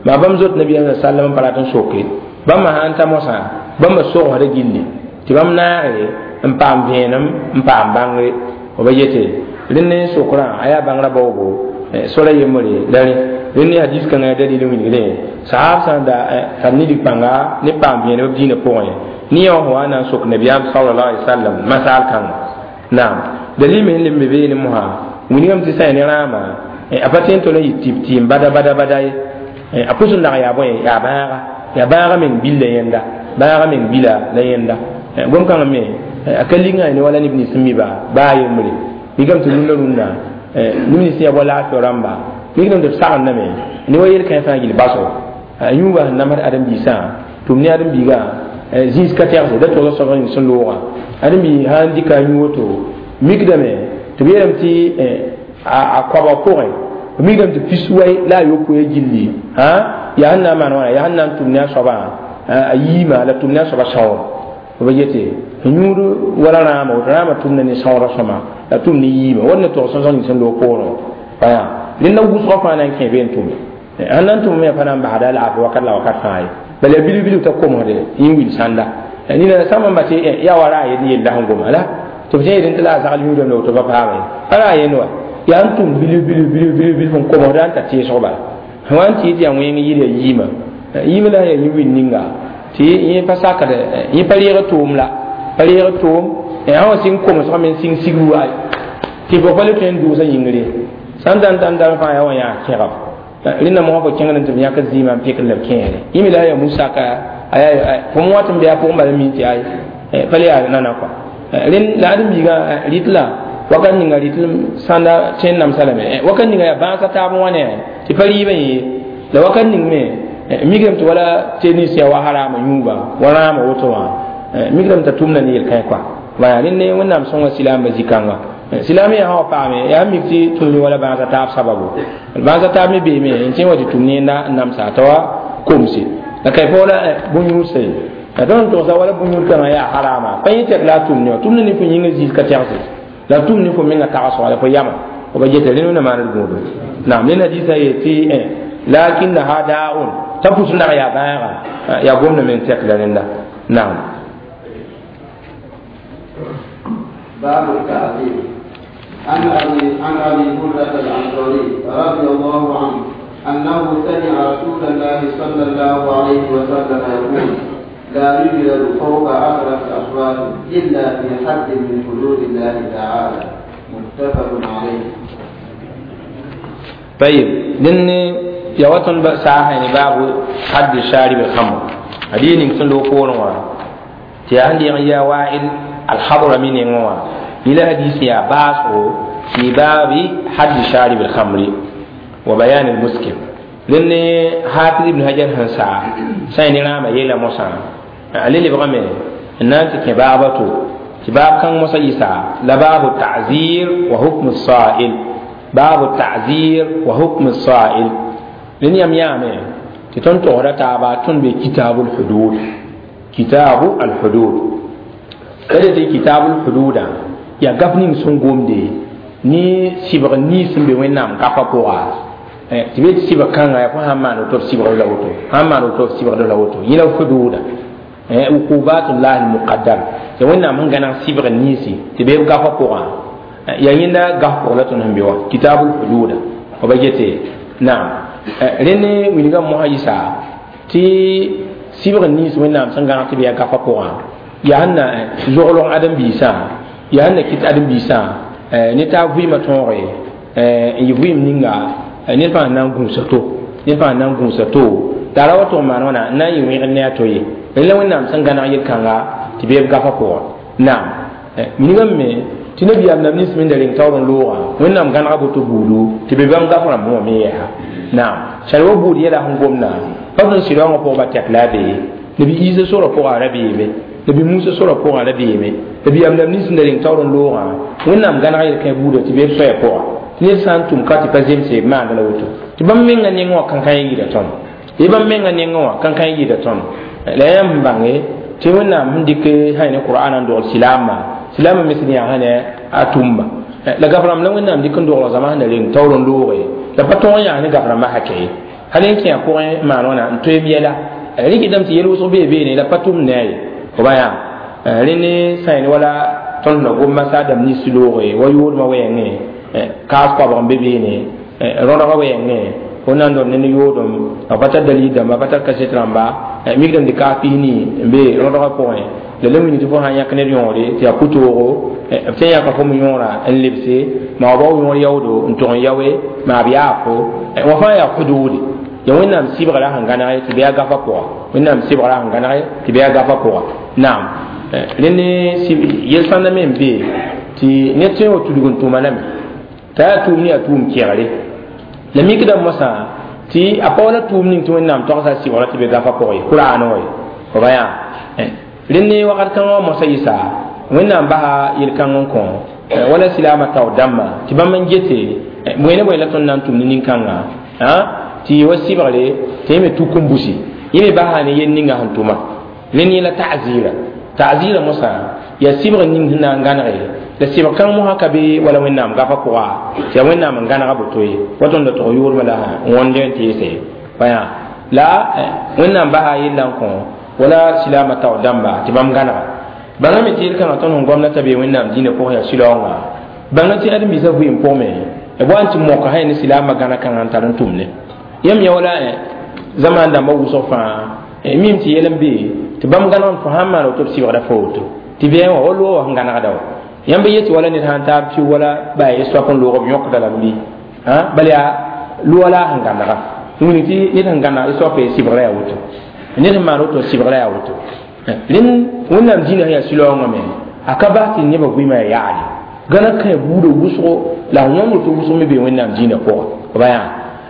Speaker 1: maa bãmb zot nabiyaam sa sallam n pa rat n soke bãmb sã n ta mosã bãmba sogsda gilli tɩ bãmb naage n paam vẽenem n paam bãngre b yete rẽnd ne sokrã a yaa bãngrã baoogo sora yembre la rẽ rẽnd ne hadis kãngã yaa dalil wilgre sahab sã n da tar nidg pãnga ne paam vẽenem b dĩinã pʋgẽ ne yã wã wa na n sok nabiyaam sallallahu alaihi wasallam masal kãnga naam dalil me sẽn leb me beene mosã wilgame tɩ sã ya ne rãama a pa tõe n tol n yɩ tɩ tɩɩm bada bada bada ye a pʋs n nag yaa bõe yaa bãaga yaa bãaga meng billa yẽnda bãaga meng bila la yẽnda gom kãngã me a ka ligã ne wala neb nins n mi ba baa yembre mikame tɩ rũndã rũndã neb nins yaa wa laafɩ rãmba mikdame tɩ b sagendame ne wa yel-kãe fãa gill basgo a yũuga sẽn namsd ãdem-biisã tʋm ne ãdem-biigã zĩis ka tɛgse da togsa soab ning sẽn loogã ãdem-bi sã n dɩka a yũ woto mikdame tɩ b yeelame tɩ a koabg pʋgẽ b mikdame tɩ pis wai la a yopoe gilli yaa sẽn na n maan wãna yaa sẽn na n tʋm ne a soabã a yiima la tʋm ne a soabã sãoor b yete yũud wala rãama woto rãama tʋmda ne sãoorã sõma la tʋm ne yiima wall ne tog sõsg ning sẽn loog poorẽ baya rẽnda wʋsgã fãa na n kẽ be n tʋme sẽn na n tʋm me pa na n basda laafɩ wakat la wakat fãa ye bala yaa bilg bilg t'a komsde yẽ wil sãnda nina sãmb n ba tɩ yaa wa ra a yel yella sẽn goma la tɩ b tẽed tɩ la a zagl yũudame la woto pa paama ye pa ra a yend wa yaa n tʋm bilg bilg bilg bilg bilg sẽn komsda n ta teesg bala sẽn wa n tɩ tɩ yaa wẽng yɩl ya yiima yiima la sẽn yaa yẽ wil ninga tɩ yẽ pa sakd yẽ pa reeg tʋʋm la pa reeg tʋʋm sã wa sɩng komsgame n sɩng sigr wa tɩ fo pa le tõe n dʋʋsã yĩngre sãn da n dãn dãn fãa yaa wa yãa kẽgb rẽnda mosã fo kẽngd n tɩ b yãk zɩɩmã n pɩkd la b kẽere yẽ me la yaa musaka fo wat n be a pʋgẽ bala min tɩ ay pa le yaa nana kɔa rẽnd la ãdem-biigã rɩt la wakat ninga rɩt sãnda tõe n namsa lame wakat ninga yaa bãasa taab n wa ne tɩ pa rɩɩbã yẽ la wakat ning me mikdame tɩ wala tɩ nins yaa wa harama yũuba wa rãama woto wã mikdame t'a tʋmda ne yel-kãe kɔa baya rẽnd ne wẽnnaam sõnga silaamba zĩ-kãnga silaam yaa sã wa paame yaa mik tɩ tũni wala bãasa taab sababu bãasa taab me beeme n tẽ wa tɩ tʋm ne n namsa t'a wa komse la kay pa wala bõn-yũudsa ye la tõnd n togsa wala bõn-yũud kãngã yaa harama pa yẽ tɛk la a tʋm ne wã tʋmda ne fo yĩngã zĩis ka tɛgse la tʋm ne fo menga tagsga la fo yama f ba geta rẽnd wẽnna maand gũudu naam ned hadiisã yee tɩ lakinnaha daaun t'a pʋs nag yaa bãaga yaa gomda me n tɛk la rẽnda naam
Speaker 2: باب التعذيب عن أبي هريرة الأنصاري رضي الله عنه أنه سمع رسول الله صلى الله عليه وسلم يقول لا يجلد فوق 10 أصوات إلا في حد من حدود الله تعالى متفق عليه.
Speaker 1: طيب لأن يوتن ساعة باب حد شارب الخمر هذه نكسن لو كورن تي يا وائل الحضر من ينوى إلى حديث يا باسو في باب حد شارب الخمر وبيان المسكر لأن حافظ ابن حجر هنسا سين رام يلا موسى علي اللي بغمي الناس كبابته كباب كان موسى يسا لباب التعزير وحكم الصائل باب التعزير وحكم الصائل لأن يم يامي تتون تغرى تابا تون بكتاب الحدود كتاب الحدود kada tɩ kitabul hududa yaa gaf ning sẽn gomde ne sɩbg nins n be wẽnnaam gafã pʋga tɩ be tɩ sɩbg kãnga yaa fo sãn maan woto f sɩbgd la woto sãn maan woto f sɩbgd la woto yẽ la hududa uqubatullah almuqaddar tɩ wẽnnaam sẽn gãneg sɩbg ninsi tɩ be b gafã pʋgã yaa yẽnda gaf pʋg la tõnd sẽn be wã kitabul hududa f ba gete naam rẽnd wilgã mosã yɩsa tɩ sɩbg nins wẽnnaam sẽn gãneg tɩ b yaa gafã pʋgã yaa sẽn na zoglg ãdem-biisã yaa sẽn na kɩt ãdem-biisã ne taa vɩɩmã tõoge n yɩ vɩɩm ninga ned fãa na n gũusa to ned fãa na n gũusa to t'a ra wa tʋg n maan wãna n na n yɩ wẽgd ne a to ye rẽ la wẽnnaam sẽn gãneg yel-kãnga tɩ beeb gafã pʋgã naam minigame me tɩ nabiyaam nab nins me da reng taoor n loogã wẽnnaam gãnega boto buudu tɩ be bãmb gaf rãmb wã me yɛsa naam sar wa buud yɛla sẽn gomda pa tõnd sɩdaoongã pʋgã ba tɛk la a bee nabi Iisa sorã pʋgã a ra beeme nabi Musa sorã pʋgã a ra beeme nabiyaam nab nins n da reng taoor n loogã wẽnnaam gãnega yel-kãe buuda tɩ beeb soaya pʋga tɩ ned sã n tʋm ka tɩ pa zemse b maanda la woto tɩ bãmb menga nengẽ wã kãnkã yɩɩda tõnd ye bãmb menga nengẽ wã kãnkã yɩɩda tõnd la yãmb n bãnge Tɩ Wẽnnaam sẽn dɩk sã ne Qur'an n dogl silaamã silaamã me sẽn yaa sã ne a tʋmba la gaf-rãmb la Wẽnnaam dɩk n dogl zãma sẽn na reng taoor n looge la pa tõog n yaa ne gaf-rãmbã hakɛ ye hal n kẽ a pʋgẽ maan wãna n toeem yɛla rɩkdame tɩ yel wʋsg bee beene la pa tʋmd ne a ye fo ba yaa rẽnd sã ne wala tõnd na gom masaadame nins looge wa yoodmã wɛɛngẽ kaas koabg n be beene rõdgã wɛɛngẽ fo na n dõnd ne yoodem a pa tar dalil dãmba a pa tar kaset rãmba mikdame tɩ kaas pisni n be rõdgã pʋgẽ la la wilg tɩ fo sã n yãk ned yõore tɩ yaa pʋtoogo b tõe n yãka fo me yõorã n lebse maa bao yõor yaoodo n tog n yaoe maa b yaa fo wã fãa yaa huduude ya Wẽnnaam sɩbgra sẽn gãnege tɩ bɩ a gafa pʋga Wẽnnaam sɩbgra sẽn gãnege tɩ bɩ a gafa pʋga naam rẽnd yel-sãnda me n be tɩ ned tõe n wa tudg n tʋma lame t'a yaa tʋʋm ne yaa tʋʋm kegre la mikdame mosã tɩ a pa wala tʋʋm ning tɩ Wẽnnaam toagsa sɩbgra tɩ be gafa pʋgẽ Qur'an wã ye fo ba yaa rẽnd ne wakat kãngã wã mosa yɩsa Wẽnnaam basa yel-kãng n kõ wala silaamã tao dãmbã tɩ bãmb n gete bõe ne bõe la tõnd na n tʋm ne nin-kãngã tɩ wa sɩbgre tɩ yẽ me tuk n busi yẽ me basa ne yel ninga sẽn tʋma rẽnd yẽla ta'zira ta'zira mosã yaa sɩbg ning sẽn na n gãnege la sɩbg kãng mosã ka be wala Wẽnnaam gafa pʋga tɩ yaa Wẽnnaam n gãnega boto ye wa tõnd da tog yoodmã la n wõnd n teese pa yaa la Wẽnnaam basa yella n kõ wala silaamã tao dãmba tɩ bãmb gãnega bãnga me tɩ yel-kãngã tõnd sẽn gomna t'a bee Wẽnnaam dĩinã pʋgẽ yaa sɩlaoongã bãnga tɩ ãdem-biisã vɩɩm pʋgme b wa n tɩ moka sã ne silaamã gãna kãngã n tar n tʋmne yãmb yã wala zamaan dãmbã wʋsg fãa mim tɩ yɛl n be tɩ bãmb gãnegd fo sãn maan woto b sɩbgra fo woto tɩ bɩ wã wa loog wã sẽn gãnegda wa yãmb yetɩ wala ned sãn taab pɩ wala ba ye soap n loog b yõkda lame bɩ bala yaa loa la a sẽn gãnega wĩng tɩ ned sẽn gãneg soap sɩbgra yaa woto ned sẽn maan woto sɩbgra yaa woto rẽnd Wẽnnaam dĩinã sẽn yaa sɩlaoongã me a ka bas tɩ nebã vɩɩmã yaa yaale gãna kã buudã wʋsgo la wõnd woto wʋsg me bee Wẽnnaam dĩinã pʋgẽ ba yaa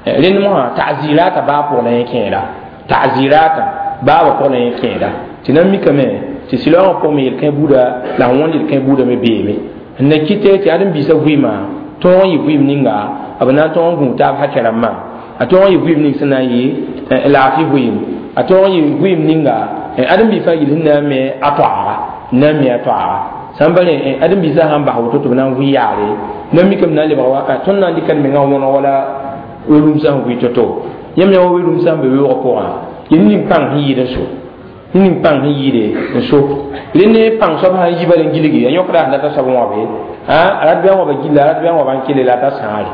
Speaker 1: rẽnd mosã ta'zirata baa pʋg la yẽ kẽeda ta'zirata baaba pʋg la yẽ kẽeda tɩ nan mikame tɩ sɩlaoongã pʋgẽ me yel-kẽ buuda la sẽn wõnd yel-kẽ buudã me beeme n na kɩte tɩ ãdem-biisã vɩɩmã tõog n yɩ vɩɩm ninga b na n tõog n gũu taab hakɛ rãmbã a tõog n yɩ vɩɩm ning sẽn na n yɩ laafɩ vɩɩm a tõog n yɩ vɩɩm ninga ãdem-biis fãa yel sẽn na n me a toaaga n na n me a toaaga sãn pa rẽ ãdem-biisã sãn bas woto tɩ b na n vɩ yaare nan mikame na n lebg tõnd na n dɩka d mengã wõneg wala we-rũmsã sẽn vɩ to-to yãmb yã wa we-rũmsã sẽn be weoogã pʋgã yel ning pãng sẽn yɩɩd n so ning pãng sẽn yɩɩde n so rẽnd ne pãng soab sã n yi bala n gilge a yõkda sẽn data soab wãbe a rat bɩ a wãba gilla a rat bɩ a wãba n kele la a ta sãare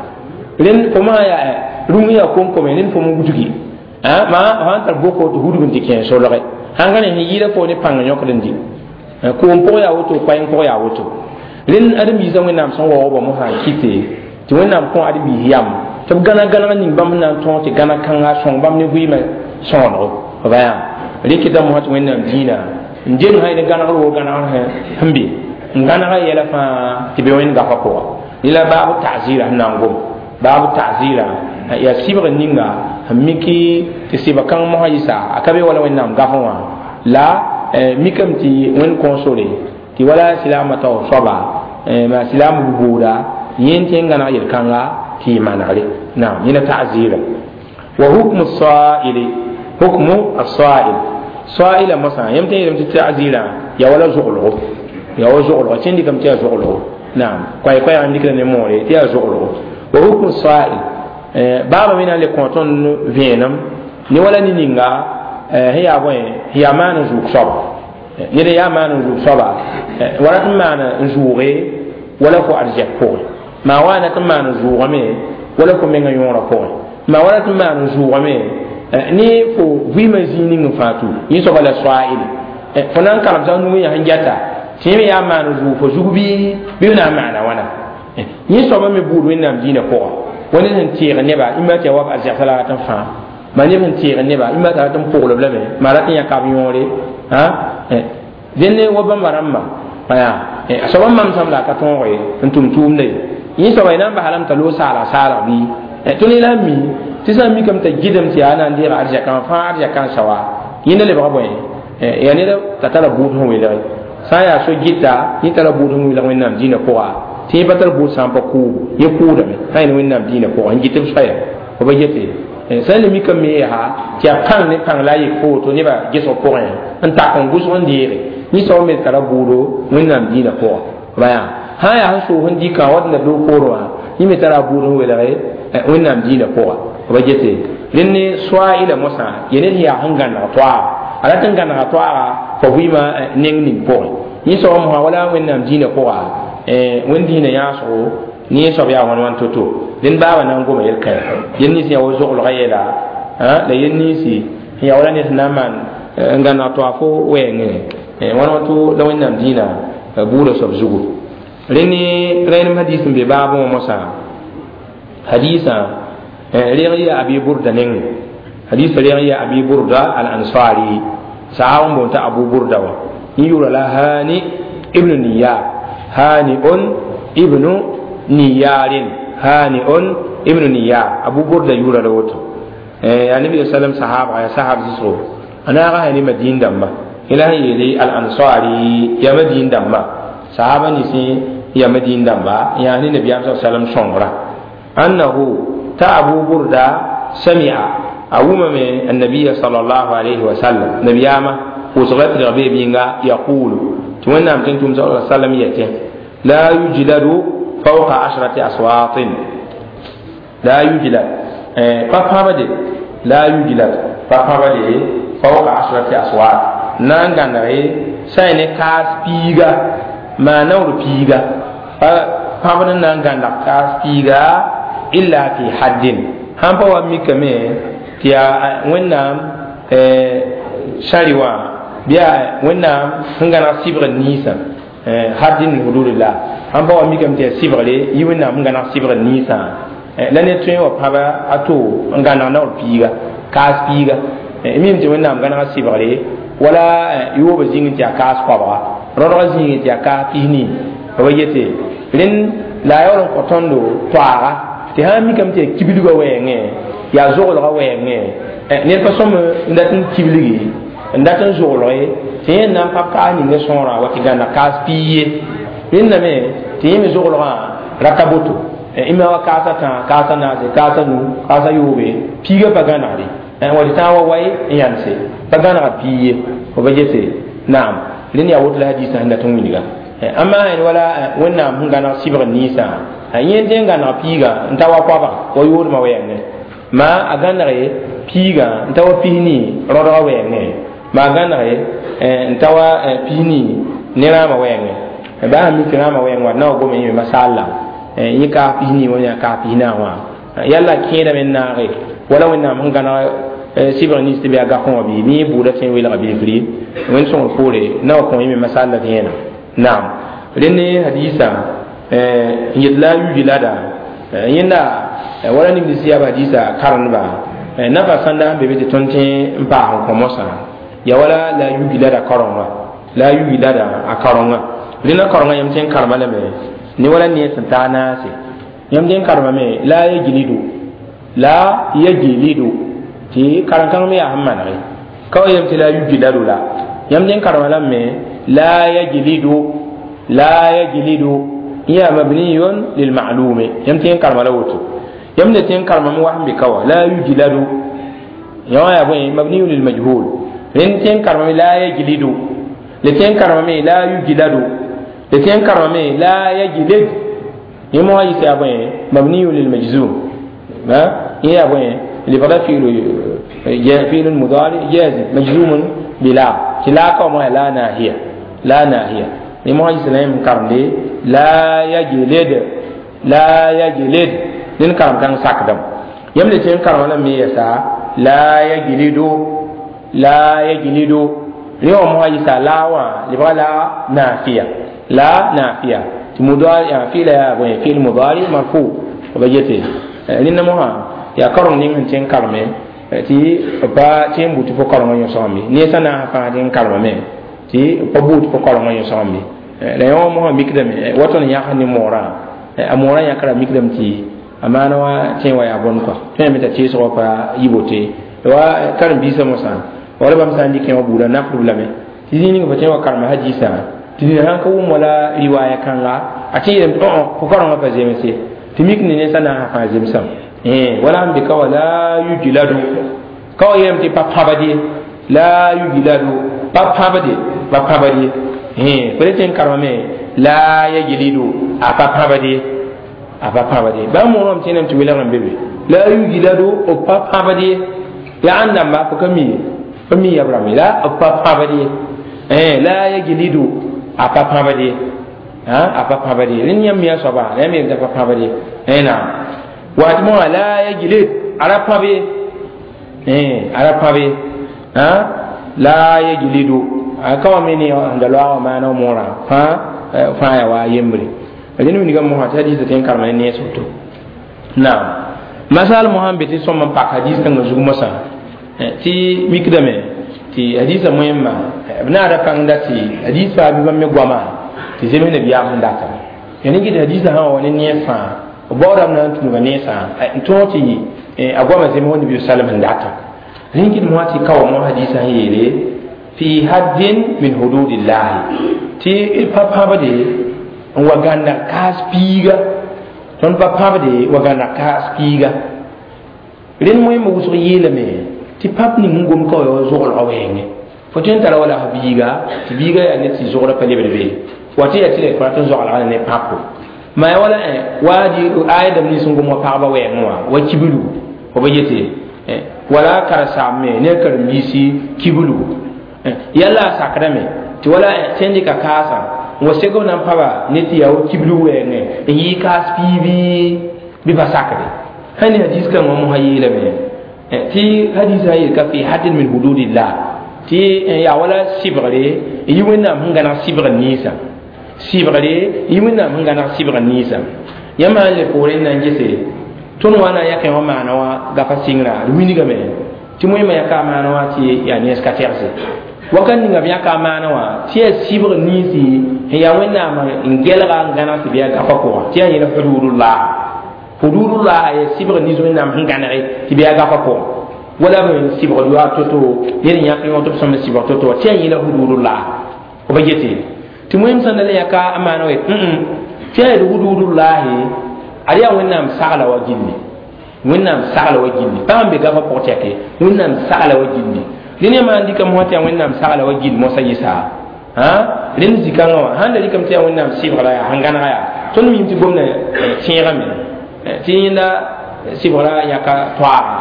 Speaker 1: rẽnd fo masã yaa rũm yaa kom-kome rẽnd fo n wudgi maa sã n tar boko tɩ hudg n tɩ kẽ solge sãn ka ne sẽn yɩɩda fo ne pãng yõkd n dɩ koom pʋg yaa woto koɛɛng pʋg yaa woto rẽnd ãdem-biisã Wẽnnaam sẽn waoogba mosã n kɩte tɩ Wẽnnaam kõ ãdem-biis yam tɩ b gãna gãneg ning bãmb sẽn na n tõog tɩ gãna kãnga sõng bãmb ne vɩɩmã sõonego b yaa rɩkda mosã tɩ Wẽnnaam dĩinã n deng sã ne gãnegr woo gãnegr sẽn be n gãnega yɛla fãa tɩ be wẽnd gafa pʋga la baabu ta'zira sẽn na n gom baabu ta'zira yaa sɩbg ninga sẽn miki tɩ sɩbg kãng mosã yɩsa a ka be wala Wẽnnaam gafẽ wã la mikame tɩ Wẽnd kõo sore tɩ wala silaamã tao soaba maa silaam booda yẽ tɩ n gãneg yel-kãnga tɩ yɩ manegre naam yẽna ta'zira wa hukmu saili hukmu as-sa'il sa'ila mosã yãmb tõe n yeelame tɩ ta'zirã yaa wala zoglgo yaa wa zoglgo tɩ n dɩkame tɩ yaa zoglgo naam koɛɛ-koɛɛg n dɩkda ne moore tɩ yaa zoglgo wa hukmu sa'il baaba me na n le kõ tõnd vẽenem ne wala ne ninga sẽn yaa bõe sẽn yaa maan n zʋʋg soaba ned n yaa maan n zʋʋg soaba wala tɩ maan n zʋʋge wala fo arzɛk pʋgẽ maa wa na tɩ maan n zʋʋgame wala fo menga yõorã pʋgẽ maa wala tɩ maan n zʋʋgame ne fo vɩɩmã zĩig ning n fãa tu yẽ soaba la soaile fo na n kalemsã nug yã sẽn gɛta tɩ yẽ me yaa maan n zʋʋg fo zug bɩ f na n maana wãna yẽ soaba me buud Wẽnnaam dĩinã pʋga wa ned sẽn teeg neba ima tɩ ya wa arzɛgsã la rat n fãa maa neb sẽn teeg neba ima t'a rat n poglb lame maa rat n yãka b yõore dẽnd wa bãmba rãmbã a soaba n mamsam la a ka tõoge n tʋm tʋʋmda ye yẽ soaba y na n basa lame t'a loog saala saalg bɩ tõnd yẽla n mi tɩ sã n mikame t'a gɩdem tɩ yaa na n deega arzɛkã fãa arzɛkã n sawa yẽnda lebga bõe yaa ned t'a tara buud sẽn welge sã n yaa so gɩta yẽ tara buud sẽn welg Wẽnnaam dĩinã pʋga tɩ yẽ pa tar buud sã n pa kʋʋbo yẽ kʋʋdame sã n yẽ Wẽnnaam dĩinã pʋga n gɩt b soaya fo ba gete Sẽn le mikame me yaa tɩ yaa pãng ne pãng la a yik fo woto nebã gesg pʋgẽ n tak n gʋsg n deege ninsã me tara bʋʋdo wẽnnaam dĩinã pʋgã b yaa sã n yaa sẽn soog n dɩkã wat n da doog poorẽ wã yẽ me tara a bʋʋd n welge wẽnnaam dĩinã pʋga b gete rẽnd ne soa ila mosã ya ned yaa sẽn gãneg toaaga a rat n gãnega toaaga fa vɩɩmã neng ning pʋgẽ yẽ soab mosã wala wẽnnaam dĩinã pʋga wẽnd dĩinã yãasgo ne soab yaa wãn wãn to-to rẽnd baaba na n goma yel-kãe yel nins yaa wa zoglgã yeela la yel ninsi n yaa wala ned sẽn na n maan n gãneg toaag fo wɛɛngẽ wãn wã to la wẽnnaam dĩinã buudã soab zugu rẽnd ne rẽnem hadiis n be baabẽ wã mosã hadiisã reg yaa abi burda nengẽ hadiisã reg yaa abi burda al ansari sahaab n boon t'a abu burda wã yẽ yʋʋra la hani ibnu niyar hani on ibnu niyarin hani on ibnu niyar abu burda yʋʋra la woto ya nabi sallam sahaba ya sahab zisgo a naaga hani madin dãmba yẽla sẽn yeele al ansari ya madin dãmba sahaba ninsẽ ya madin dãmba n yaa ne nabiyaam sa sallam sõngra annahu ta abu burda sami'a a wʋmame annabiya sallallahu alayhi wa sallam nabiyaamã pʋʋsga tɩrg bee bĩnga yaqulu tɩ wẽnnaam tẽn tʋm sa sallam yetẽ la yujladu fawqa ashrati aswatin la yujlad pa pãbde la yujlad pa pãbde fawqa ashrati aswat na n gãnege sã n ne kaas piiga maa naoor piiga pa pãbd n na n gãneg kaas piiga illa fi haddin sãn pa wa mikame tɩ yaa wẽnnaam sãri wã bɩ yaa wẽnnaam sẽn gãneg sɩbgr ninsã haddin min hududillah sãn pa wa mikame tɩ yaa sɩbgre yɩ wẽnnaam sẽn gãneg sɩbgr ninsã la ne tõe wa pãba a to n gãneg naoor piiga kaas piiga mim tɩ wẽnnaam gãneg sɩbgre wala yoobã zĩng tɩ yaa kaas koabga rõdgã zĩig tɩ yaa kaas pisnii b yete rẽnd la a yaool n kõ tõndo toaaga tɩ sã n mikame tɩ yaa kibilgã wɛɛngẽ yaa zoglgã wɛɛngẽ ned pa sõm n dat n kibilgi n dat n zoglge tɩ yẽ na n pa kaas ninga sõorã wa tɩ gãnna kaas pii ye rẽndame tɩ yẽ me zoglgã rata boto ima wa kaasa tã kaasa naase kaasa nu kaasa yoobe piigã pa gãnegde wa tɩ tãag wa wae n yãnse pa gãnega pii ye b gese naam rẽnd yaa woto la hadiisã sẽn dat n wilga amma sẽn wala wẽnnaam sẽn gãneg sɩbg ninsã yẽ tẽ n gãneg piigã n ta wa koabga wa yoodmã wɛɛngẽ ma a gãnege piigã n ta wa pisnii rõdgã wɛɛngẽ ma a gãnege n ta wa pisnii ne rãamã wɛɛngẽ baa sẽn mi tɩ rãamã wɛɛng wa na wa gome yẽ me masaal yẽ kaas pisnii wã yaa kaas pisnaa wã yalla kẽedame n naage wala wẽnnaam sẽn gãneg sɩbg nins tɩ bɩ a gakẽ wã bɩ yẽ buudã tõe n welga bilfri wẽnd sõngr poore na wa kõ yẽ me masaal la vẽenem naam rẽnd ne hadiisã n yet la yujlada yẽnda wala ning sɩ yaa hadiisã karendba nafa sãnda sẽn be be tɩ tõnd tẽ n paas n kõ mosã ya wala la yujlada kaorenga la yujlada a kaorenga rẽnda kaorenga yãmb tẽ n karema lame ne wala ne sẽn taa naase yãmb tẽ n karemame la yajlidu la yajlidu tɩ karen-kãng me yaa sẽn manege ka wa yam tɩ la yujladu la yãmb tẽ n karema lame la yajlidu la yajlidu ya mabniyun lil ma'lumi yam tẽ n karema la woto yam ne tẽ n karema me wa sẽn be ka wa la yujladu yã ya bõe mabniyun lil majhul rẽnd tẽ n karema la yajlidu le tẽ n karema me la yujladu le tẽ n karema me la yajlid yẽ mosã yɩs yaa bõe mabniyun lil majzum yẽ yaa bõe لبدا فعل مضارع جازم مجزوم بلا لا كما لا ناهية لا ناهية لما يسلم كرم لا يجلد لا يجلد لن كرم كان ساكدم يملي تين كرم لم يسا لا يجلد لا يجلد اليوم ما يسا لا وا لبدا لا نافية لا نافية مضارع فعل فعل مضارع مرفوع وبجته لأن ما yaa kareng ning sẽn tẽ n kareme tɩ pa tẽ n but fo karengã yõsgame ne sã na n fãa tẽ n karemame tɩ pa buud fo karengã yõsgame la yã wã mosã mikdame wa tõnd yãgs ne moorã a moorã yãkra mikdame tɩ a maana wa tẽ wa yaa bõn kɔa tõe me t'a teesgã pa yɩ bote wa karen-biisã mosã wala bãmb sã n dɩk wã buudã nakdb lame tɩ zĩig ning fo tẽ wa karema hadiisã tɩ dĩnã sãn ka wʋm wala riwaaya kãnga a tẽ yeelame tɩ fo karengã pa zemse tɩ mik ne ne sã na n fãa zemsame Wala n be ka wa la yujladu ka wa yeelame tɩ pa pãbd ye la yujladu pa pãbde pa pãbd ye fo le tẽ n karemame la yajlidu a pa pãbd ye a pa pãbd ye bãmb mooname tẽename tɩ welgr n be be la yujladu b pa pãbd ye yaa ãn dãmba fo ka mi ye fo mi yab rãmb la b pa pãbd ye la yajlidu a pa pãbd ye a pa pãbd ye rẽnd yãmb mi a soaba la yãmb yel t'a pa pãbd ye naam waat moã la yajlid a ra pãb ye a ra pãb ye la yajlidu a ka wa me ne da loaga maana moorã fãa fãa yaa wa a yembre rẽnd wilgã mosã tɩ hadiisã tẽ n karema ne nees woto naam masal mosã n be tɩ sõm n pak hadiis kãngã zug mosã tɩ mikdame tɩ hadiisã moẽmma b naada pãngda tɩ hadiis faa bɩ bãmb me goama tɩ zems nabiyaam sẽn data ya ne gɩd hadiisã sã wa ne nees fãa b baoodame na n tũnuga neesã n tõog tɩ a goama zems wa nabi sallam sẽn data rẽn gɩd mosã tɩ ka wa mo hadiisã sẽn yeele fi haddin min hududillahi tɩ pa pãbde n wa gãnda kaas piiga tõnd pa pãbde wa gãnda kaas piiga rẽnd moẽmb wʋsg yeelame tɩ pãp ning n gom ka wa ya zoglgã wɛɛngẽ fo tõe n tara wala f biiga tɩ biiga yaa ned tɩ zogrã pa lebd be wa tɩ yaa tɩ la rat n zoglga ne pãpo ma ya wala waadi aya dãmb nins n gom wa pagba wɛɛngẽ wã wa kiblu fo ba yete wala karen-saam me ne karen-biisi kiblu yalla a sakdame tɩ wala tẽn dɩka kaasã n wa seg b na n paba ne tɩ yaa wa kiblu wɛɛngẽ n yɩ kaas piibi bɩ pa sakde sãn ne hadiis kãngã mosã yeelame tɩ hadiisã yeel ka fi haddin min hududillah tɩ yaa wala sɩbgre n yi wẽnnaam sẽn gãneg sɩbgr ninsã sɩbgre yi wẽnnaam sẽn gãneg sɩbgr ninsã yãmb sãn le poorẽ n na n gese tõnd wa na n yakẽ wã maana wã gafa sɩngrã d wilgame tɩ moẽmã yaka a maana wã tɩ yaa nens ka tɛgse wakat ninga b yãka a maana wã tɩ yaa sɩbgr ninsi sẽn yaa wẽnnaam n gelga n gãneg tɩ bɩ yaa gafa pʋgã tɩ yaa yẽl hududullah hududullah yaa sɩbgr nins wẽnnaam sẽn gãnege tɩ bɩ yaa gafa pʋgã wala b sɩbgr yoaag to-to ned n yãk yõ tɩ b sõm n sɩbg to-to tɩ yaa yẽla hududullah b ba yete tɩ moẽm sẽn da le yãka a maana wã tɩ yaa yel hududullahi ad yaa wẽnnaam sagla wa gilli wẽnnaam sagla wa gilli pa n be gafa pʋg tɛke wẽnnaam sagla wa gilli rẽnd yãmb sãn dɩka mosã tɩ yaa wẽnnaam sagla wa gill mosã yɩsa rẽnd zĩ-kãngã wã sãn da rɩkame tɩ yaa wẽnnaam sɩbgra yaa sẽn gãnega yaa tõnd mim tɩ gomda tẽegame tɩ yẽnda sɩbgra yãka toaaga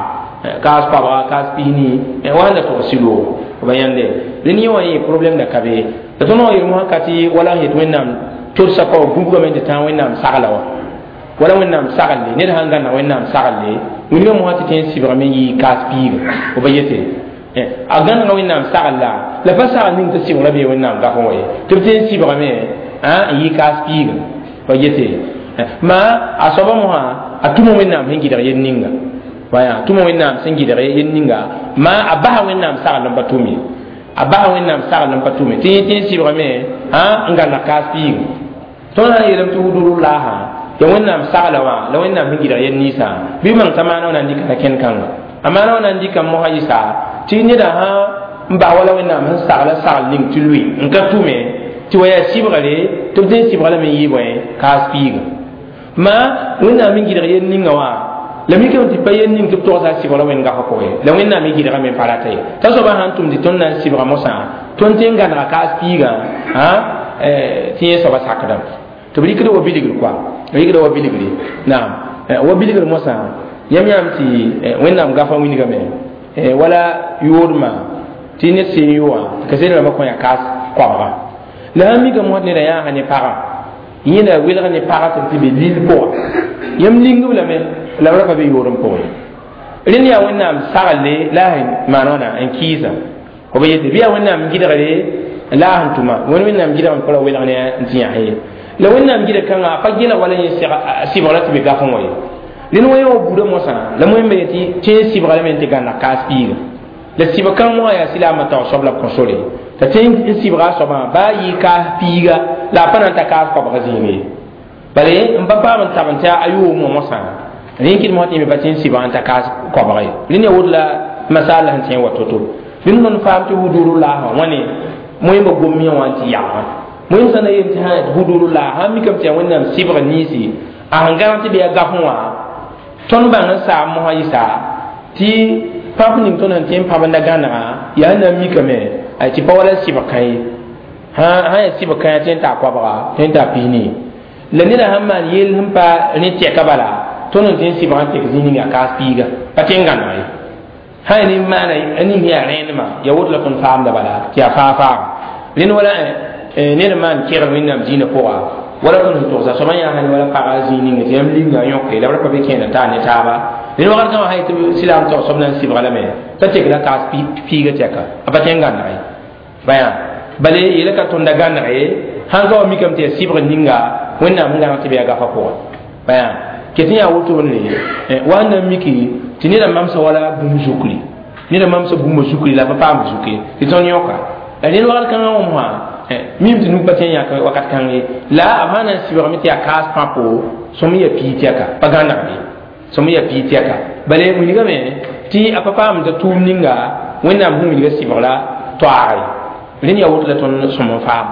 Speaker 1: kaas koabga kaas pisni wa sẽn da tog sɩloogo b yãnde rẽnd yẽ wã yẽ problème da ka be la tõnd wã yel mosã ka tɩ wala sẽn yet wẽnnaam tolsa pa wa gũbgame tɩ tãag wẽnnaam sagla wã wala wẽnnaam saglle ned sãn gãnna wẽnnaam saglle wilgã mosã tɩ tẽ n sɩbgame n yɩ kaas piiga b ba yete a gãnega wẽnnaam sagl la pa sagl ning tɩ sɩbgrã bee wẽnnaam gafẽ wa ye tɩ b tẽ n sɩbgame n yɩ kaas piiga ba yete ma a soaba mosã a tʋma wẽnnaam sẽn gɩdg yel ninga waya tʋma wẽnnaam sẽn gɩdg yel ninga ma a basa wẽnnaam sagl n pa tʋm ye a basa wẽnnaam sagl n pa tʋme tɩ yẽ tẽ n sɩbgame n gãneg kaas piiga tõnd sã n yeelame tɩ hududullah ya wẽnnaam sagla wã la wẽnnaam sẽn gɩdg yel ninsã bɩ mang t'a maana wã na n dɩka kẽnd kãnga a maana wã na n dɩka mosã yɩsa tɩ neda sã n bas wala wẽnnaam sẽn sagla sagl ning tɩ lʋɩ n ka tʋme tɩ wa yaa sɩbgre tɩ b tẽ n sɩbga lame n yɩ bõe kaas piiga ma wẽnnaam n gɩdg yel ninga wã la mikame tɩ pa yel ning tɩ b togsa sɩbgra wẽnd gafã pʋgẽ la wẽnnaam y gɩdgame n pa rata ye t'a soaba sãn tʋm tɩ tõnd na n sɩbga mosã tõnd tẽ n gãnega kaas piigã tɩ yẽ soaba sakdame tɩ b rɩkda wa bilgr koa rɩkda wa bilgre naam wa bilgr mosã yãmb yãam tɩ wẽnnaam gafã wilgame wala yoodmã tɩ ned seen yoa tɩ kaset rãmbã kõ yaa kaas koabga la sãn mika mosã neda yãaga ne pagã yẽnda welg ne pagã tɩ be lil pʋga yãmb lingb lame la b ra pa be yood n pʋgẽ rẽnd yaa wẽnnaam saglle la sẽn maan wãna n kɩɩsa b yete bɩ yaa wẽnnaam gɩdgre la sẽn tʋma wẽnnaam gɩdg n pa ra welg ne n tɩ yãs ye la wẽnnaam gɩdg kãngã a pa gela wala yẽ sɩbgra tɩ be gafẽ wã ye rẽnd wã yã wa buudã mosã la moẽmba yetɩ tẽ n sɩbga lame n tɩ gãneg kaas piiga la sɩbg kãng mosã yaa silaamã taoog soab la b kõ sore t'a tẽ n sɩbga a soabã baa yɩ kaas piiga la a pa na n ta kaas koabg zĩig ye bala n pa paam n tab n tɩ a yoom wã mosã rẽn kɩd mosã tɩ yẽ me pa tẽ n sɩbga n ta kaas koabg ye rẽnd yaa woto la masal la sẽn tẽ n wa to-to rẽnd tõnd faam tɩ hududullah wã wãne moẽmba gom yã wã n tɩ yagã moẽm sã na yel tɩ hududullah sãn mikame tɩ yaa wẽnnaam sɩbg ninsi a sẽn gãneg tɩ bɩ yaa gafẽ wã Tõnd bãng n saam mosã yɩsa tɩ pãp ning tõnd sẽn tẽ n pãbenda gãnega yaa na n mikame tɩ pa wala sɩbg kã ye sã yaa sɩbg kãyã tɩ n taa koabga tɩ n taa pisni la neda sãn maan yell sẽn pa rẽ tɛka bala tõnd n tẽ n sɩbg n tek zĩig ning yaa kaas piiga pa tẽ n gãneg ye sã yaa nin maana ning yaa rẽenemã yaa woto la tõnd faamda bala tɩ yaa faa-faaga rẽnd wala ned n maan kegr wẽnnaam dĩinã pʋga wala tõnd sẽn togsa soaba yaa sãn wala paga zĩig ninga tɩ yãmb linga yõke la b ra pa be kẽeda taa ne taaba rẽnd wakat kãngã sã yetɩ silaam tog soab na n sɩbga lame t'a tekla kaas piiga tɛka a pa tẽ n gãneg ye bãya bale yela ka tõnda gãneg ye sãn ka wa mikame tɩ yaa sɩbg ninga wẽnnaam sẽn gãneg tɩ b yaa gafa pʋgẽ bãya ket n yaa wotone wa n na n miki tɩ neda mamsa wala bũmb zukri neda mamsa bũmba zukri la pa paam zuke tɩ tõnd yõka la rẽnd wakat kãngã wã mosã mim tɩ nug pa tẽ n yãk wakat kãng ye la b sã na n sɩbgame tɩ yaa kaas pãpo sõm n yaa pii tɛka pa gãnegde sõm n yaa pii tɛka bale wilgame tɩ a pa paam t'a tʋʋm ninga wẽnnaam sẽn wilga sɩbgra toaage rẽnd yaa woto la tõnd sõm n faam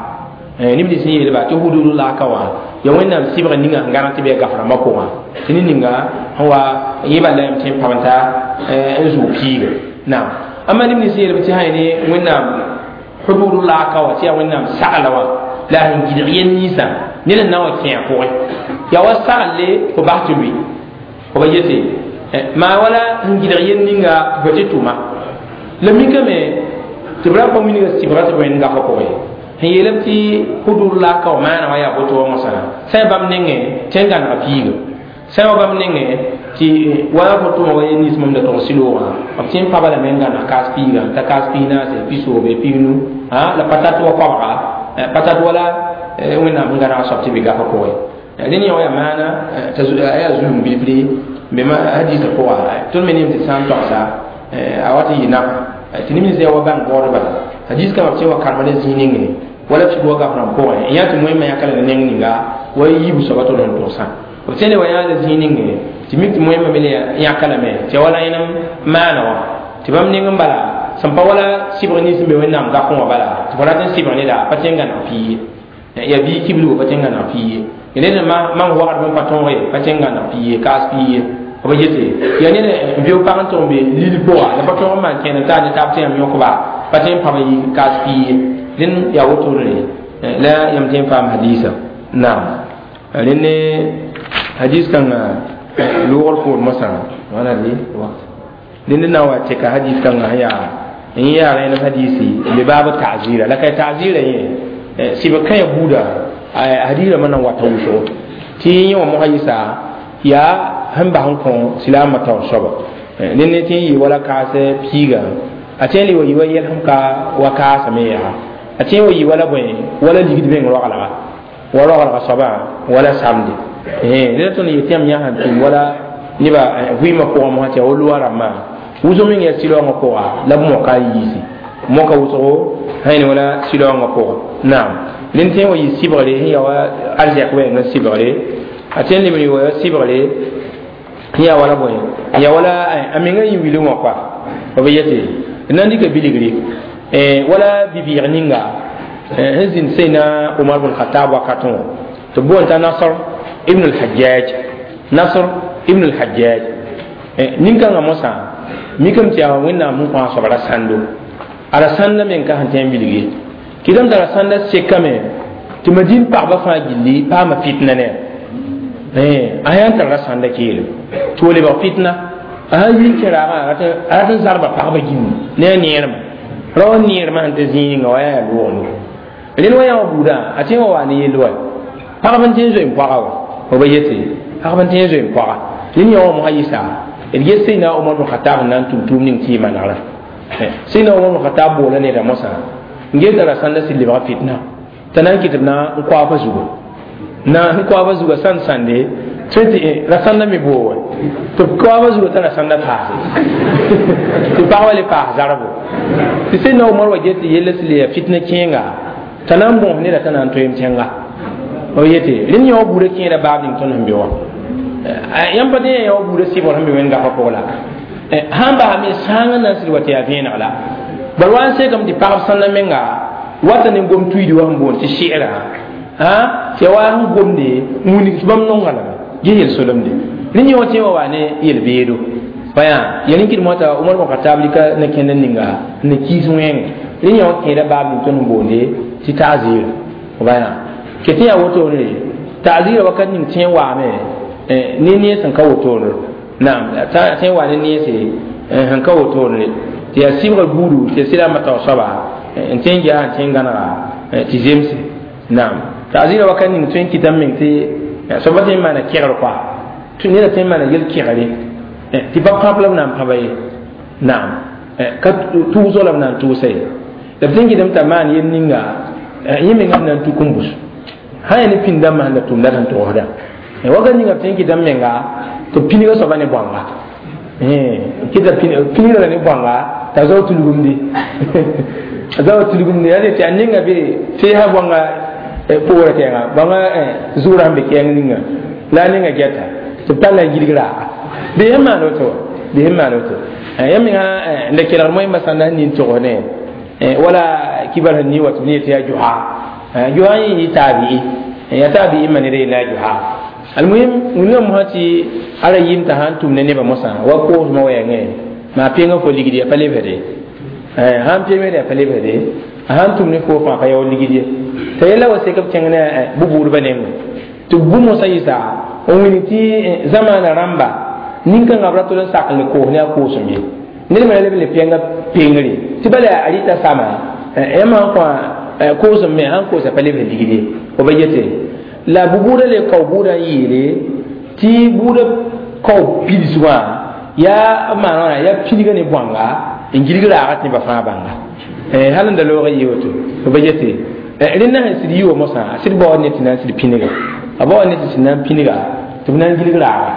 Speaker 1: neb nins n yeelba tɩ hududullah ka wã ya wẽnnaam sɩbg ninga sẽn gãneg tɩ b yaa gaf rãmbã pʋgã tɩ ne ninga sẽn wa yẽba la yam tẽ n pãbenta n zʋʋg piiga naam amma neb nins n yeelb tɩ sã ne wẽnnaam hududullah ka wã tɩ yaa wẽnnaam sagla wã la sẽn gɩdg yel ninsã ned n na wa kẽ a pʋgẽ yaa wa sagle fo bas tɩ lʋɩ fo ba yete maa wala sẽn gɩdg yel ninga tɩ fo tɩ tʋma la mikame tɩ b ra pa wilga sɩbga tɩ b wẽnd gafã pʋgẽ sẽn yeelame tɩ hududullah ka wã maana wã yaa boto wã mosã sã bãmb nengẽ tɩ n gãnega piiga sã wa bãmb nengẽ tɩ wa fo tʋma wa yel nins mam da tog sɩloogã b tɩ n paba lame n gãneg kaas piiga t'a kaas piig naase pisoobe piignu la patat wa koabga patat wala wẽnnaam sẽn gãnega soab tɩ be gafã pʋgẽ rẽnd yã wa yaa maana a yaa zulum bilfre bema hadiisã pʋga tõnd me neem tɩ sã n togsa a wat n yɩ nafa tɩ neb nins yaa wa bãng baood bala hadis kãngã b tɩ wa karema ne zĩig nengẽ wala fik wa gaf rãmb pʋgẽ n yaa tɩ moẽmã yãka la ne neng ninga wa yiibu soaba tõnd sẽn togsã b tẽne wa yaa la zĩig nengẽ tɩ mik tɩ moẽmã me le yãka lame tɩ ya wala yẽnem maana wã tɩ bãmb neng n bala sẽn pa wala sɩbg nins n be wẽnnaam gafẽ wã bala tɩ fo rat n sɩbg neda pa tẽ n gãneg pii ye yaa bii kiblgo pa tẽ n gãneg pii ye ned mam wagd bõn pa tõog ye pa tẽ n gãneg pii ye kaas pii ye b yete yaa ned n veo pag n tʋg n be lil pʋga la pa tõog n maan kẽed n taa ne taab tɩ yãmb yõkba pa tẽ n pãb n yi kaas pii ye rẽnd yaa wotone la yãmb tẽ n paam hadiisa naam rẽnd ne hadis kãngã loogr poor mosã wãna de rẽnd na n wa tɛka hadis kãngã sẽn yaa n yaa rẽnem hadisi n be baab ta'zira la ka ta'zira yẽ sɩbg kãyã buuda hadis rãmbã na n wata wʋsgo tɩ yẽ wã mosã yɩsa yaa sẽn bas n kõ silaamã taoor soaba ned ne tɩ n yɩ wala kaas piiga a tẽ le wa yɩ wa yɛlsem ka wa kaasame yaa a tẽ wa yɩ wala bõe wala ligd meng roglga wa roglga soabã wala samde neda tõnd yetɩ yãmb yã sãn tʋm wala neba vɩɩmã pʋgã mosã tɩ yaa wa loa rãmbã wʋsg meng yaa sɩlaoongã pʋga la b moka n yiisi moka wʋsgo sã yẽ wala sɩlaoongã pʋga naam rẽnd tẽ wa yɩ sɩbgre sẽn yaa wa arzɛk wɛɛng n sɩbgre a tẽ n leb n wa sɩbgre sẽn yaa wala bõe yaa wala a menga yĩ wilg wã koa b yete d na n dɩka bilgre wala bi-bɩɩg ninga sẽn zĩnd seyna Umar bn Khatab wakatẽ wã tɩ b boond t'a Nasr ibn al-Hajjaj Nasr ibn al-Hajjaj nin-kãngã mosã mikame tɩ yaa wẽnnaam sẽn kõ a soab rasãndo a rasãndã meng ka sẽn tẽ n bilg ye kɩtame t'a rasãndã sekame tɩ madin pagba fãa gilli paama fitna ne a yã n tar rasãnda keelem tɩ wa lebg fitna a sã yi n kẽ raagã a rat n zarba pagba gĩnni ne a neermã ra wa neermã sẽn tɩ zĩig ninga wa yaa loogno rẽnd wa yã wã buudã a tẽ wa waa ne yell wa pagb n tẽ n zoe n poaga wa b ba yete pagb n tẽ n zoe n poaga rẽnd yã wã mosã yɩsa d ges Seydina Omar bn Khatab n na n tʋm tʋʋm ning tɩ yɩ manegrã Seydina Omar bn Khatab boola neda mosã n get t'a rasãnda sɩd lebga fitna t'a na n kɩt b na n koaaba zuga na n koaaba zuga sãn sãnde tɩ rasãnda me boo wa tɩ b koaaba zuga t'a rasãnda paase tɩ pagba le paas zarbo tɩ Seydina Omar wa get tɩ yella sɩ le yaa fitna kẽenga t'a na n bõos neda t'a na n toeem tẽnga b yete rẽnd yã wa buudã kẽeda baab ning tõnd sẽn be wã yãmb pa tẽ yã wa buudã sɩbgr sẽn be wẽnd gafã pʋg la sãn basame sãang n na n sɩd wa tɩ yaa vẽeneg la bal wa n sekame tɩ pagb sãnda menga wata ne gom tuiidi wa sẽn boond tɩ sɩgra tɩ ya wa sẽn gomde n wilg tɩ bãmb nonga lame ges yel-solemde Rẽ yẽ wã tẽ wa wa ne yel-beedo baya yel n kɩd moata Umar bn Khatab lika ne kẽnd ninga ne kiis wẽng rẽ yẽ wã kẽeda baab ning tõnd n boonde tɩ ta'zir baya ket yaa wotone ta'zira wakat ning tẽ waame ne nees sẽn ka wotone naam tẽ wa ne neese sẽn ka wotone tɩ yaa sɩbgr buudu tɩ ya sɩdame tao soaba n tõe n ges n tõe n gãnega tɩ zemse naam ta'zira wakat ning tõe n kɩtame meng tɩ soaba tõe n maana kegr koa neda tõe n maana yel-kegre tɩ pa pãb la b na n pãba ye naam ka tʋʋsg la b na n tʋʋsa ye la b tõe n kɩtame t'a maan yel ninga yẽ menga b na n tuk n bus sã yaa ne pĩnd dãmbã sẽn la tʋmda sẽn togsda wakat ninga b tõe n kɩtame menga tɩ pinga soaba ne bõanga kɩta pingra la ne bõanga t'a zao tulgumdi a zao tulgumdi yaa tɩ a ninga be teesa bõanga poorã kɛɛnga bõanga zʋʋrã sẽn be kɛɛng ninga la a ninga gɛta tɩ b tall n gilg raaga bɩ sẽn maan woto wa bɩ sẽn maan woto yã menga la kelgd moẽmbã sãn na n nin togs ne wala kibar sẽn ni wa tɩ b ne yetɩ yaa joha joha yẽ yɩ taabi'i ya taabi'i ma ned yella yaa joha almuhim wĩnga mosã tɩ ara yɩɩm t'a sãn tʋm ne nebã mosã wa koosmã wɛɛngẽ maa peenga fo ligd ya pa lebsde sãn peemd ya pa lebsde a sãn tʋm ne fo fãa pa yaool ligd ye t'a yella wa sek b kẽng ne bu-buudbã nengẽ tɩ b bu-mosã yɩsa n wilg tɩ zamaana rãmba nin-kãngã b ra tol n sak n le koos ne a koosem ye ned me ra leb n le pẽnga pengre tɩ bala a rɩta sama yãmb sãn kõ koosem me sãn koosa pa lebs ligd ye fo ba yete la bu-buudã le kao buudã n yeele tɩ buudã kao pidsgã yaa b maan wãna yaa pidga ne bõanga n gilg raaga tɩ nebã fãa bãnga hal n da loog n yɩ woto fo ba yete rẽnda sẽn sɩd yi wa mosã a sɩd baood ne tɩ na n sɩd pĩnega a baood ne tɩ sɩd na n pĩnega tɩ b na n gilg raaga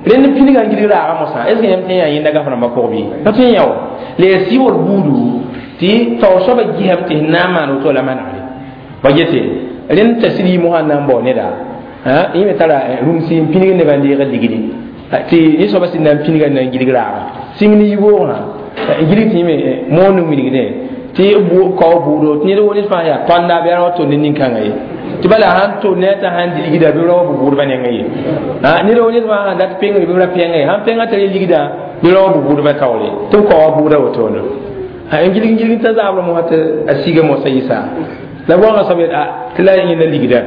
Speaker 1: rẽnd pĩnega n gilg raaga mosã est ce que yãmb tõe n yaa yẽnda gaf rãmbã pʋg bɩ pa tõe n yã wa la yaa sɩbgr buudu tɩ tao soabã gisame tɩ sẽn na n maan woto la manegre ba yete rẽnd t'a sɩd yɩ mosã n na n bao neda yẽ me tara rũmsi n pĩnig nebã n deeg ligdi tɩ yẽ soabã sɩd na n pĩniga n na n gilg raaga sĩng ne yiboogã n gilg tɩ yẽ me moond n wilgdẽ tɩ kao buudo tɩ ned wo ned fãa yaa tõanda bɩ a ra wa tol ne nin-kãngã ye tɩ bala sãn tol ne t'a sãn dɩ ligda bɩ ra wa bu-buudbã nengẽ ye ned wo ned fãa sãn dat pengre bɩ b ra pẽnga ye sãn pẽngã tara ligdã bɩ ra wa bu-buudbã taoore tɩ b kao wa buudã wotone n gilg n gilg t'a zaabrã mosã tɩ a siga mosã yɩsa la bõanga soab yet tɩ la yẽnda ligda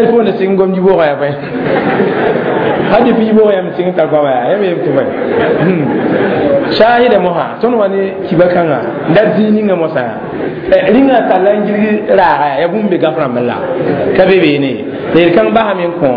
Speaker 1: fo ne sɩng gom yiboogã yaa bõe hal depuis yiboogã yãmb sɩng tar goama yaa yãmb yem tɩ bõe shahida mosã tõnd wa ne kiba kãngã n dat zĩig ninga mosã rĩngã talla n gilg raaga yaa bũmb be gaf rãmb la ka be beene la yel-kãng basame n kõ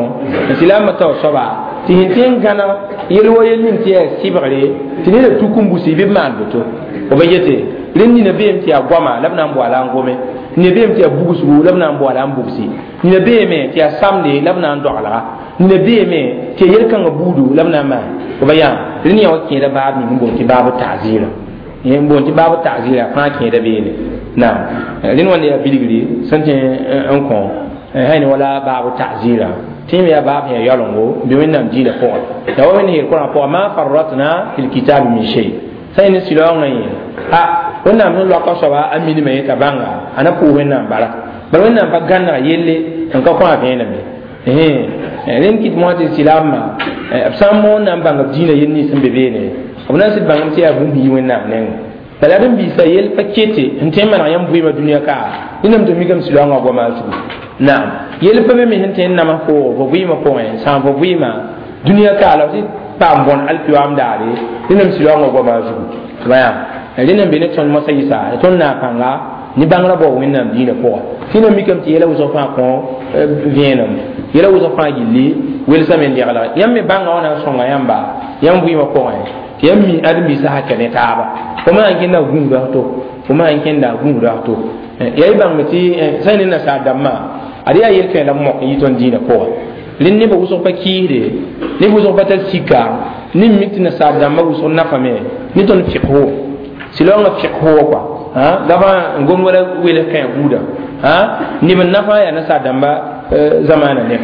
Speaker 1: n sɩlaambã tao soaba tɩ sẽn tõe n gãneg yel wa yel ning tɩ yaa sɩbgre tɩ neda tuk n busi bɩ b maan boto fo ba yete rẽnd nina beem tɩ yaa goama la b na n boala n gome nina beem tɩ yaa bugsgu la b na n boala n bugsi nina beeme tɩ yaa samde la b na n dogelga nina beeme tɩ yaa yel-kãngã buudu la b na n maan fo ba yaa rẽnd yã wa kẽeda baab ning n boond tɩ baabu ta'zira n boond tɩ baabu ta'zira fãa kẽeda beene naam rẽnd wãnda yaa bilgri sẽn tẽ n kõ sã ne wala baabu ta'zira tɩ yẽ me yaa baab sẽn yaa yaolengo bɩ wẽnnaam diinã pʋgẽ la wa wẽnd yeel Kʋrã pʋgã ma farratna fi lkitabi min shay sã yẽ ne sɩlaoongã yẽ a wẽnnaam sẽn loaka soaba a minimã yẽ t'a bãnga a na pʋʋs wẽnnaam bara bala wẽnnaam pa gãnega yelle n ka kõ a vẽeneme rẽnd kɩt mosã tɩ sɩlaambã b sã n moon na n bãng b diinã yel nins sẽn be beene b na n sɩd bãngame tɩ yaa bũmb yi wẽnnaam nengẽ bala d n biisa yel pa kete n tõe n maneg yãmb vɩɩmã dũniyã ka rẽndame tɩ mikame sɩlaoongã goama a zugu naam yel pa be me sẽn tõe n nams foo fo vɩɩmã pʋgẽ sãam fo vɩɩmã dũniyã ka la tɩ paam bõn alkiyoam daare rẽndame sɩlaoongã goama a zugu tɩ ba yaa rẽnd n be ne tõnd mosã yɩsa tõnd naag-kãnga ne bãngrã bao wẽnnaam diinã pʋga tɩ na mikame tɩ yɛla wʋsg fãa kõ vẽenem yɛla wʋsg fãa gilli welsame n degla yãmb me bãnga wã na n sõnga yãmba yãmb vɩɩmã pʋgẽ tɩ yãmb mi ãdem-biisã sã kɛ ne taaba fo maan kẽnda gũuda to fo maan kẽnda gũuda to yaa y bãngme tɩ sã ne nasaar dãmbã ad yaa yel-kẽ la mok n yɩ tõnd diinã pʋgẽ rẽnd nebã wʋsg pa kiisde neb wʋsg pa tar sika ne mik tɩ nasaar dãmbã wʋsg nafame ne tõnd fiqho sɩlaoongã fiqho wa kɔa gafã n gom wala welg kẽ buudã neb n nafa yaa nasaar dãmba zamaana neb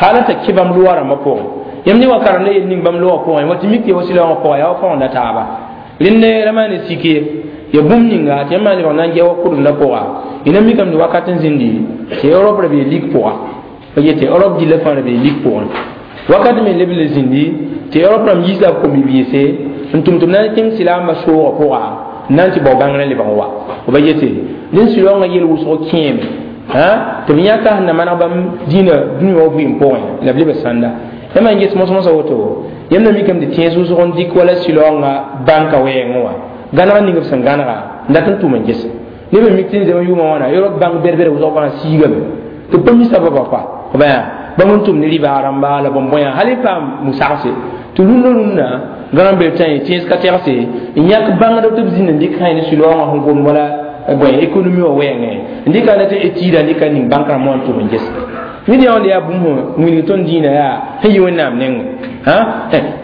Speaker 1: hala t'a kẽ bãmb loa rãmbã pʋgẽ yãmb ne wa karemda yel ning bãmb loa pʋgẽ wa tɩ mik tɩ wa sɩlaoongã pʋgã yaa wa fõgenda taaba rẽnd ra maan sik ye ya bũmb ninga tɩ yãmb maan lebg na n gɛ wa kʋdemdã pʋga y na mikame tɩ wakat n zĩndi tɩ Europe ra bee lik pʋga pa yetɩ Europe dilla fãa ra bee lik pʋgẽ wakat me leb le zĩndi Tɩ Europe rãmb yiisa b kom-bi-biise n tʋm tɩ b na n kẽng silaambã soogã pʋga n na n tɩ bao bãngrã lebg n wa. B ba yete dẽn silaoongã yel wʋsg kẽeme tɩ b yãka sẽn na maneg bãmb dĩinã dũni wã vɩɩm pʋgẽ la b leb sãnda. Yãmb n ges mos-mosã woto yãmb na mikame tɩ tẽes wʋsg n dɩk wala silaoongã bãnka wɛɛngẽ wã gãneg ning b sẽn gãnega n dat n tʋm n ges neb n mik tɩ n zem yʋʋmã wãna Europe bãnk bɛd-bɛd wʋsg fãa siigame tɩ b pa mi sababã koa b yaa bãmb n tʋm ne rɩbaa rãmba la bõn-bõyã hal y paam musagse tɩ rũndã rũnnã gãn bel tã tẽes ka tɛgse n yãk bãngdb tɩ b zĩnd n dɩk sã ne silaoongã sẽn gomd wala bõe économie wã wɛɛngẽ n dɩka na tɩ étude n dɩka ning bãnk rãmb wã n tʋm n ges ned yã wã yaa bũmb wilg tõnd dĩinã yaa sẽn yi Wẽnnaam nengẽ.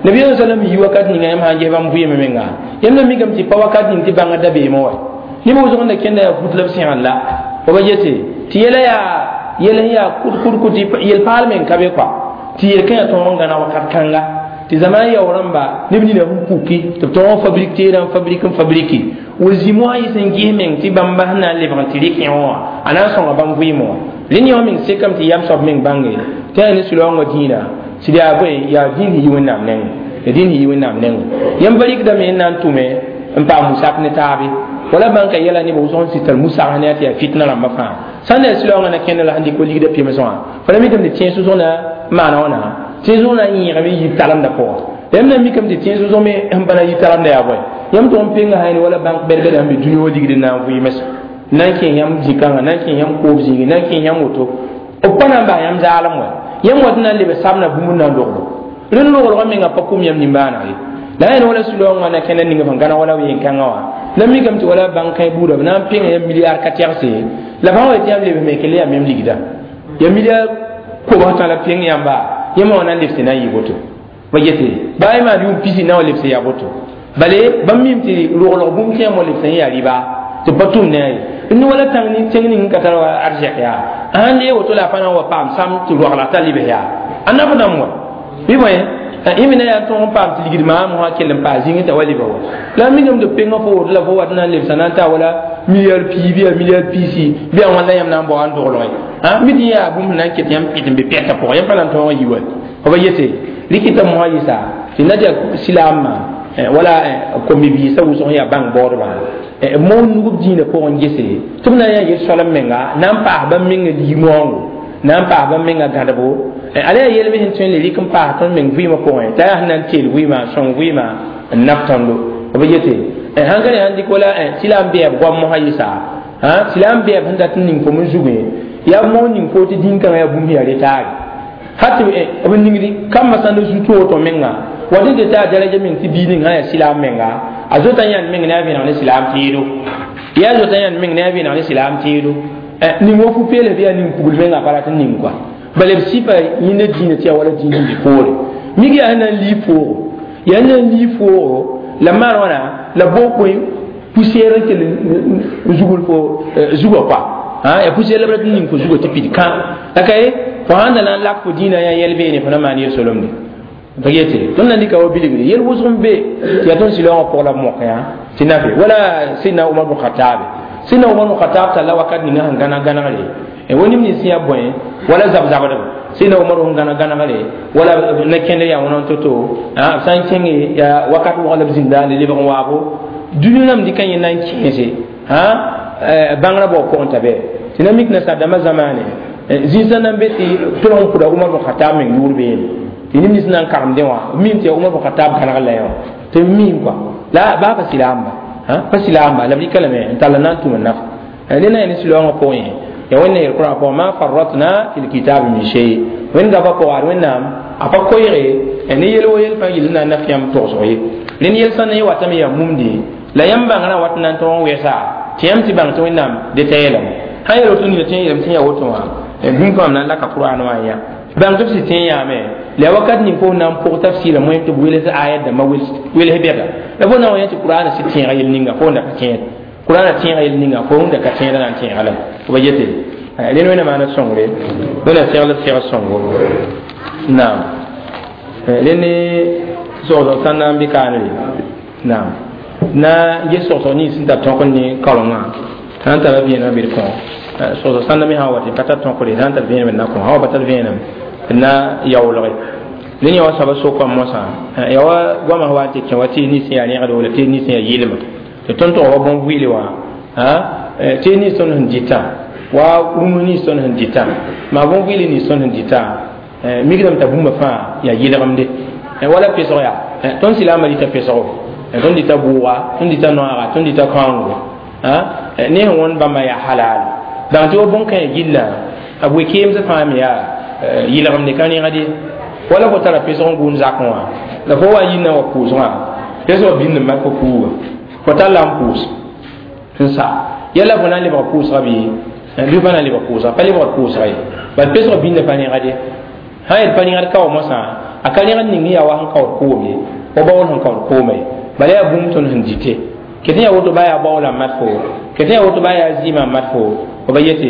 Speaker 1: Nabiyaam salam yi wakat ninga yãmb sã n ges bãmb vɩɩmã menga yãmb na mikame tɩ pa wakat ning tɩ bãngã dabeemã wa neb wʋsg n da kẽnda yaa fut la b sẽgn la b ba yete tɩ yɛla yaa yɛl sẽn yaa kʋd-kʋd tɩ yel-paal meng ka be kɔa tɩ yel-kã yaa tõog n gãneg wakat kãnga tɩ zaman yao rãmba neb nina sẽn puki tɩ b tõog n fabrik teerã n fabrik n fabriki wa zĩ moasã yɩs n ges meng tɩ bãmba sẽn na n lebg n tɩ rɩk wã a na n sõnga bãmb vɩɩmẽ wã rẽnd yã meng sekame tɩ yam soab meng bãnge tɩ yaa ne sũ-laoongã dĩinã sɩd yaa bõe yaa dĩin sẽn yi Wẽnnaam nengẽ ya dĩin sẽn yi Wẽnnaam nengẽ yãmb pa rɩkdame n na n tʋme n paam musak ne taabe wala bãnka yɛla neb wʋsg n sɩd tar musags ne tɩ yaa fitna rãmbã fãa sãn da sũ-laoongã na kẽnda la sẽn dɩk wa ligda pems wã fo la mikame tɩ tẽes wʋsg na maana wãna tẽes wʋsg na n yẽegame n yi talemdã pʋgã yãmb na mikame tɩ tẽes wʋsg me sẽn pa na yi talemdã yaa bõe yãmb tʋg n penga sã wala bãnk bɛd-bɛd sẽn be dũni wã ligd n na n vɩɩmes na n kẽ yãmb zĩ-kãngã na n kẽ yãmb koob zĩigi na n kẽ yãmb woto b pa na n bas yãmb zaalem wa yãmb wat na n leb sabna bũmb n na n loglo rẽnd loglgã menga pa kum yãmb nimbãaneg ye la yẽn wala sũ-laoongã na kẽnda ning sẽn gãneg wala ween-kãngã wã la mikame tɩ wala bãnk kãe buudã b na n pẽnga yãmb milliard ka tɛgse la fãa wa tɩ yãmb lebs me kell yaa mem ligda ya milliard kobs tã la pẽng yãmba yãmb wã na n lebse na n yɩ woto ba yete baa y maan yʋʋm pisi na wa lebse yaa woto bale bãmb mim tɩ roglg bũmb tɩ yãmb wa lebs n yaa rɩba tɩ pa tʋm ne a ye n wala tẽng ning n ka tar wa arzɛk yaa sãn lee woto la a pa na n wa paam sam tɩ roagla t'a lebs yaa a naf dãmb wa bɩ bõe yẽ me na yaa tõog n paam tɩ ligd maam wã kell n paas zĩngẽ t'a wa leba wa la mikame tɩ penga fo woto la fo wat na n lebsa na n taa wala milliard pii bɩ yaa milliard piisi bɩ yaa wãnda yãmb na n bao n doglge mi tɩ yaa bũmb sẽn na n ket yãmb pɩt n be pɛtã pʋgã yãmb pa na n tõog n yi wa f ba yete rɩkɩta mosã yɩsa tɩ na tɩ yaa silaamã wala kom-bi-biisã wʋsg yaa bãng baoodbã moon nug b dĩinã pʋgẽ gese tɩ b na n yaa yel-soalem menga na n paas bãmb menga lig-maoongo na n paas bãmb menga gãdebo ala yaa yel me sẽn tõe n le rɩk n paas tõnd meng vɩɩmã pʋgẽ t'a yaa sẽn na n teel vɩɩmã n sõng vɩɩmã n naf tõndo b yete sãn ka ne sãn dɩk wala silaam bɛɛb goam mosã yɩsa silaam bɛɛb sẽn dat n ning fo n zugẽ yaa moon ning fo tɩ dĩn-kãngã yaa bũmb yaa retaare hat b ningdi kambã sãn da zu toor menga wa dẽ tɩ taa daraja meng tɩ bii ning sã yaa silaam menga a zota yãnd meng ne a vẽneg ne silaam tẽedo yaa zota yãnd meng ne a vẽneg ne silaam tẽedo ning wa fu-peels bɩ yaa ning pugl menga pa rat n ning kɔa bala b sɩpa yẽnda dĩinã tɩ yaa wala dĩin sẽn be poore mik yaa sẽn na n lii foogo yaa sẽn na n lii foogo la maan wãna la boog koe poussière n kell n zugl fo zugã kɔa yaa poussière la b rat n ning fo zugã tɩ pid kã la ka ye fo sãn da na n lak fo dĩinã yaa yɛl beene fo na maan yel-solemde pa yete tõnd na dɩka wa bilgre yel wʋsg n be tɩ yaa tõnd sɩlaoongã pʋg la b mok yã tɩ nafe wala sidna Umar bn Khataabe sidna Umar bn Khatab talla wakat ninga sẽn gãneg gãnegre wa neb nins sẽn yaa bõe wala zab-zabdb sidna Umar sẽn gãneg gãnegre wala na kẽnd yaa wãna n to-to b sã n kẽnge yaa wakat wʋgã la b zĩnda le lebg n waabo dũni rãmb dɩka yẽ na n kẽese bãngrã bao pʋgẽ t'a bɛ tɩ na mik nasaar-dãmbã zamaane zĩnsã na n be tɩ tolg n pʋda Umar bn Khatab meng yʋʋr beene tɩ neb nins na n karemdẽ wã b mim tɩ yaa Umar bn Khatab gãneg la yã wã tɩ b mim kɔa la baa pa silaamba pa silaamba la b rɩka lame n tall n na n tʋm n naf rẽ na yaa ne sũ-laoongã pʋgẽ ya wẽnna yel Kurã pʋgẽ ma farratna fi lkitabi min shay wẽnd gaba pʋga ad Wẽnnaam a pa koeege ne yel wo yel fãa yel na n naf yãmb togsg ye rẽnd yel sã n na yẽ watame yaa mumde la yãmb bãngrã wat n na n tõog n wɛsa tɩ yãmb tɩ bãng tɩ Wẽnnaam deta yeelame sã yel woto nina tɩ yã yeelame tɩ yaa woto wã bũmb fãa m na n laka Kurãan wã n yã bãng tɩ b sɩd tẽ yãame la wakat ning fo na n pʋg tafsɩɩrã moẽm tɩ b wels ayat dãmbã wels bɛda la fo na n wa yã tɩ Kurãanã sɩd tẽega yel ninga fo n da ka tẽed Kurãanã tẽega yel ninga fo n da ka tẽeda na n tẽega lame b yete rẽnd Wẽnna maana sõngre Wẽnna segl b seg sõngo naam rẽnd ne sogsg sãn na n bɩ kaanre naam na ges sogsg nins sẽn tar tõk ne kaorengã sã n tara vẽenemã bɩ d kõ sogsg sãnda me sã n wa tɩ pa tar tõkre sã n tar vẽenem d na kõ sã wa pa tar vẽenem d na yaoolge Ned yã wa soaba sokame mosã ya wa goamã wa n tɩ kẽ wa tɩ nins yaa rẽgdo la tɩ nins yaa yɩlma tɩ tõnd tʋg wa bõn-vɩɩle wã tɩ nins tõnd sẽn dɩtã wa rũms nins tõnd sẽn dɩtã maa bõn-vɩɩle nins tõnd sẽn dɩtã mikdame t'a bũmba fãa yaa yɩlgemde wala pesg yaa tõnd silaamã dɩta pesgo tõnd dɩta bʋʋga tõnd dɩta noaaga tõnd dɩta kãongo ne sẽn wõnd bãmba yaa halal bãng tɩ wa bõn-kãe gillã a bʋɩ keemsã fãa me yaa yɩlgemde ka rẽgd ye wala fo tara pesg n gʋʋn zakẽ wã la fo wa n yĩnna wa pʋʋsgã pesgã bĩnd n mak fo fuuga fo tall la n pʋʋs n sa yala fo na n lebg pʋʋsga bɩ pa na n lebg pʋʋsga pa lebgd pʋʋsga ye bal pesgã bĩndã pa rẽgd ye sã yel pa rẽgd ka wa mosã a ka rẽgd ning yaa wa sẽn kaood koom ye wa baool sẽn kaood kooma ye bala yaa bũmb tõnd sẽn dɩte ket yaa woto baa yaa baoola n mat fo ket yaa woto baa yaa zɩɩmã n mat fo fo ba yete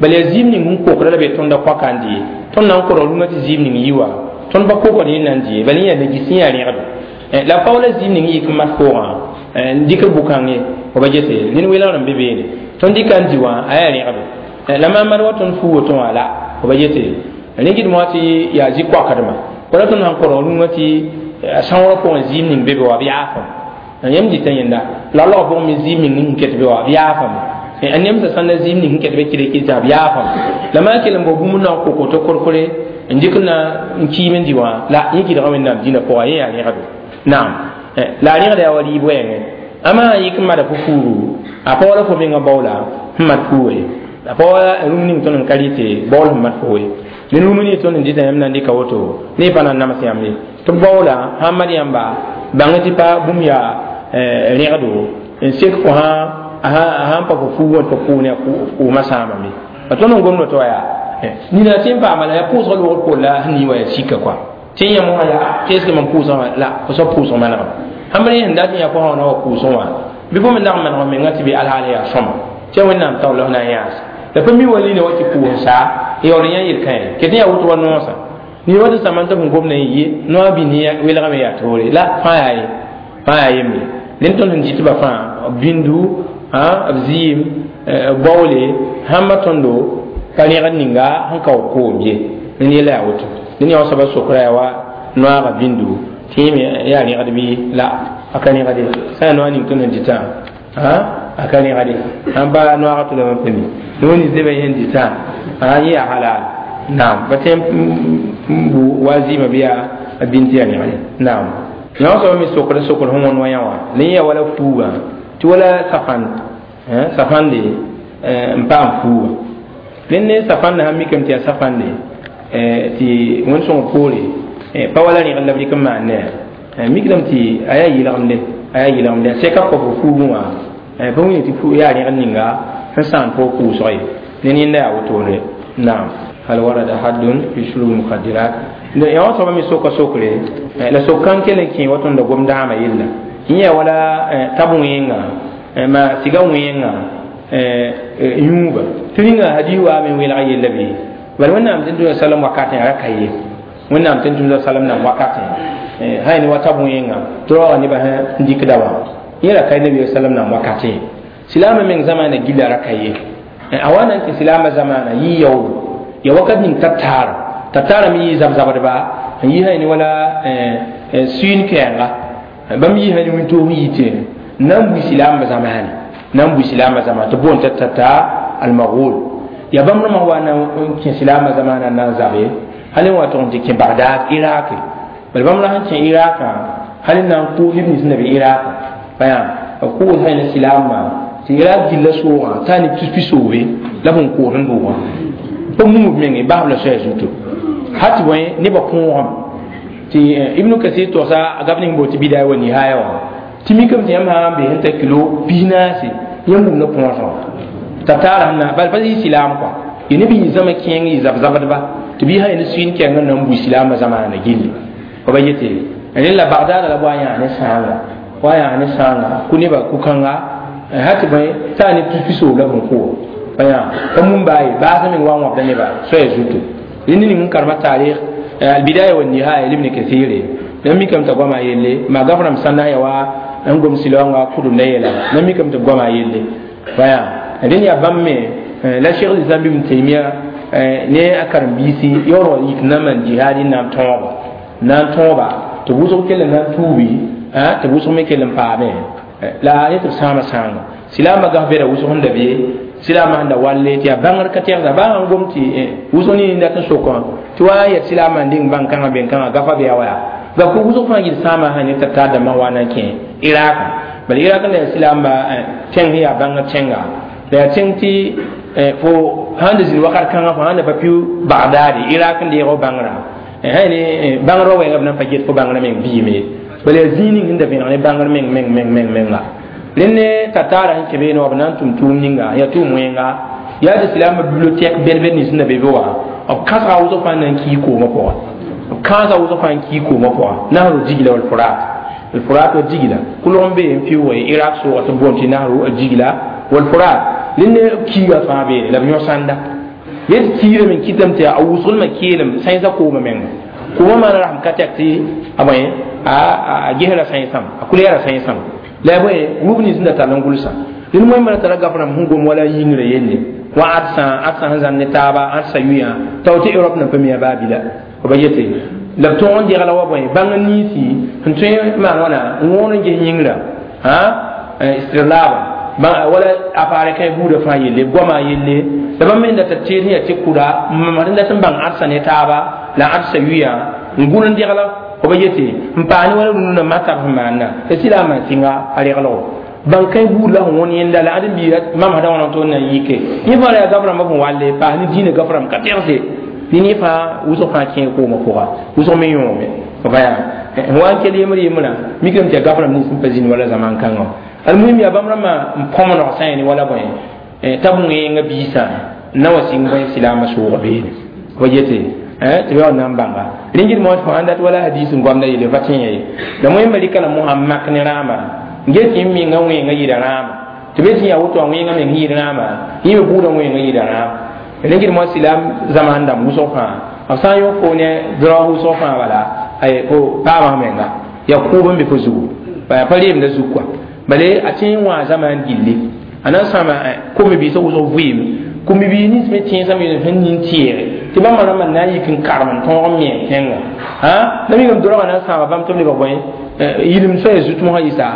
Speaker 1: bala yaa zɩɩm ning sẽn kokda la be tõnda koaka n dɩ tõnd na n korg rũngã tɩ zɩɩm ning yi wa tõnd pa kokd yẽ na n dɩ bala yẽ yaa nagis yẽ yaa rẽgdo la pa wala zɩɩm ning yik n mat foogã n dɩk bʋ-kãng ye fo ba yete ned welgr n be beene tõnd dɩka n dɩ wã a yaa rẽgdo la maan wa tõnd fuu woto wã la fo ba yete rẽ gɩdme wã tɩ yaa zĩ-koakdmã wala tõnd sãn korg rũngã tɩ sãoorã pʋgẽ zɩɩm ning be be wa b yaafame yãmb dɩta yẽnda la log pʋgẽ me zɩɩm ning sẽn ket be wa b yaafame a nemsã sãn na zɩɩm ning sẽn ket be kɩdkɩdtã b yaafame la maa kell n bao bũmb na n koko tɩ korkore n dɩk na n kiim n dɩ wã la yẽ gɩdga wẽnnaam dĩnã pʋga yẽ yaa rẽgdo naam la a rẽgda yaa wa rɩɩb wɛɛngẽ ama sã yik n mada fo fuugu a pa wala fo menga baoola sẽn mat fuuga ye a pa wala rũm ning tõnd n ka rɩte baool sẽn mat fo ye ned rũm ning tõnd n dɩta yãmb na n dɩka woto ne pa na n nams yãmb ye tɩ b baoola sãn mad yãmba bãng tɩ pa bũmb yaa rẽgdo n sek fo sãn pa fo fuugã tɩ fo pʋʋne a kʋʋmã sãamame pa tõnd n gomd tɩ wa yaa nina tɩ n paama la yaa pʋʋsgã loogd poor la sẽn yɩ wa yaa sika kɔa tɩ n yãmb wã yaa tɩ eske mam pʋʋsgã wã la fo soab pʋʋsg manegem sãn b rẽ sẽn dat n yaa fo sã na wa pʋʋsg wã bɩ fo me nag n maneg menga tɩ bɩ alhaal yaa sõma tɩ wẽnnaam taoor la f na n yãas la pa mi wa lina wa tɩ pʋʋs saa yaool n yã yel-kãe ket n yaa woto wa noosã ned wa tɩ sãmba tɩ f gomda n yɩ noa bĩnd welgame yaa toore la fãa yaa ye fãa yaa yembre rẽnd tõnd sẽn dɩtba fãa b bĩndu b zɩɩm baoole sãmba tõndo pa rẽgd ninga sẽn kaood koom ye rẽnd yella yaa woto dẽn yaa wa soaba sokra yaa wa noaaga bĩndu tɩ yẽ me yaa rẽgd bɩ la a ka rẽgde sã yaa noa ning tõnd sẽn dɩtã a ka rẽgde sãn pa noaaga tʋlame n pa mi no nins nebã yẽ sẽn dɩtã yẽ yaa halal naam pa tõe n bu wa zɩɩmã bɩ yaa a bĩnd tɩ yaa rẽgde naam yã wã soaba me sokd sokd sẽn wõnd wa yã wã la yẽ yaa wala fuugã tɩ wala safãnd safãnde n paam fuuga rẽnd ne safãnda sãn mikame tɩ yaa safãnde tɩ wẽnd sõng poore pa wala rẽgd la b rɩk n maan ne mikdame tɩ a yaa yɩlgemde a yaa yɩlgemde a sɛka kɔ fo fuugẽ wã pa wĩna tɩ yaa rẽgd ninga sẽn sãam fo pʋʋsg ye ne yẽnda yaa wotone naam hal warada haddun fi shurub mukhadirat yã wã soaba me soka sokre la sok kãng kell n kẽ wa tõnda gom dãamã yella yẽ yaa wala tab wẽenga ma siga wẽenga yũuba tɩ rĩnga hadis wa me welg yella bɩ bala wẽnnaam tɩ tʋm salam wakatẽ ra ka ye wẽnnaam tɩ tʋm salam nan wakatẽ sã ne wa tab wẽenga tɩ raooga nebã sẽn dɩkda wã yẽ ra ka nabi salam nan wakatẽ silaamã meng zamaana gilla ra ka ye a wa na n kẽ silaamã zamaana yɩ yaoodo ya wakat ning tataar tataara me yɩ zab-zabdba n yɩ sã ne wala sũin kɛɛnga bãmb yɩ sã ne wĩntoog n yite n na n bui silaambã zamaane na n bui silaambã zamaane tɩ boond t'a tata almaghul ya bãmb rãmbã wa na n kẽ silaambã zamaana n na n zabe hal n wa tʋg n tɩ kẽ Bagdad Iraq bala bãmb ra sẽn kẽ Iraqã hal n na n kʋʋs neb nins n na be Iraq bãyã b kʋʋs sã ne silaambã tɩ Iraq gilla soogã t'a ne tus-pisoobe la b n kʋʋs n doogã pa mum b menge basb la soaya zuto hal tɩ bõe nebã kõogame tɩ Ibnu Kasir togsa a gab ning boot tɩ Bidaya wa Nihaya wã tɩ mikame tɩ yãmb sã n be sẽn ta kilo 40 yãmb wumda põosgã tataar sẽn na bala pa yɩ silaam kɔa yɩ neb yĩ zãma kẽeng yɩ zab-zabdba tɩ bɩ sã ne sũin kɛɛngã na n bui silaambã zamaana gilli fa ba yete rẽnd la Bagdada la b wa yãa ne sãanga wa yãa ne sãanga kʋ nebã ku-kãnga hal tɩ bõe t'a ne tus-pisoob la b sẽn kʋʋ pa yã pa mum baa ye baasã meng wa n wãbda nebã soaya zuto rẽnd ning n karema tarikh albidaya wa nihaya libni kathire na mikame t'a goama yelle ma gaframe sãnda ya wa n gom silaoongã kʋdemda yeela na mikame tɩ b goama yelle pa yã rẽnd yaa bãmb me la cheikh lislam ibn taimia ne a karen-biisi yaool wa yik na n maan jihaad n na n tõogo Na n tõoba tɩ wʋsg kell n na n tuubi tɩ wʋsg me kell n paame la ne tɩ b sãama sãanga silaambã gaf bɛda wʋsg sẽn da be silaambã sẽn da walle tɩ yaa bãngr ka tɛgsa baa sãn gom tɩ wʋsg ning dat n sokã tɩ wa n yɛt silaambã n dɩng bãn-kãngã ben-kãngã gafa bɩ yaa wa yaa gaf wʋsg fãa yɩl sãama sã ne t'a tar dãmbã wa na n kẽ Iraka bala Irak la yaa silaambã tẽng sẽn yaa bãngr tẽnga la yaa tẽng tɩ fo sãn da zĩnd wakat kãngã fo sãn da pa pɩ Bagdad Irak n deeg f bãngrã ne bãngrã wɛɛngã b na n pa get fo bãngrã meng biime bala yaa zĩig ning sẽn da vẽneg ne bãngr meng meng meng meng menga rẽnd ne tataara sẽn kẽ beene wa b na n tʋm tʋʋm ninga yaa tʋʋm wẽnga yaa tɩ silaambã bibliothèque bɛd-bɛd nins sẽn da be be wã b kãsga wʋsg fãa na n kii koomã pʋga b kãasa wʋsg fãa n kii koomã pʋga nahru Digla wal Furat al Furat wa Digla kolg n be n fiʋʋge Irak sʋʋga tɩ b boond tɩ nahru Digla wal Furat rẽnd ne kiiga fãa beene la b yõ sãnda yet kiirame n kɩtame tɩ a wʋsglmã keelem sãensã koomã menga koomã maana rasem ka tɛk tɩ a bõe a gesra sãensãm a kulɛɛra sãensãm la ya bõe rub nins sẽn da tall n gʋlsã rẽnd moẽmã ra tara gaf rãmb sẽn gom wala yĩngrã yelle wa ãdsa sẽn zãn ne taaba ãdsa yʋyã tao tɩ Europe na pa mi a baa bila b ba yete la b tõog n degla wa bõe bãng n ninsi sẽn tõe n maan wãna n wõon n ges yĩngrã istirlaaba wala appareil kãe buudã fãa yelle goamã yelle la bãmb me da tɩ teed sẽn yaa tɩ kʋda n mamsd n dat n bãng ãdsa ne taaba la ãdsa yʋyã n gʋl n degla b yete n paas ne wala rũnã matab sẽn maanda tɩ silaamã sɩnga a reglgo bãng kãe buud la sẽn wõn yẽnda la ãdem-biiga mamsdã wãna tɩ na n yike yẽ fãa ra yaa gaf rãmbã sẽn walle paas ne dĩinã gaf rãmb ka tɛgse ne ne fãa wʋsg fãa kẽe koomã pʋga wʋsg me yõome vaya n wa n kell yembr yembrã mikame tɩ yaa gaf rãmb nins sẽn pa zĩnd wala zaman kãngã almuhim yaa bãmb rãmbã n põmnog sã yẽ ne wala bõe t'a b wẽenga biisã na wa sɩng bõe silaamã sʋʋg beene b yete tɩ b yaa na n bãnga rẽngd moas fo sãn dat wala hadis n goamda yelle va tẽ ye la wẽmba rɩka la mosã n mak ne rãamba n get tɩ n menga wẽenga yɩɩda rãamba tɩ be tɩ yaa woto a wẽenga meng yɩɩd rãamba yẽ me buudã wẽenga yɩɩda rãamba rẽngd moas silaam zaman dãmb wʋsg fãa b sã n yõ fo ne drog wʋsg fãa bala fo paamã menga yaa kʋʋb n be fo zugu pa reemda zug kɔa bale a tẽ n wã zaman gilli a na n sãama kom-biisã wʋsg vɩɩm kom-biis nins me tẽensã me sẽn nin tɩɛɛge tɩ bãmba rãmbã na n yik n karem n tõog n me tẽngã la migame dorgã na n sãama bãmb tɩ b lebg bõe yilem soaya zut mosã yɩsa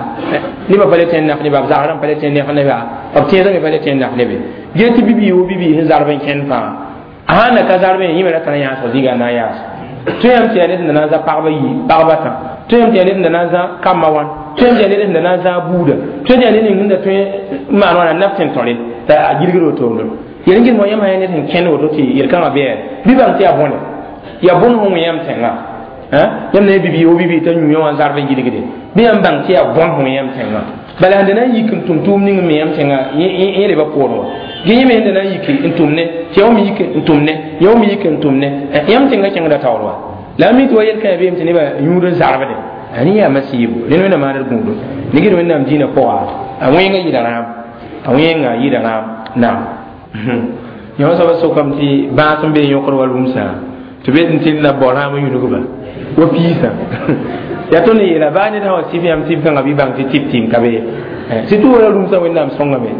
Speaker 1: nebã pa le tẽ n naf neba b zagrã pa le tẽ n nef neba b tẽensã me pa le tẽ n naf nebe gee tɩ bibii wo bibii sẽn zarb n kẽnd fãa a sãn na ka zarbẽ yẽ me ra tara yãasg zĩiga na n yaas tõe yãmb tɩ yaa ned sẽn da na n zã pagba yi pagba tã tõe yãmb tɩ yaa ned sẽn da na n zã kambã wãn tõe yãmb tɩ yaa ned sẽn da na n zã buuda tõe tɩ yaa ned ning sẽn da tõe n maan wãna naf tẽn-tɔre t'a a gilgd wotoro yel n gɩd mo yãmb sã yaa ned sẽn kẽnd woto tɩ yel-kãngã bɩ bɩ bãng tɩ yaa bõne yaa bõn sẽn wẽ yãmb tẽngã yãmb na bibii wo bibii t'a yũ wã zarb n gilgde bɩ yãmb bãng tɩ yaa bõn sẽn wẽ yãmb tẽngã bala sẽn da na n yik n tʋm tʋʋm ning n me yãmb tẽngã yẽ leba poorẽ wã gee yẽ me sẽn da na n yik n tʋm ne tɩ yã me yik n tʋm ne yã me yik n tʋm ne yãmb tẽngã kẽngda taoor wa la a mi tɩ wa yel-kãã beem tɩ nebã yũud n zarbde a yaa masiibo rẽnd wẽnnaam maaned gũudo ne gɩd wẽnnaam dĩinã pʋga a wẽenga yɩɩda rãam a wẽenga yɩɩda rãam naam yõ soaba sokame tɩ bãas n be yõkd wa rũmsã tɩ be tɩ na bao rãam n yũnugba wa piisã yaa tõnd yeela baa ned sã wa sɩf yãmb tɩb kãngã bɩ bãng tɩ tɩb tɩɩm ka be surtout wala rũmsã wẽnnaam sõngame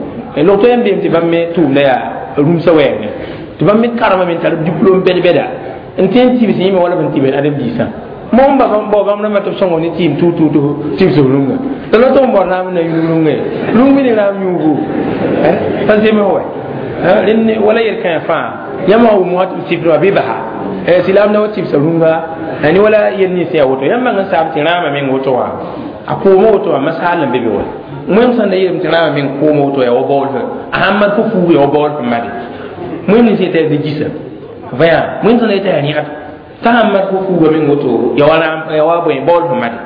Speaker 1: log tõe n beem tɩ bãmb me tʋʋmda yaa rũmsã wɛɛngẽ tɩ bãmb me karema me n tar diplôme bɛd-bɛda n tẽ n tibs yẽ me wala b n tɩbd adem-biisã mo ba bao bãmb rãmbã tɩ b sõngo ne tɩɩm tʋʋ tɩbsg rũngã la la tɩ n bao raam na yũnug rũngã ye rũng me ne raam yũugu pa zems wɛ rẽnd wala yel-kãe fãa yãmb wã wʋm wã tɩ b sɩfd wã bɩ basa silaam na wa tɩbsa rũngã ne wala yel nins yaa woto yãmb bãng n saam tɩ rãamã meng woto wã a koomã woto wã masaal n be be wa wẽm sãn da yeelame tɩ rãamã meng koomã woto yaa wa baool fẽ a sãn mat fo fuug yaa wa baool fẽ made wẽm nins yetɩ yaa gisa vaya wẽm sãn da yetɩ yaa rẽgd t'a sãn mat fo fuuga meng woto yaa wa bõe baool fẽ made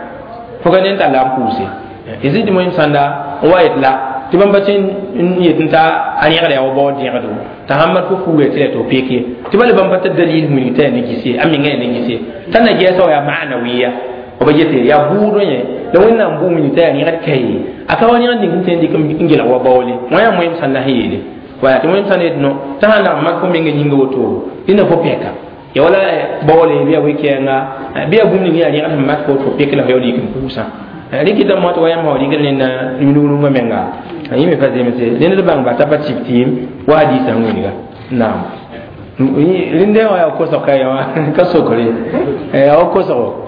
Speaker 1: fo ka ned n tall la n pʋʋse tɩ wẽm sãnda n wa yet la tɩ bãmb pa tẽ n yet n t'a a rẽgda yaa wa baool dẽgdo t'a sãn mat fo fuuga tɩ la tɩ f pek ye tɩ bala bãmb pa t'a dalil wilg t'a yaa ne gis ye a menga yaa ne gis ye t'a na gɛɛsa wa yaa maanawiya b yete yaa bʋʋdẽ yẽ la wẽnnaam bʋʋm t'a yaa rẽgd ka ye a ka wa rẽgd ning sẽn tõe n dɩk n gelg wa baoole wã yaa moẽm sãn na sẽn yeele waya tɩ wẽm sãn yet no t'a sãn lag mak fo menga yĩnga woto dẽnda fo pɛka ya wala baoole bɩ yaa we-kɛɛnga bɩ yaa bũmb ning yaa rẽgd sẽn mak fo tɩ fo pek la fo yaool yik n pʋʋsã rɩkɩta moa tɩ wa yãmb rɩkd nenda yũnug rũngã menga yẽ me pa zemse ned bãng ba t'a pa tɩb tɩɩm wa hadiisã wĩnga naam. Rĩnde wã yaa kosg ka wã ka sokre yaa wa kosgo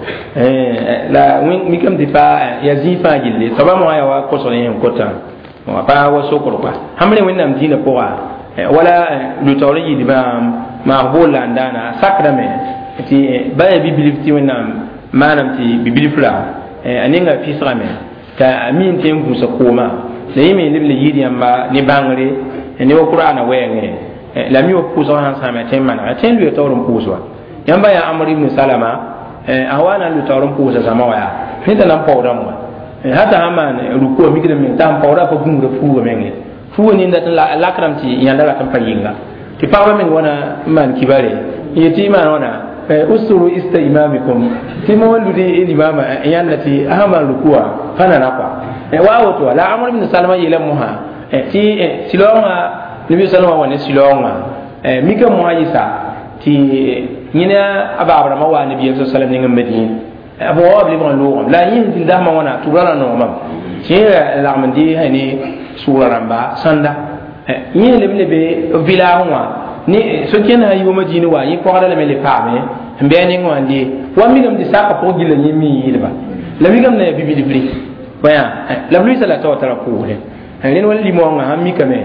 Speaker 1: la mikame tɩ pa yaa zĩig fãa gilli soaba wã yaa wa kosg yẽ sẽn kotã pa wa sokr koa sãmb rẽ Wẽnnaam dĩinã pʋga wala lʋ-taoor n yɩɩd maag bool la n daana a sakdame tɩ ba yaa bi-bilf tɩ Wẽnnaam maanam tɩ bi-bilfra a ninga fisgame t'a a mi n tõe n gũusa koomã la yẽ me leb le yɩɩd yãmba ne bãngre ne wa Qur'ana wɛɛngẽ la mi wa pʋʋsg sãn sãame a tõe n manega tõe n lʋɩ taoor n pʋʋs wa yãmba yaa Amr ibn Salama a wa na n lʋ taoor n pʋʋsa zãma wa yaa ned t'a na n paoodame wa hata sãn maan rukuwa mikd meng t'a sẽn paooda pa gũusda fuuga menge fuuga ninda tɩ lakrame tɩ yãnda rat n pa yɩnga tɩ pagba meng wãna n maan kibare n yetɩ maan wãna usturu ista imamikum tɩ mo ludi limama yãnda tɩ a sãn maan rukuwa pa nana kɔa wa woto la Amr ibn Salama yeela mosã tɩ silaoongã Nabi sallama wa ne silaoongã mika mosã yɩsa tɩ yẽna a baab rãmbã wa Nabiyaam sa sallam ning n Madin b wa b lebg n loogame la yẽ sẽn dasmã wãna tʋgra ra noogmam tɩ yẽ lagm n dɩ ne sʋʋra rãmba sãnda yẽ leb le be village wã ne so-kẽnd sã yʋʋmã dĩinã wa yẽ pɔgda lame le paame n bɩ a neng wã n dee wa mikame tɩ saka pʋg gilla yẽ mi yɩɩdba la mikame na yaa bi-bilfri la b luɩsa la tao tara pʋʋsdẽ rẽnd wa limõongã sãn mikame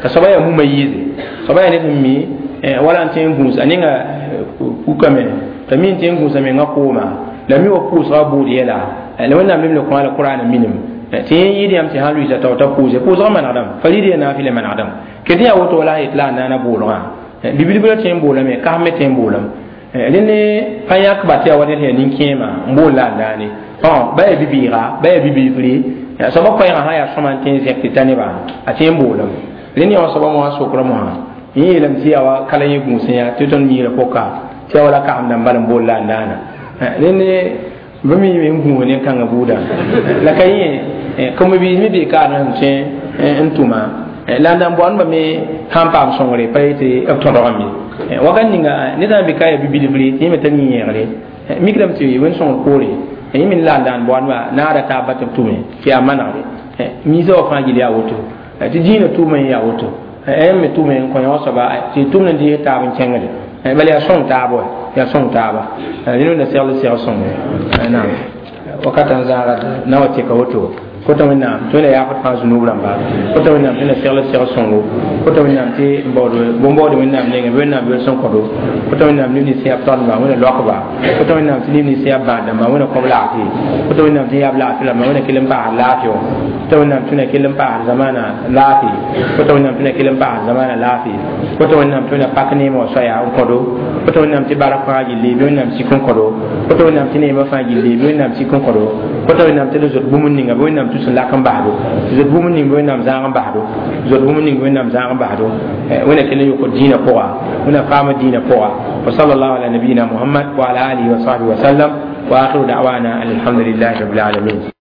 Speaker 1: t'a soaba yaa mumã yɩɩse soaba yaa ned sẽn mi wala n tõe n gũus a ninga pukame t'a mi n tõe n gũusa mengã kooma la mi wa pʋʋsga buud yɛla la Wẽnnaam leb le kõ a la Qur'ana minim tɩ yẽ yɩɩd yãmb tɩ sãn lʋɩsa tao t'a pʋʋse pʋʋsgã manegdame farid yaa naafɩla manegdame ket yaa woto la a yet la a naana boolgã bi-bilbrã tõe n boolame kas me tõe n boolame rẽnd pa yãkba tɩ yaa wa ned sẽn yaa nin-kẽema n bool la a naane ba yaa bi-bɩɩga ba yaa bi-bilfri soaba koɛɛgã sã yaa sõma n tõe n zẽk tɩ ta nebã a tõe n boolame rẽnd yaa wa soaba mosã sokra mosã yẽ yeelame tɩ yaa wa kala yẽ gũusẽ yaa tɩ tõnd miirã pʋka tɩ yaa wala kasemdã n bal n bool la a naana rẽnd bɩ mi n gũus nin-kãngã buudã la ka yẽ kame-biis me bee kaarẽ sẽn tõe n tʋma la n da n boandba me sãn paam sõngre pa yetɩ b tõdgame wakat ninga ned sã n be ka yaa bi-bilfri tɩ yẽ me tar yĩ-yẽegre mikdame tɩ wẽnd sõngr poore yẽ me la n daan boandba naada taab tɩ b tʋme tɩ yaa manegre miisã wa fãa gil yaa woto tɩ dĩinã tʋʋma yẽ yaa woto me tʋme n kõ yã soaba tɩ tʋmd n dɩɩs taab n kẽngde bala yaa sõng taab wa yaa sõng taaba rẽnd wẽnna segl seg sõnge naam wakat n zaaga na wa tɩka woto kota Wẽnnaam tɩ wẽnna yaafd fãa zunub rãmba kota Wẽnnaam tɩ wẽnna segl seg sõngo kota Wẽnnaam tɩ bõn-baood Wẽnnaam nengẽ bɩ Wẽnnaam yol sẽn kõdo kota Wẽnnaam neb nins yaa b taoodba Wẽnna loakba kota Wẽnnaam tɩ neb nins yaa bãad-dãmba Wẽnna kõb laafɩ kota Wẽnnaam tɩ yaa b laafɩ rãmba Wẽnna kell n paasd laafɩ wã kota Wẽnnaam tɩ wẽnna kell n paasd zamaana laafɩ kota Wẽnnaam tɩ wẽnna kell n paasd zamaana laafɩ kota Wẽnnaam tɩ wẽnna pak neemã wã soaya n kõdo kota Wẽnnaam tɩ bark fãa gilli bɩ Wẽnnaam sik n kõdo kota Wẽnnaam tɩ neemã fãa gilli bɩ Wẽnnaam sik n kõdo kota Wẽnnaam tɩ d zot bũmb ninga bɩ Wẽnnaam tus n lak n basdo zot bũmb ning bɩ Wẽnnaam zãag n basdo zot bũmb ning bɩ Wẽnnaam zãag n basdo Wẽnna kell n yokd dĩinã pʋga Wẽnna faama dĩinã pʋga wa sallallahu ala nabiyina Muhammad wa ala alihi wa sahbihi wa sallam wa akhiru da'wana alhamdulillahi rabbil alamin.